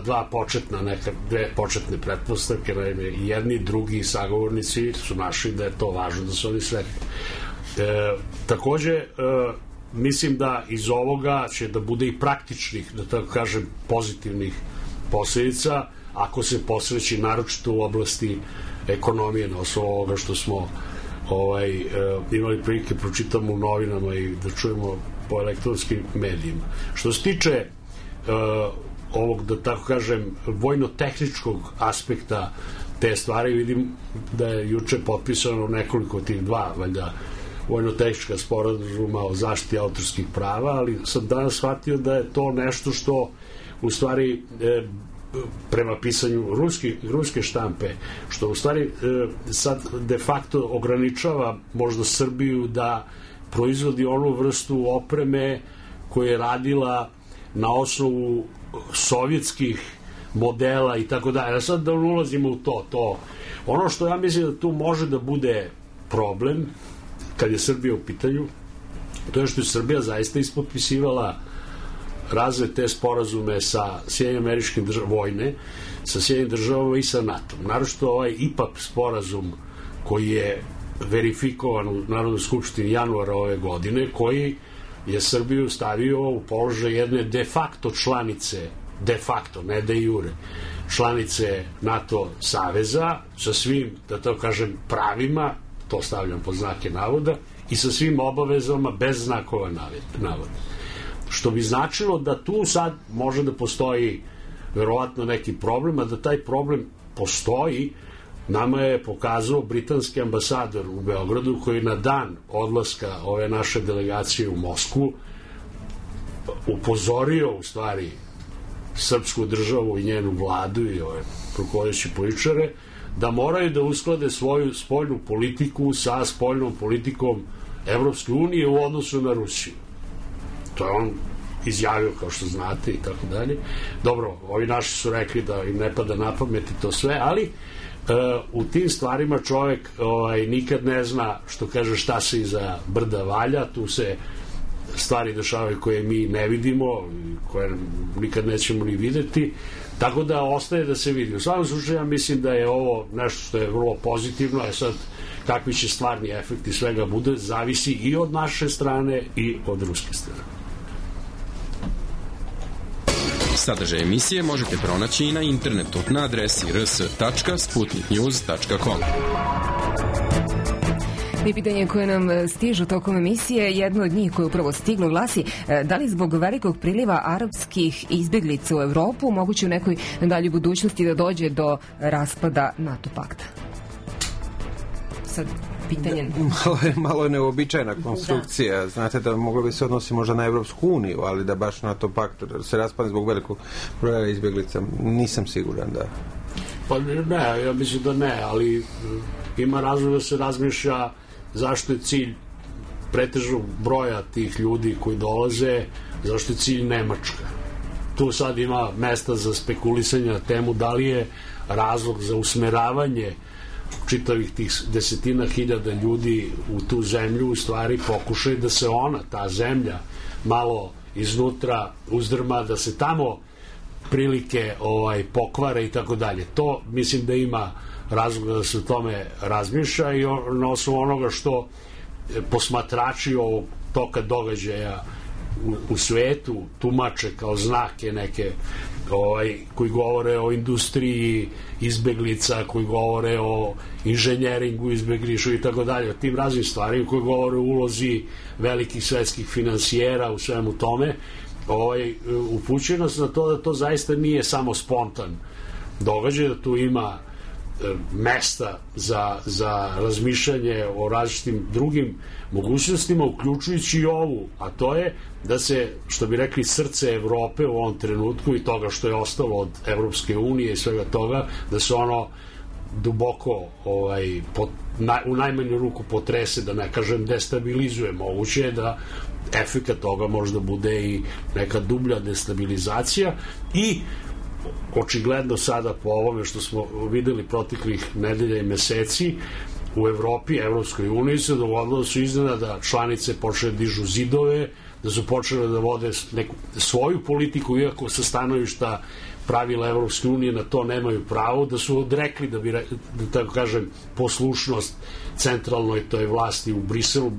dve početne pretpostavke. Jedni i drugi sagovornici su našli da je to važno, da su oni sretni. Takođe, mislim da iz ovoga će da bude i praktičnih, da tako kažem, pozitivnih posledica, ako se posreći naročito u oblasti ekonomije, na osnovu ovoga što smo imali prilike pročitamo u novinama i da čujemo po elektronskim medijima. Što se tiče ovog, da tako kažem, vojno-tehničkog aspekta te stvari, vidim da je juče potpisano nekoliko tih valjda, vojno-tehnička sporazuma o zaštiti autorskih prava, ali sam danas shvatio da je to nešto što u stvari prema pisanju ruske štampe, što u stvari sad de facto ograničava možda Srbiju da proizvodi onu vrstu opreme koja je radila na osnovu sovjetskih modela i tako dalje. Sad da ulazimo u to. Ono što ja mislim da tu može da bude problem kad je Srbija u pitanju, to je što je Srbija zaista ispotpisivala razne te sporazume sa Sjedinjenim Američkim državama, vojne, sa Sjedinjenim državama i sa NATO-om. Naročito ovaj IPAP sporazum koji je verifikovan u Narodnoj skupštini januara ove godine, koji je Srbiju stavio u položaj jedne de facto članice, de facto, ne de jure, članice NATO saveza sa svim, da to kažem, pravima, to stavljam pod znake navoda, i sa svim obavezama bez znakova navoda. Što bi značilo da tu sad može da postoji verovatno neki problem, a da taj problem postoji nama je pokazao britanski ambasador u Beogradu, koji na dan odlaska ove naše delegacije u Moskvu upozorio u stvari srpsku državu i njenu vladu i ove rukovodeće političare da moraju da usklade svoju spoljnu politiku sa spoljnom politikom Evropske unije u odnosu na Rusiju. To je on izjavio, kao što znate, i tako dalje. Dobro, ovi naši su rekli da im ne pada na pamet i to sve, ali u tim stvarima čovek nikad ne zna, što kaže, šta se iza brda valja. Tu se stvari dešavaju koje mi ne vidimo, koje nikad nećemo ni videti, tako da ostaje da se vidi. U svakom slučaju ja mislim da je ovo nešto što je vrlo pozitivno, a sad kakvi će stvarni efekti svega bude, zavisi i od naše strane i od ruske strane. Sadržaj emisije možete pronaći i na internetu na adresi rs.sputniknews.com. I pitanje koje nam stižu tokom emisije, jedno od njih koje upravo stiglo glasi: da li zbog velikog priliva arapskih izbeglica u Evropu moguće u nekoj daljoj budućnosti da dođe do raspada NATO pakta? Sad pitanje... Malo je neobičajna konstrukcija. Da. Znate da moglo bi se odnosi možda na Evropsku uniju, ali da baš NATO pakt se raspadne zbog velikog broja izbeglica, nisam siguran da... Pa ne, ja mislim da ne, ali ima razlog da se razmišlja zašto je cilj pretežnog broja tih ljudi koji dolaze, zašto je cilj Nemačka. Tu sad ima mesta za spekulisanje na temu da li je razlog za usmeravanje čitavih tih desetina hiljada ljudi u tu zemlju, u stvari pokušaj da se ta zemlja malo iznutra uzdrma, da se tamo prilike pokvare i tako dalje. To mislim da ima razloga da se o tome razmišlja i na osnovu onoga što posmatrači ovog toka događaja u svetu tumače kao znake neke koji govore o industriji izbeglica, koji govore o inženjeringu izbeglišu i tako dalje, o tim raznim stvarima, koji govore o ulozi velikih svetskih finansijera u svemu tome, upućuje nas na to da to zaista nije samo spontan događaj, da tu ima mesta za razmišljanje o različitim drugim mogućnostima, uključujući i ovu, a to je da se, što bi rekli, srce Evrope u ovom trenutku i toga što je ostalo od Evropske unije i svega toga, da se ono duboko u najmanju ruku potrese, da ne kažem destabilizuje. Moguće je da efekat toga možda bude i neka dublja destabilizacija i očigledno sada po ovome što smo videli proteklih nedelja i meseci u Evropi, Evropskoj uniji se dogodilo da su iznenada članice počele da dižu zidove, da su počele da vode neku svoju politiku, iako sa stanovišta pravila Evropske unije na to nemaju pravo, da su odrekli, da tako kažem, poslušnost centralnoj toj vlasti u Briselu,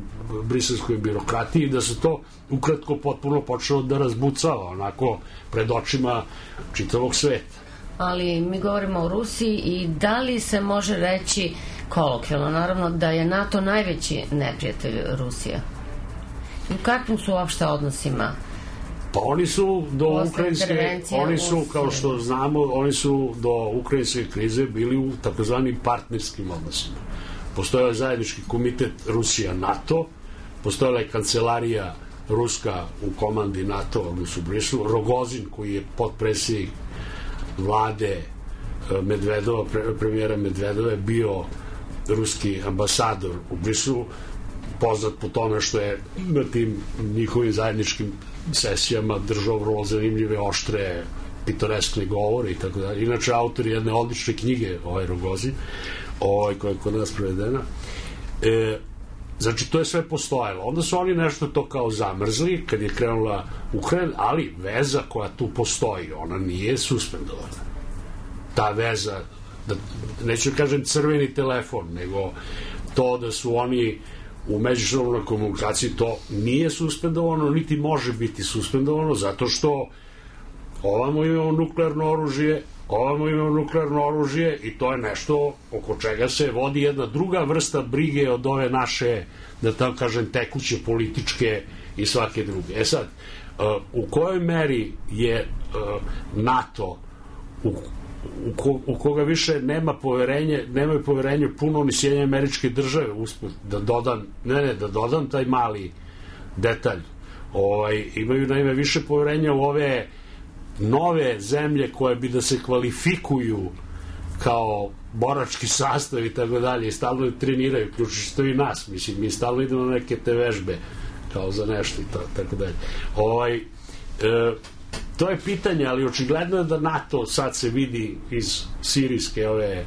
briselskoj birokratiji, da se to ukratko potpuno počelo da razbucava onako pred očima čitavog sveta. Ali mi govorimo o Rusiji i da li se može reći kolokvijalno, naravno, da je NATO najveći neprijatelj Rusije? U kakvim su uopšte odnosima? Pa oni su do ukrajinske, oni su, kao što znamo, oni su do ukrajinske krize bili u takozvanim partnerskim odnosima. Postojao je zajednički komitet Rusija-NATO, postojala je kancelarija ruska u komandi NATO, odnosno u Briselu, Rogozin, koji je potpredsjednik vlade Medvedova, premijera Medvedova, je bio ruski ambasador u Briselu, poznat po tome što je na tim njihovim zajedničkim sesijama držao vrlo zanimljive, oštre, pitoreskne govore i tako dalje. Inače, autor jedne odlične knjige, Rogozin, koja je kod nas prevedena. Znači, to je sve postojalo. Onda su oni nešto to kao zamrzli kad je krenula Ukrajina, ali veza koja tu postoji, ona nije suspendovana. Ta veza, neću kažem crveni telefon, nego to da su oni u međusobnoj komunikaciji, to nije suspendovano, niti može biti suspendovano, zato što ovamo imamo nuklearno oružje i to je nešto oko čega se vodi jedna druga vrsta brige od ove naše, da tako kažem, tekuće političke i svake druge. Sad, u kojoj meri je NATO u koga više nemaju poverenje puno ni Sjedinjene Američke Države, usput da dodam taj mali detalj. Imaju naime više poverenja u ove nove zemlje koje bi da se kvalifikuju kao borački sastav i tako dalje, i stalno treniraju, ključiš to i nas, mislim, mi stalno idemo na neke te vežbe kao za nešto i tako dalje. To je pitanje, ali očigledno je da NATO, sad se vidi iz sirijske ove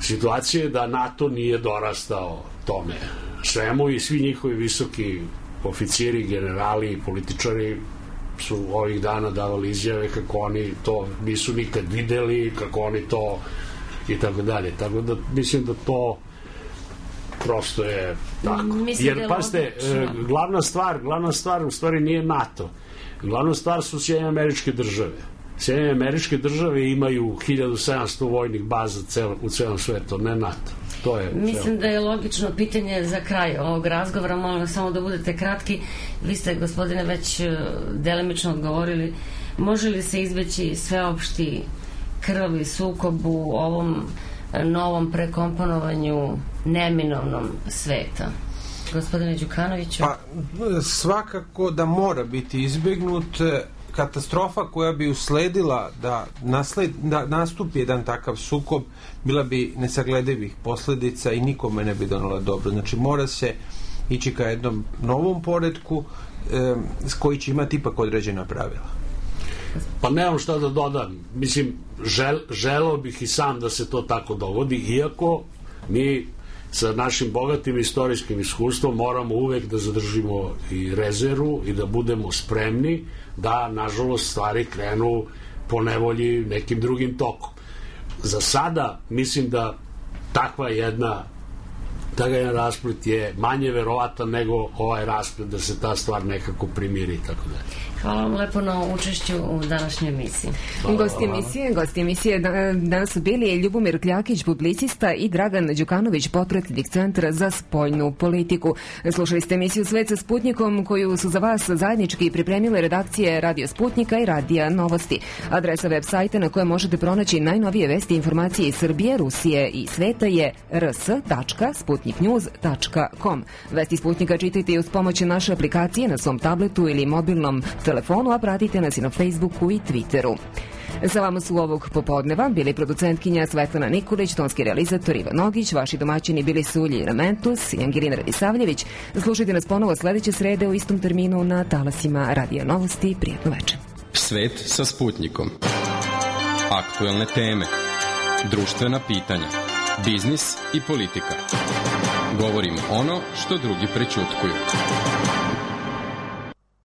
situacije, da NATO nije dorastao tome svemu i svi njihovi visoki oficiri, generali i političari su ovih dana davali izjave kako oni to nisu nikad videli, kako oni to i tako dalje. Tako da mislim da to prosto je tako. Jer, pazite, glavna stvar u stvari nije NATO. Glavna stvar su Sjedinjene Američke Države. Sjedinjene Američke Države imaju 1700 vojnih baza u celom svetu, ne NATO. Mislim da je logično pitanje za kraj ovog razgovora, molim samo da budete kratki. Vi ste, gospodine, već delimično odgovorili. Može li se izbeći sveopšti krvavi sukob u ovom novom prekomponovanju neminovnom sveta? Gospodine Đukanoviću? Pa, svakako da mora biti izbegnut. Katastrofa koja bi usledila da nastupi jedan takav sukob bila bi nesagledivih posledica i nikome ne bi donela dobro. Znači mora se ići ka jednom novom poretku koji će imati ipak određena pravila. Pa nemam šta da dodam. Mislim, želeo bih i sam da se to tako dogodi, iako mi sa našim bogatim istorijskim iskustvom moramo uvek da zadržimo i rezervu i da budemo spremni da, nažalost, stvari krenu po nevolji nekim drugim tokom. Za sada mislim da takav jedan rasplet je manje verovatan nego ovaj rasplet da se ta stvar nekako primiri i tako dalje. Hvala vam lepo na učešću u današnjoj emisiji. Gosti emisije danas su bili Ljubomir Kljakić, publicista, i Dragan Đukanović, potpredsjednik Centra za spoljnu politiku. Slušali ste emisiju Svet sa Sputnikom, koju su za vas zajednički pripremile redakcije Radio Sputnika i Radija Novosti. Adresa web sajta na kojoj možete pronaći najnovije vesti i informacije iz Srbije, Rusije i sveta je rs.sputniknews.com. Vesti Sputnika čitajte i uz pomoć naše aplikacije na svom tabletu ili mobilnom telefonu, a pratite nas i na Facebooku i Twitteru. Za vama su ovog popodneva bili producentkinja Svetlana Nikolić, tonski realizator Ivan Nogić, vaši domaćini bili su Uljira Mentus i Angelina Radisavljević. Slušajte nas ponovo sledeće srede u istom terminu na talasima Radija Novosti. Prijetno večer. Svet sa Sputnikom. Aktuelne teme, društvena pitanja, biznis i politika. Govorimo ono što drugi prećutkuju.